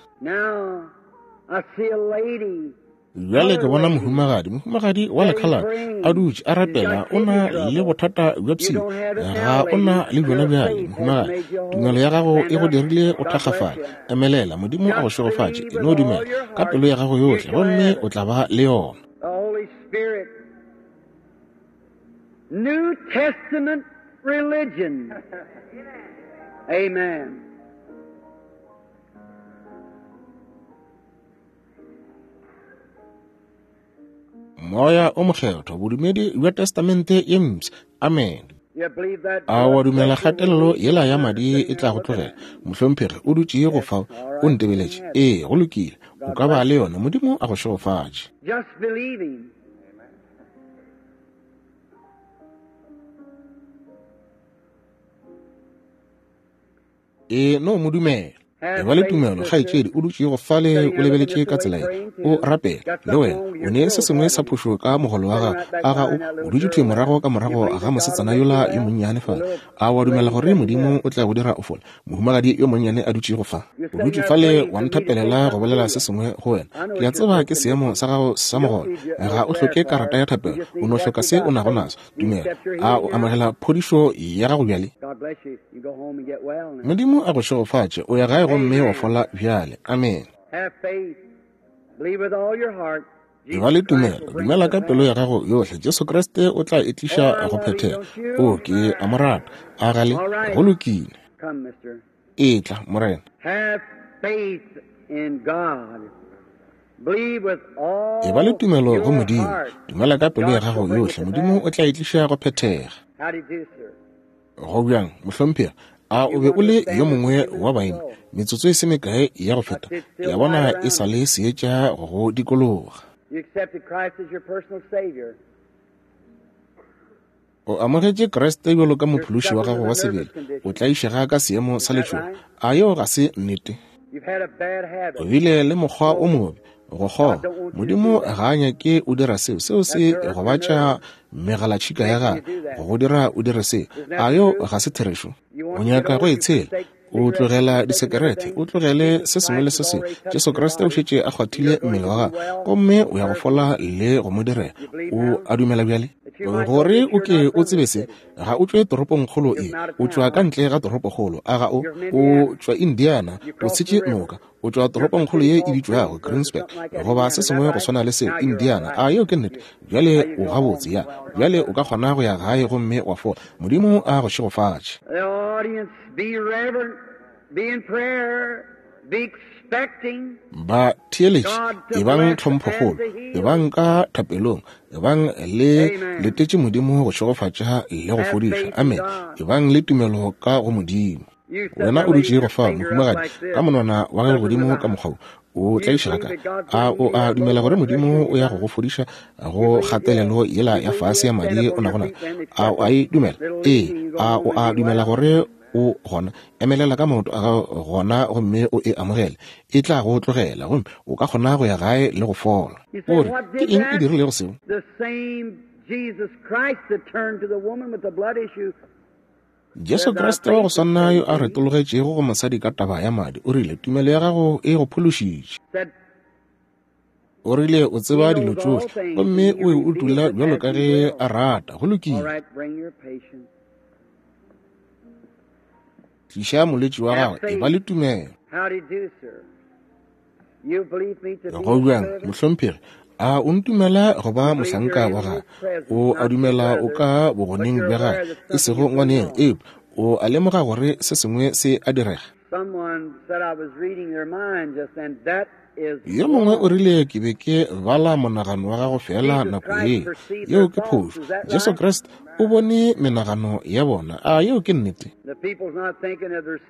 Bjale ke bona mohumagadi, mohumagadi wa lekhaladi a dutše a rapela, o na le bothata bja pshio. Ga o na le bjona bjale, mohumagadi. Tumelo ya gago e go dirile o thakgafale. Emelela, Modimo a go šegofatše. E no dumela ka pelo ya gago yohle, gomme o tla ba le yona. New Testament religion. Amen. Moya o Mokgethwa, bodumedi bja Testamente ye mpsha. Amen. A wa dumela kgatelelo yela ya madi e tla go tlogela? Mohlomphegi o dutše go fao, o ntebeletše. Ee, go lokile. O ka ba le yona. Modimo a go šegofatše. E no mo dumela. E ba le tumelo, kgaetšedi, o dutše go fale o lebeletše ka tsela ye, o rapela le wena. O ne se sengwe sa phošo ka mogolo wa gago. A ga o o dutše thwi morago ka morago ga mosetsana yola yo monnyane fale? A wa dumela gore Modimo o tla go dira o fole? Mohumagadi yo monnyane a dutše go fa, o dutše fale wa nthapelela go bolela se sengwe go wena. Ke a tseba ke seemo sa gago sa mogolo. Ga o hloke karata ya thapelo, o no hloka se o nago naso. Dumela. A o amogela phodišo ya gago bjale? Modimo a go šegofatše. O ya gae gomme wa fola bjale. Amen. E ba le tumelo, dumela ka pelo ya gago yohle. Jesu Kriste o tla e tliša go phethega. O ke a mo rata. A gale go lokile. Etla, Morena. E ba le tumelo go Modimo. Dumela ka pelo ya gago yohle. Modimo o tla e tliša go phethega. Go bjang, mohlomphegi? A o be o le yo mongwe wa baeng metsotso e se mekae ya go feta? Ke a bona e sa le seetša go go dikologa. O amogetše Kriste bjalo ka mophološi wa gago wa sebele. O tlaišega ka seemo sa letšhogo. A yeo ga se nnete? O bile le mokgwa o mobe go kgoga. Modimo ga a nyake o dira seo. Seo se gobatša megalatšhika ya gago go go dira o dire seo. A yeo ga se therešo? O nyaka go e tshela, o tlogela disekerete, o tlogele se sengwe le se sengwe. Jesu Kriste o šetše a kgwathile mmele wa gago, gomme o ya go fola le go mo direla. O a dumela bjale? Gore o ke o tsebe se, ga o tšwe toropongkgolo e, o tšwa ka ntle ga toropokgolo. A ga o? O tšwa Indiana, o tshetše noka, o tšwa toropongkgolo ye e bitšwago Greensburg, goba se sengwe go swana le seo, Indiana. A yeo ke nnete? Bjale o gabotse, ya. Bjale o ka kgona go ya gae gomme wa fola. Modimo a go šegofatše. Ba theeletše, ebang tlhomphokgolo, ebang ka thapelong, ebang le letetše Modimo go šegofatša le go fodiša. Amen. Ebang le tumelo ka go Modimo. Wena o dutše go fa, mohumagadi, ka monwana wa gago godimo ka mokgwa o tlaišega ka. A o a dumela gore Modimo o ya go go fodiša go kgatelelo yela ya fase ya madi o nago nayo? A o a e dumela? Ee. A o a dumela gore o gona? Emelela ka maoto a gago gona gomme o e amogele. E tla go tlogela gomme o ka kgona go ya gae le go fola. O re, ke eng e dirilego seo? Jesu Kriste wa go swana yo a retologetšego go mosadi ka taba ya madi, o rile, tumelo ya gago e go phološitše. O rile o tseba dilo tšohle, gomme o e utolla bjalo ka ge a rata. Go lokile. Tliša molwetši wa gago, e ba le tumelo. Go bjang, mohlomphegi? A o ntumela go ba mohlanka wa gagwe? O a dumela o ka bogoneng bja gagwe, e sego ngwaneng? Eupša o a lemoga gore se sengwe se a direga. Yo mongwe o rile ke be ke bala monagano wa gago fela nako ye. Yeo ke phošo. Jesu Kriste o bone menagano ya bona. A yeo ke nnete?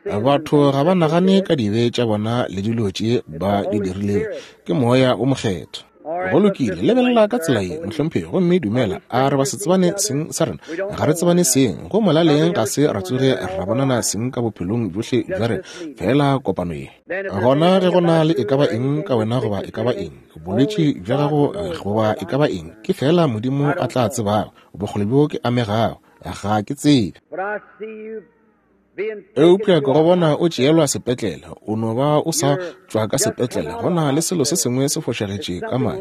Batho ga ba nagane ka dibe tša bona le dilo tše ba di dirilego. Ke Moya o Mokgethwa. Go lokile, lebelela ka tsela ye, mohlomphegi, gomme dumela. A re ba se tsebane seng sa rena? Ga re tsebane seng. Go molaleng ga se ra tsoge ra bonana seng ka bophelong bjohle bja rena, fela kopano ye. Gona ge go na le e ka ba eng ka wena goba e ka ba eng, bolwetši bja gago goba e ka ba eng, ke fela Modimo a tla tsebago. Bokgole bjo ke amegago, ga ke tsebe. Eupša ke go bona o tšeelwa sepetlele, o no ba o sa tšwa ka sepetlele. Go na le selo se sengwe se fošagetše ka madi,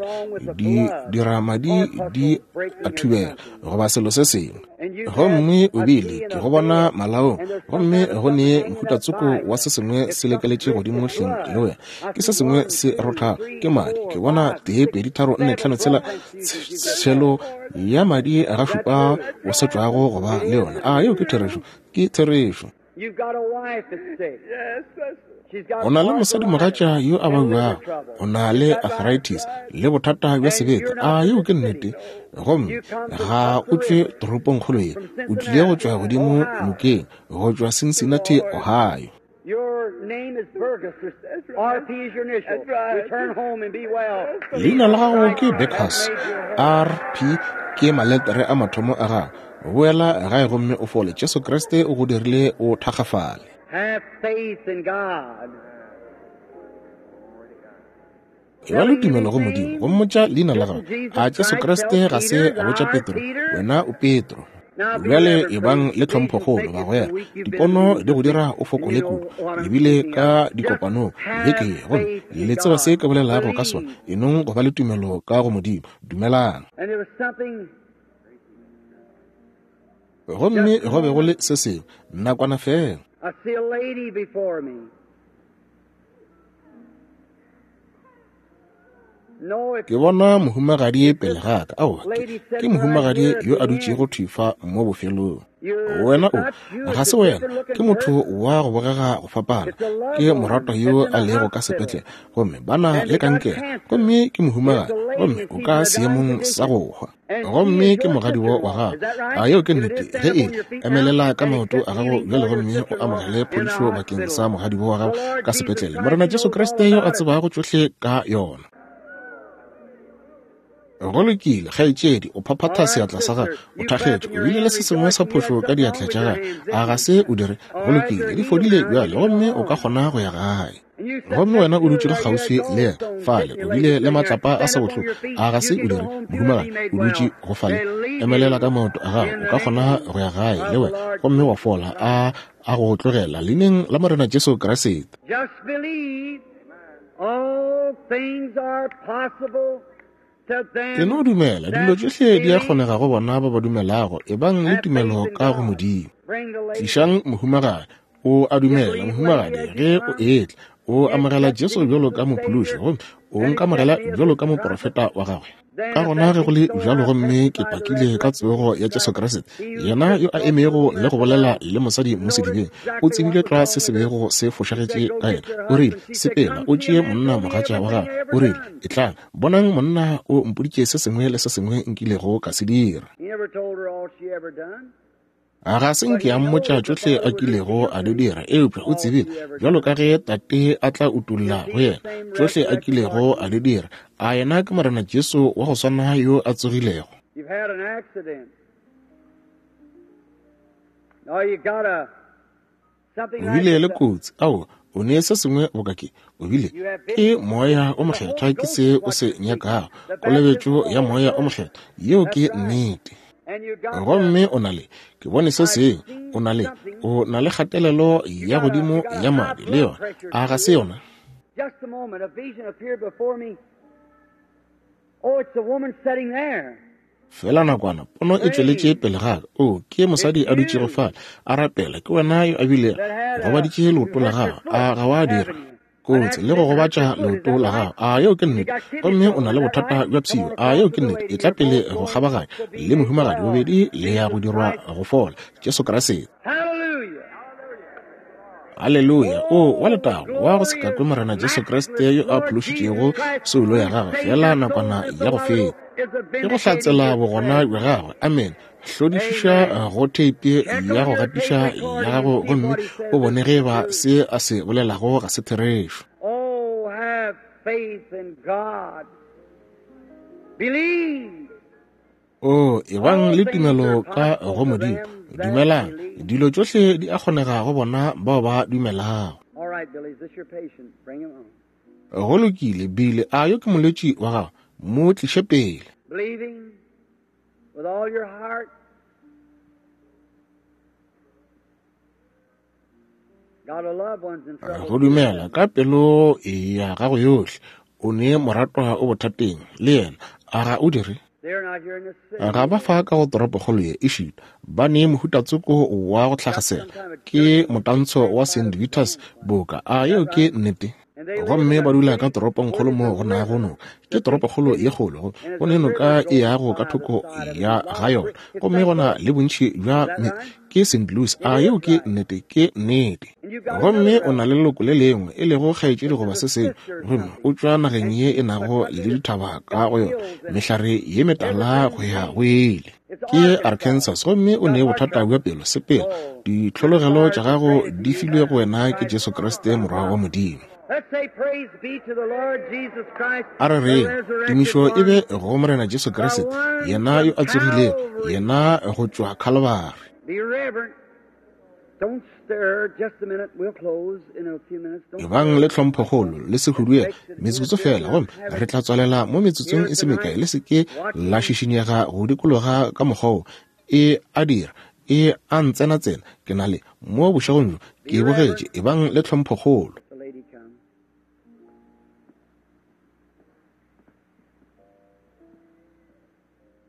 di dira madi di a thubega goba selo se sengwe. Gomme o bile ke go bona malaong, gomme go ne mohutatsoko wa se sengwe se lekeletše godimo hleng le wena. Ke se sengwe se rothago, ke madi. Ke bona tee, pedi, tharo, nne, tlhano, tshela, tshelo ya madi ga šupa o sa tšwago go ba le yona. A yeo ke therešo? Ke therešo. O na le mosadimogatša yo a babjago, o na le arthritis le bothata bja sebete. A yeo ke nnete? Gomme ga o tšwe toropongkgolo ye, o tlile go tšwa godimo nokeng, go tšwa Cincinnati, Ohio. Leina la gago ke Beckhus, R P ke maletere a mathomo a gago. Boela gae gomme o fole. Jesu Kriste o go dirile o thakgafale. Have faith in God. Eba le tumelo go Modimo, go mmotša leina la gago. A Jesu Kriste ga se a botša Petro, wena o Petro. Bjale ebang le tlhomphokgolo, bagwera. Dipono di go dira o fokole kudu, ebile ka dikopanong beke ye, gomme le tseba se ke bolelago ka sona. Enong go ba le tumelo ka go Modimo. Dumelang. Gomme go be go le se sengwe nakwana fela. I see a lady before me. No, Ke bona mohumagadi pele ga ka. Aowa, ke, ke mohumagadi yo a dutšego thwi fa mo bofelong. Wena o, ga se wena, ke motho wa go bogega go fapana. Ke moratwa yo a lego ka sepetlele, gomme ba na le kankere, gomme ke mohumagadi, gomme o ka seemong sa go hwa. Gomme ke mogadibo wa gago. A yeo ke nnete? Ge e emelela ka maoto a gago bjale gomme o amogele phodišo bakeng sa mogadibo wa gago ka sepetlele. Morena Jesu Kriste yo a tsebago tšohle ka yona. Go lokile, kgaetšedi, o phaphatha seatla sa gago, o thakgetše, o bile le se sengwe sa phošo ka diatla tša gago. A ga se o dire? Go lokile, di fodile bjale gomme o ka kgona go ya gae. Gomme wena o dutšego kgauswi le yena fale, o bile le matlapa a sa bohloko. A ga se o dire, mohumagadi? O dutše go fale, emelela ka maoto a gago, o ka kgona go ya gae le wena gomme wa fola. A a go tlogela leineng la Morena Jesu Kriste. Just believe all things are possible. Ke no dumela dilo tšohle di a kgonega go bona ba ba dumelago. Ebang le tumelo ka go Modimo. Tlišang mohumagadi. O a dumela, mohumagadi, ge o etla o amogela Jesu bjalo ka mophološi, gomme o nkamogela bjalo ka moprofeta wa gagwe. Ka gona ge go le bjalo, gomme ke pakile ka tsogo ya Jesu Kriste, yena yo a emego le go bolela le mosadi mo sedibeng, o tsebile tlwa se se bego se fošagetše ka yena. O rile, sepela o tšee monna mogatša wa gago. O rile, etlang, bonang monna o mpoditše se sengwe le se sengwe nkilego ka se dira. A ga se nke a mmotša tšohle a kilego a di dira, eupša o tsebile bjalo ka ge Tate a tla utolla go yena tšohle a kilego a di dira. A yena ke Morena Jesu wa go swana yo a tsogilego. You've had an accident. Now you got a something O bile le kotsi. Aowa, o ne se sengwe boka ke. O bile ke moya o mokgethwa, ke se o se nyakago, kolobetšo ya moya o mokgethwa. Yeo ke nnete. Gomme o na le, ke bone se sengwe, o na le, o na le kgatelelo ya godimo ya madi le yona. A ga se yona? Just a moment, a vision appeared before me. Oh, it's a woman sitting there. Fela nakwana, pono e tšweletše pele ga ka. O, ke mosadi a dutšego fale, a rapela. Ke wena yo a bile gobaditše leoto la gago. A ga wa dira kotsi le go gobatša leoto la gago? A yeo ke nnete? Gomme o na le bothata bja pshio. A yeo ke nnete? E tla pele go kgabaganya le mohumagadi, bobedi le ya go dirwa go fola. Jesu Kriste. Hallelujah. Haleluya. O wa letago wa go se kakwe Morena Jesu Kriste yo a phološitšego soulo ya gagwe fela nakwana ya go feta. Ke go hlatsela bogona bja gagwe. Amen. Hlodišiša go theipi ya go gatiša ya gago gomme o bone ge ba se a se bolelago ga se therešo. Oh, have faith in God. Believe. O, ebang le tumelo ka go Modimo. Dumelang. Dilo tšohle di a kgonega go bona bao ba dumelago. All right, Billy, is this your patient? Bring him on. Go lokile, Billy, a yo ke molwetši wa gago? Mo tliše pele. Believing with all your heart. Got a loved one's in trouble. Go dumela ka pelo ya gago yohle. O ne moratwa o bothateng le yena. A ga o dire? They're not here in the city. Ga ba fa ka go toropokgolo ye, ešita ba ne mohutatsoko wa go hlagasela, ke motantsho wa Saint Vitus boka. A yeo ke nnete? Gomme ba dula ka toropongkgolo mo go nago noka. Ke toropokgolo ye kgolo, go ne noka e yago ka thoko ya ga yona. Gomme gona le bontši bja ke Saint Louis. A yeo ke nnete? Ke nnete. Gomme o na le leloko le lengwe, e lego kgaetšedi goba se sengwe, gomme o tšwa nageng ye e nago le dithaba ka go yona, mehlare ye metala go ya go ile. Ke Arkansas, gomme o ne bothata bja pelo. Sepela, ditlhologelo tša gago di filwe go wena ke Jesu Kriste Morwa wa Modimo. A re reng, tumišo e be go Morena Jesu Kriste, yena yo a tsogilego, yena go tšwa Calvary. Ebang le tlhomphokgolo, le se huduege metsotso fela, gomme re tla tswalela mo metsotsong e se mekae. Le se ke la šišinyega go dikologa ka mokgwa wo e a dira, e a ntsenatsena. Ke na le mo bošegong bjo ke bogetše. Ebang le tlhomphokgolo.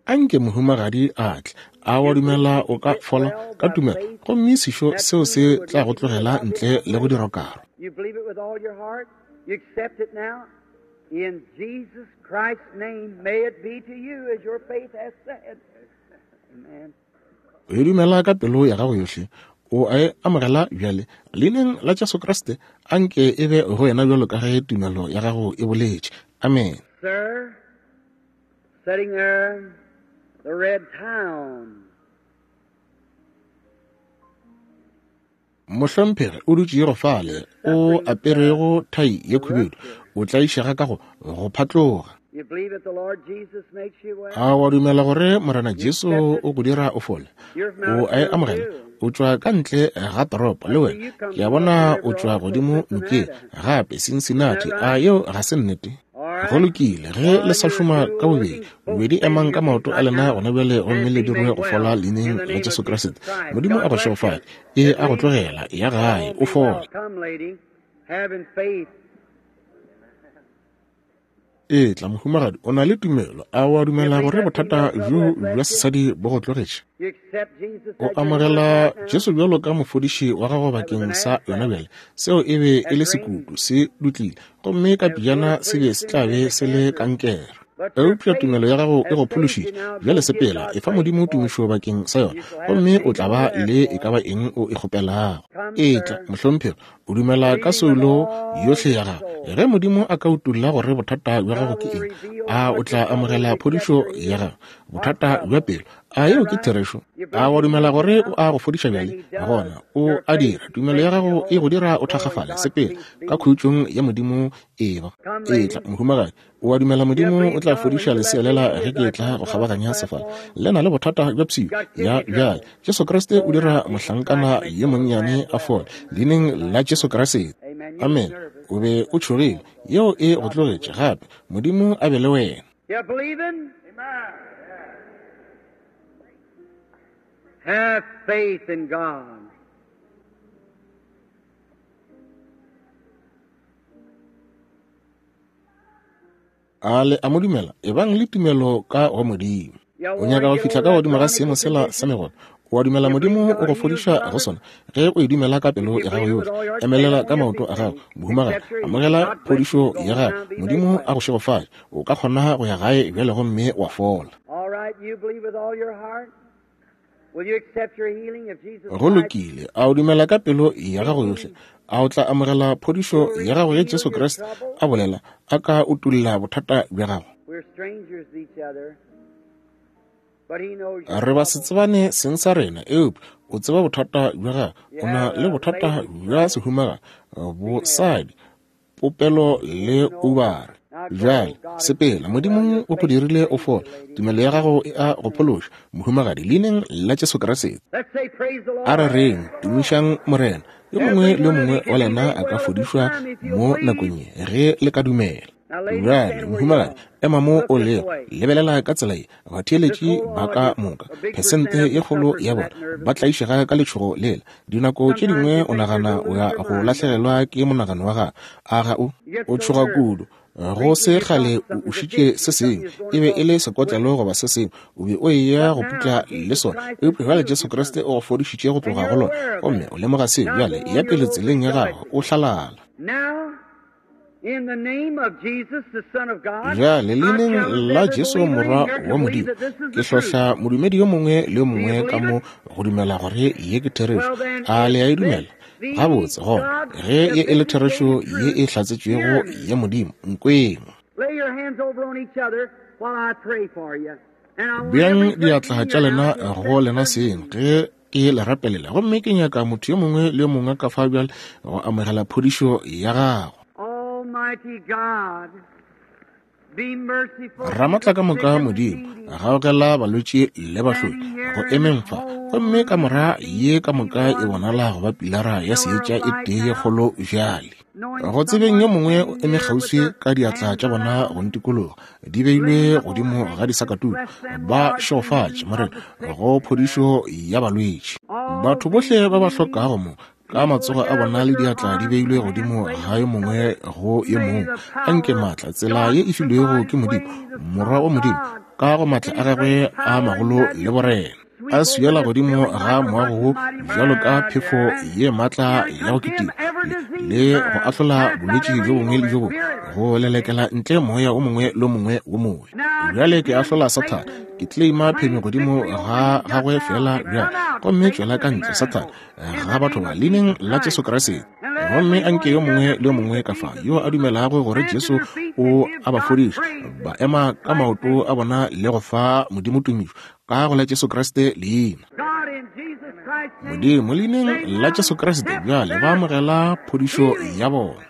Anke mohumagadi a tle, a wa dumela o ka fola ka tumelo, gomme sešo seo se tla go tlogela ntle le go dira karo. O e dumela ka pelo ya gago yohle, o a e amogela bjale leineng la Jesu Kriste. Anke e be go wena bjalo ka ge tumelo ya gago e boletše. Amen. Sitting there, the red town. Mohlomphegi o dutše go fale, o aperego thai ye khubedu, o tlaišega ka go go phatloga. A wa dumela gore Morena Jesu o go dira o fole? O a e amogela? O tšwa ka ntle ga toropo le wena. Ke a bona o tšwa godimo nokeng gape, Cincinnati. A yeo ga se nnete? Go lokile, ge le sa šoma ka bobedi, bobedi emang ka maoto a lena gona bjale, gomme le dirwe go fola leineng la Jesu Kriste. Modimo a go šegofale, e a go tlogela, ya gae, o fole. E tla mohumagadi, o na le tumelo. A wa dumela gore bothata bjo bja sesadi bo go tlogetše? O amogela Jesu bjalo ka mofodiši wa gago bakeng sa yona bjale? Seo e be e le sekutu, se dutlile, gomme ka pejana se be se tla be se le kankere. Eupša tumelo ya gago e go phološitše. Bjale sepela, e fa Modimo tumišo bakeng sa yona, gomme o tla ba le e ka ba eng o e kgopelago. E tla, mohlomphegi, o dumela ka soulo yohle ya gago. Ge Modimo a ka utolla gore bothata bja gago ke eng, a o tla amogela phodišo ya gago? Bothata bja pelo, a yeo ke therešo? A wa dumela gore o a go fodiša bjale? Gona o a dira. Tumelo ya gago e go dira o thakgafale. Sepela ka khutšong ya Modimo. Eba e tla, mohumagadi, o a dumela Modimo o tla fodiša lesea lela ge ke tla go kgabaganya sefala? Le na le bothata bja pshio ya bjale. Jesu Kriste o dira mohlankana yo monnyane a fole leineng la Jesu Kriste. Amen. O be o tšhogile, yeo e go tlogetše gape. Modimo a be le wena. Have faith in God. A le a mo dumela? Ebang le tumelo ka go Modimo. O nyaka go fihla ka godimo ga seemo sela sa megono. O a dumela Modimo o go fodiša go sona? Ge o e dumela ka pelo ya gago yohle, emelela ka maoto a gago, mohumagadi, amogela phodišo ya gago. Modimo a go šegofatše. O ka kgona go ya gae bjale gomme wa fola. Go lokile. A o dumela ka pelo ya gago yohle? A o tla amogela phodišo ya gago ge Jesu Kriste a bolela, a ka utolla bothata bja gago? Re ba se tsebane seng sa rena, eupša o tseba bothata bja gago. O na le bothata bja sehumaga, bosadi, popelo le ubare. Bjale sepela, Modimo o go dirile o fola. Tumelo ya gago e a go phološa, mohumagadi, leineng la Jesu Kriste. A re reng, tumišang Morena. Yo mongwe le yo mongwe wa lena a ka fodišwa mo nakong ye ge le ka dumela. Bjale mohumagadi, ema mo o lego, lebelela ka tsela ye. Batheeletši ba ka moka, phesente ye kgolo ya bona ba tlaišega ka letšhogo lela. Dinako tše dingwe o nagana o ya go lahlegelwa ke monagano wa gago. A ga o? O tšhoga kudu. Go se kgale o ušitše se sengwe, e be e le sekotlelo goba se sengwe, o be o eya go putla le sona, eupša bjale Jesu Kriste o go fodišitše go tloga go lona, gomme o lemoga seo. Bjale ya pele tseleng ya gago, o hlalala. Now, Bjale leineng la Jesu Morwa wa Modimo, ke hlohla modumedi yo mongwe le yo mongwe ka mo go dumela gore ye ke therešo. A le a e dumela? Gabotse, gona, ge ye e le therešo ye e hlatsetšwego ya Modimo, nkweng. Beang diatla tša lena go lena seng ge ke le rapelela, gomme ke nyaka motho yo mongwe le yo mongwe ka fa bjale go amogela phodišo ya gago. Ramatla ka moka Modimo, gaogela balwetši le bahloki go emeng fa, gomme kamora ye ka moka e bonala go ba pilara ya seetša e tee ye kgolo bjale. Go tsebeng yo mongwe o eme kgauswi ka diatla tša bona go ntikologa, di beilwe godimo ga disakatuku, ba šegofatše Morena go phodišo ya balwetši. Batho bohle ba ba hlokago mo, ka matsogo a bona le diatla di beilwe godimo ga yo mongwe go yo mongwe, anke maatla tsela ye e filwego ke Modimo, Morwa wa Modimo, ka go maatla a gagwe a magolo le borena, a swiela godimo ga moago wo bjalo ka phefo ye maatla ya go kitima, le go ahlola bolwetši bjo bongwe le bjo bongwe, go lelekela ntle moya o mongwe le o mongwe wo mobe. Bjale ke ahlola Sathane, ke claima phenyo godimo ga gagwe fela bjale, gomme tšwela ka ntle Sathane ga batho ba leineng la Jesu Kriste. Gomme anke yo mongwe le yo mongwe ka fa yo a dumelago gore Jesu o a ba fodiša, ba ema ka maoto a bona le go fa Modimo tumišo ka go la Jesu Kriste leina. Modimo leineng la Jesu Kriste bjale ba amogela phodišo ya bona.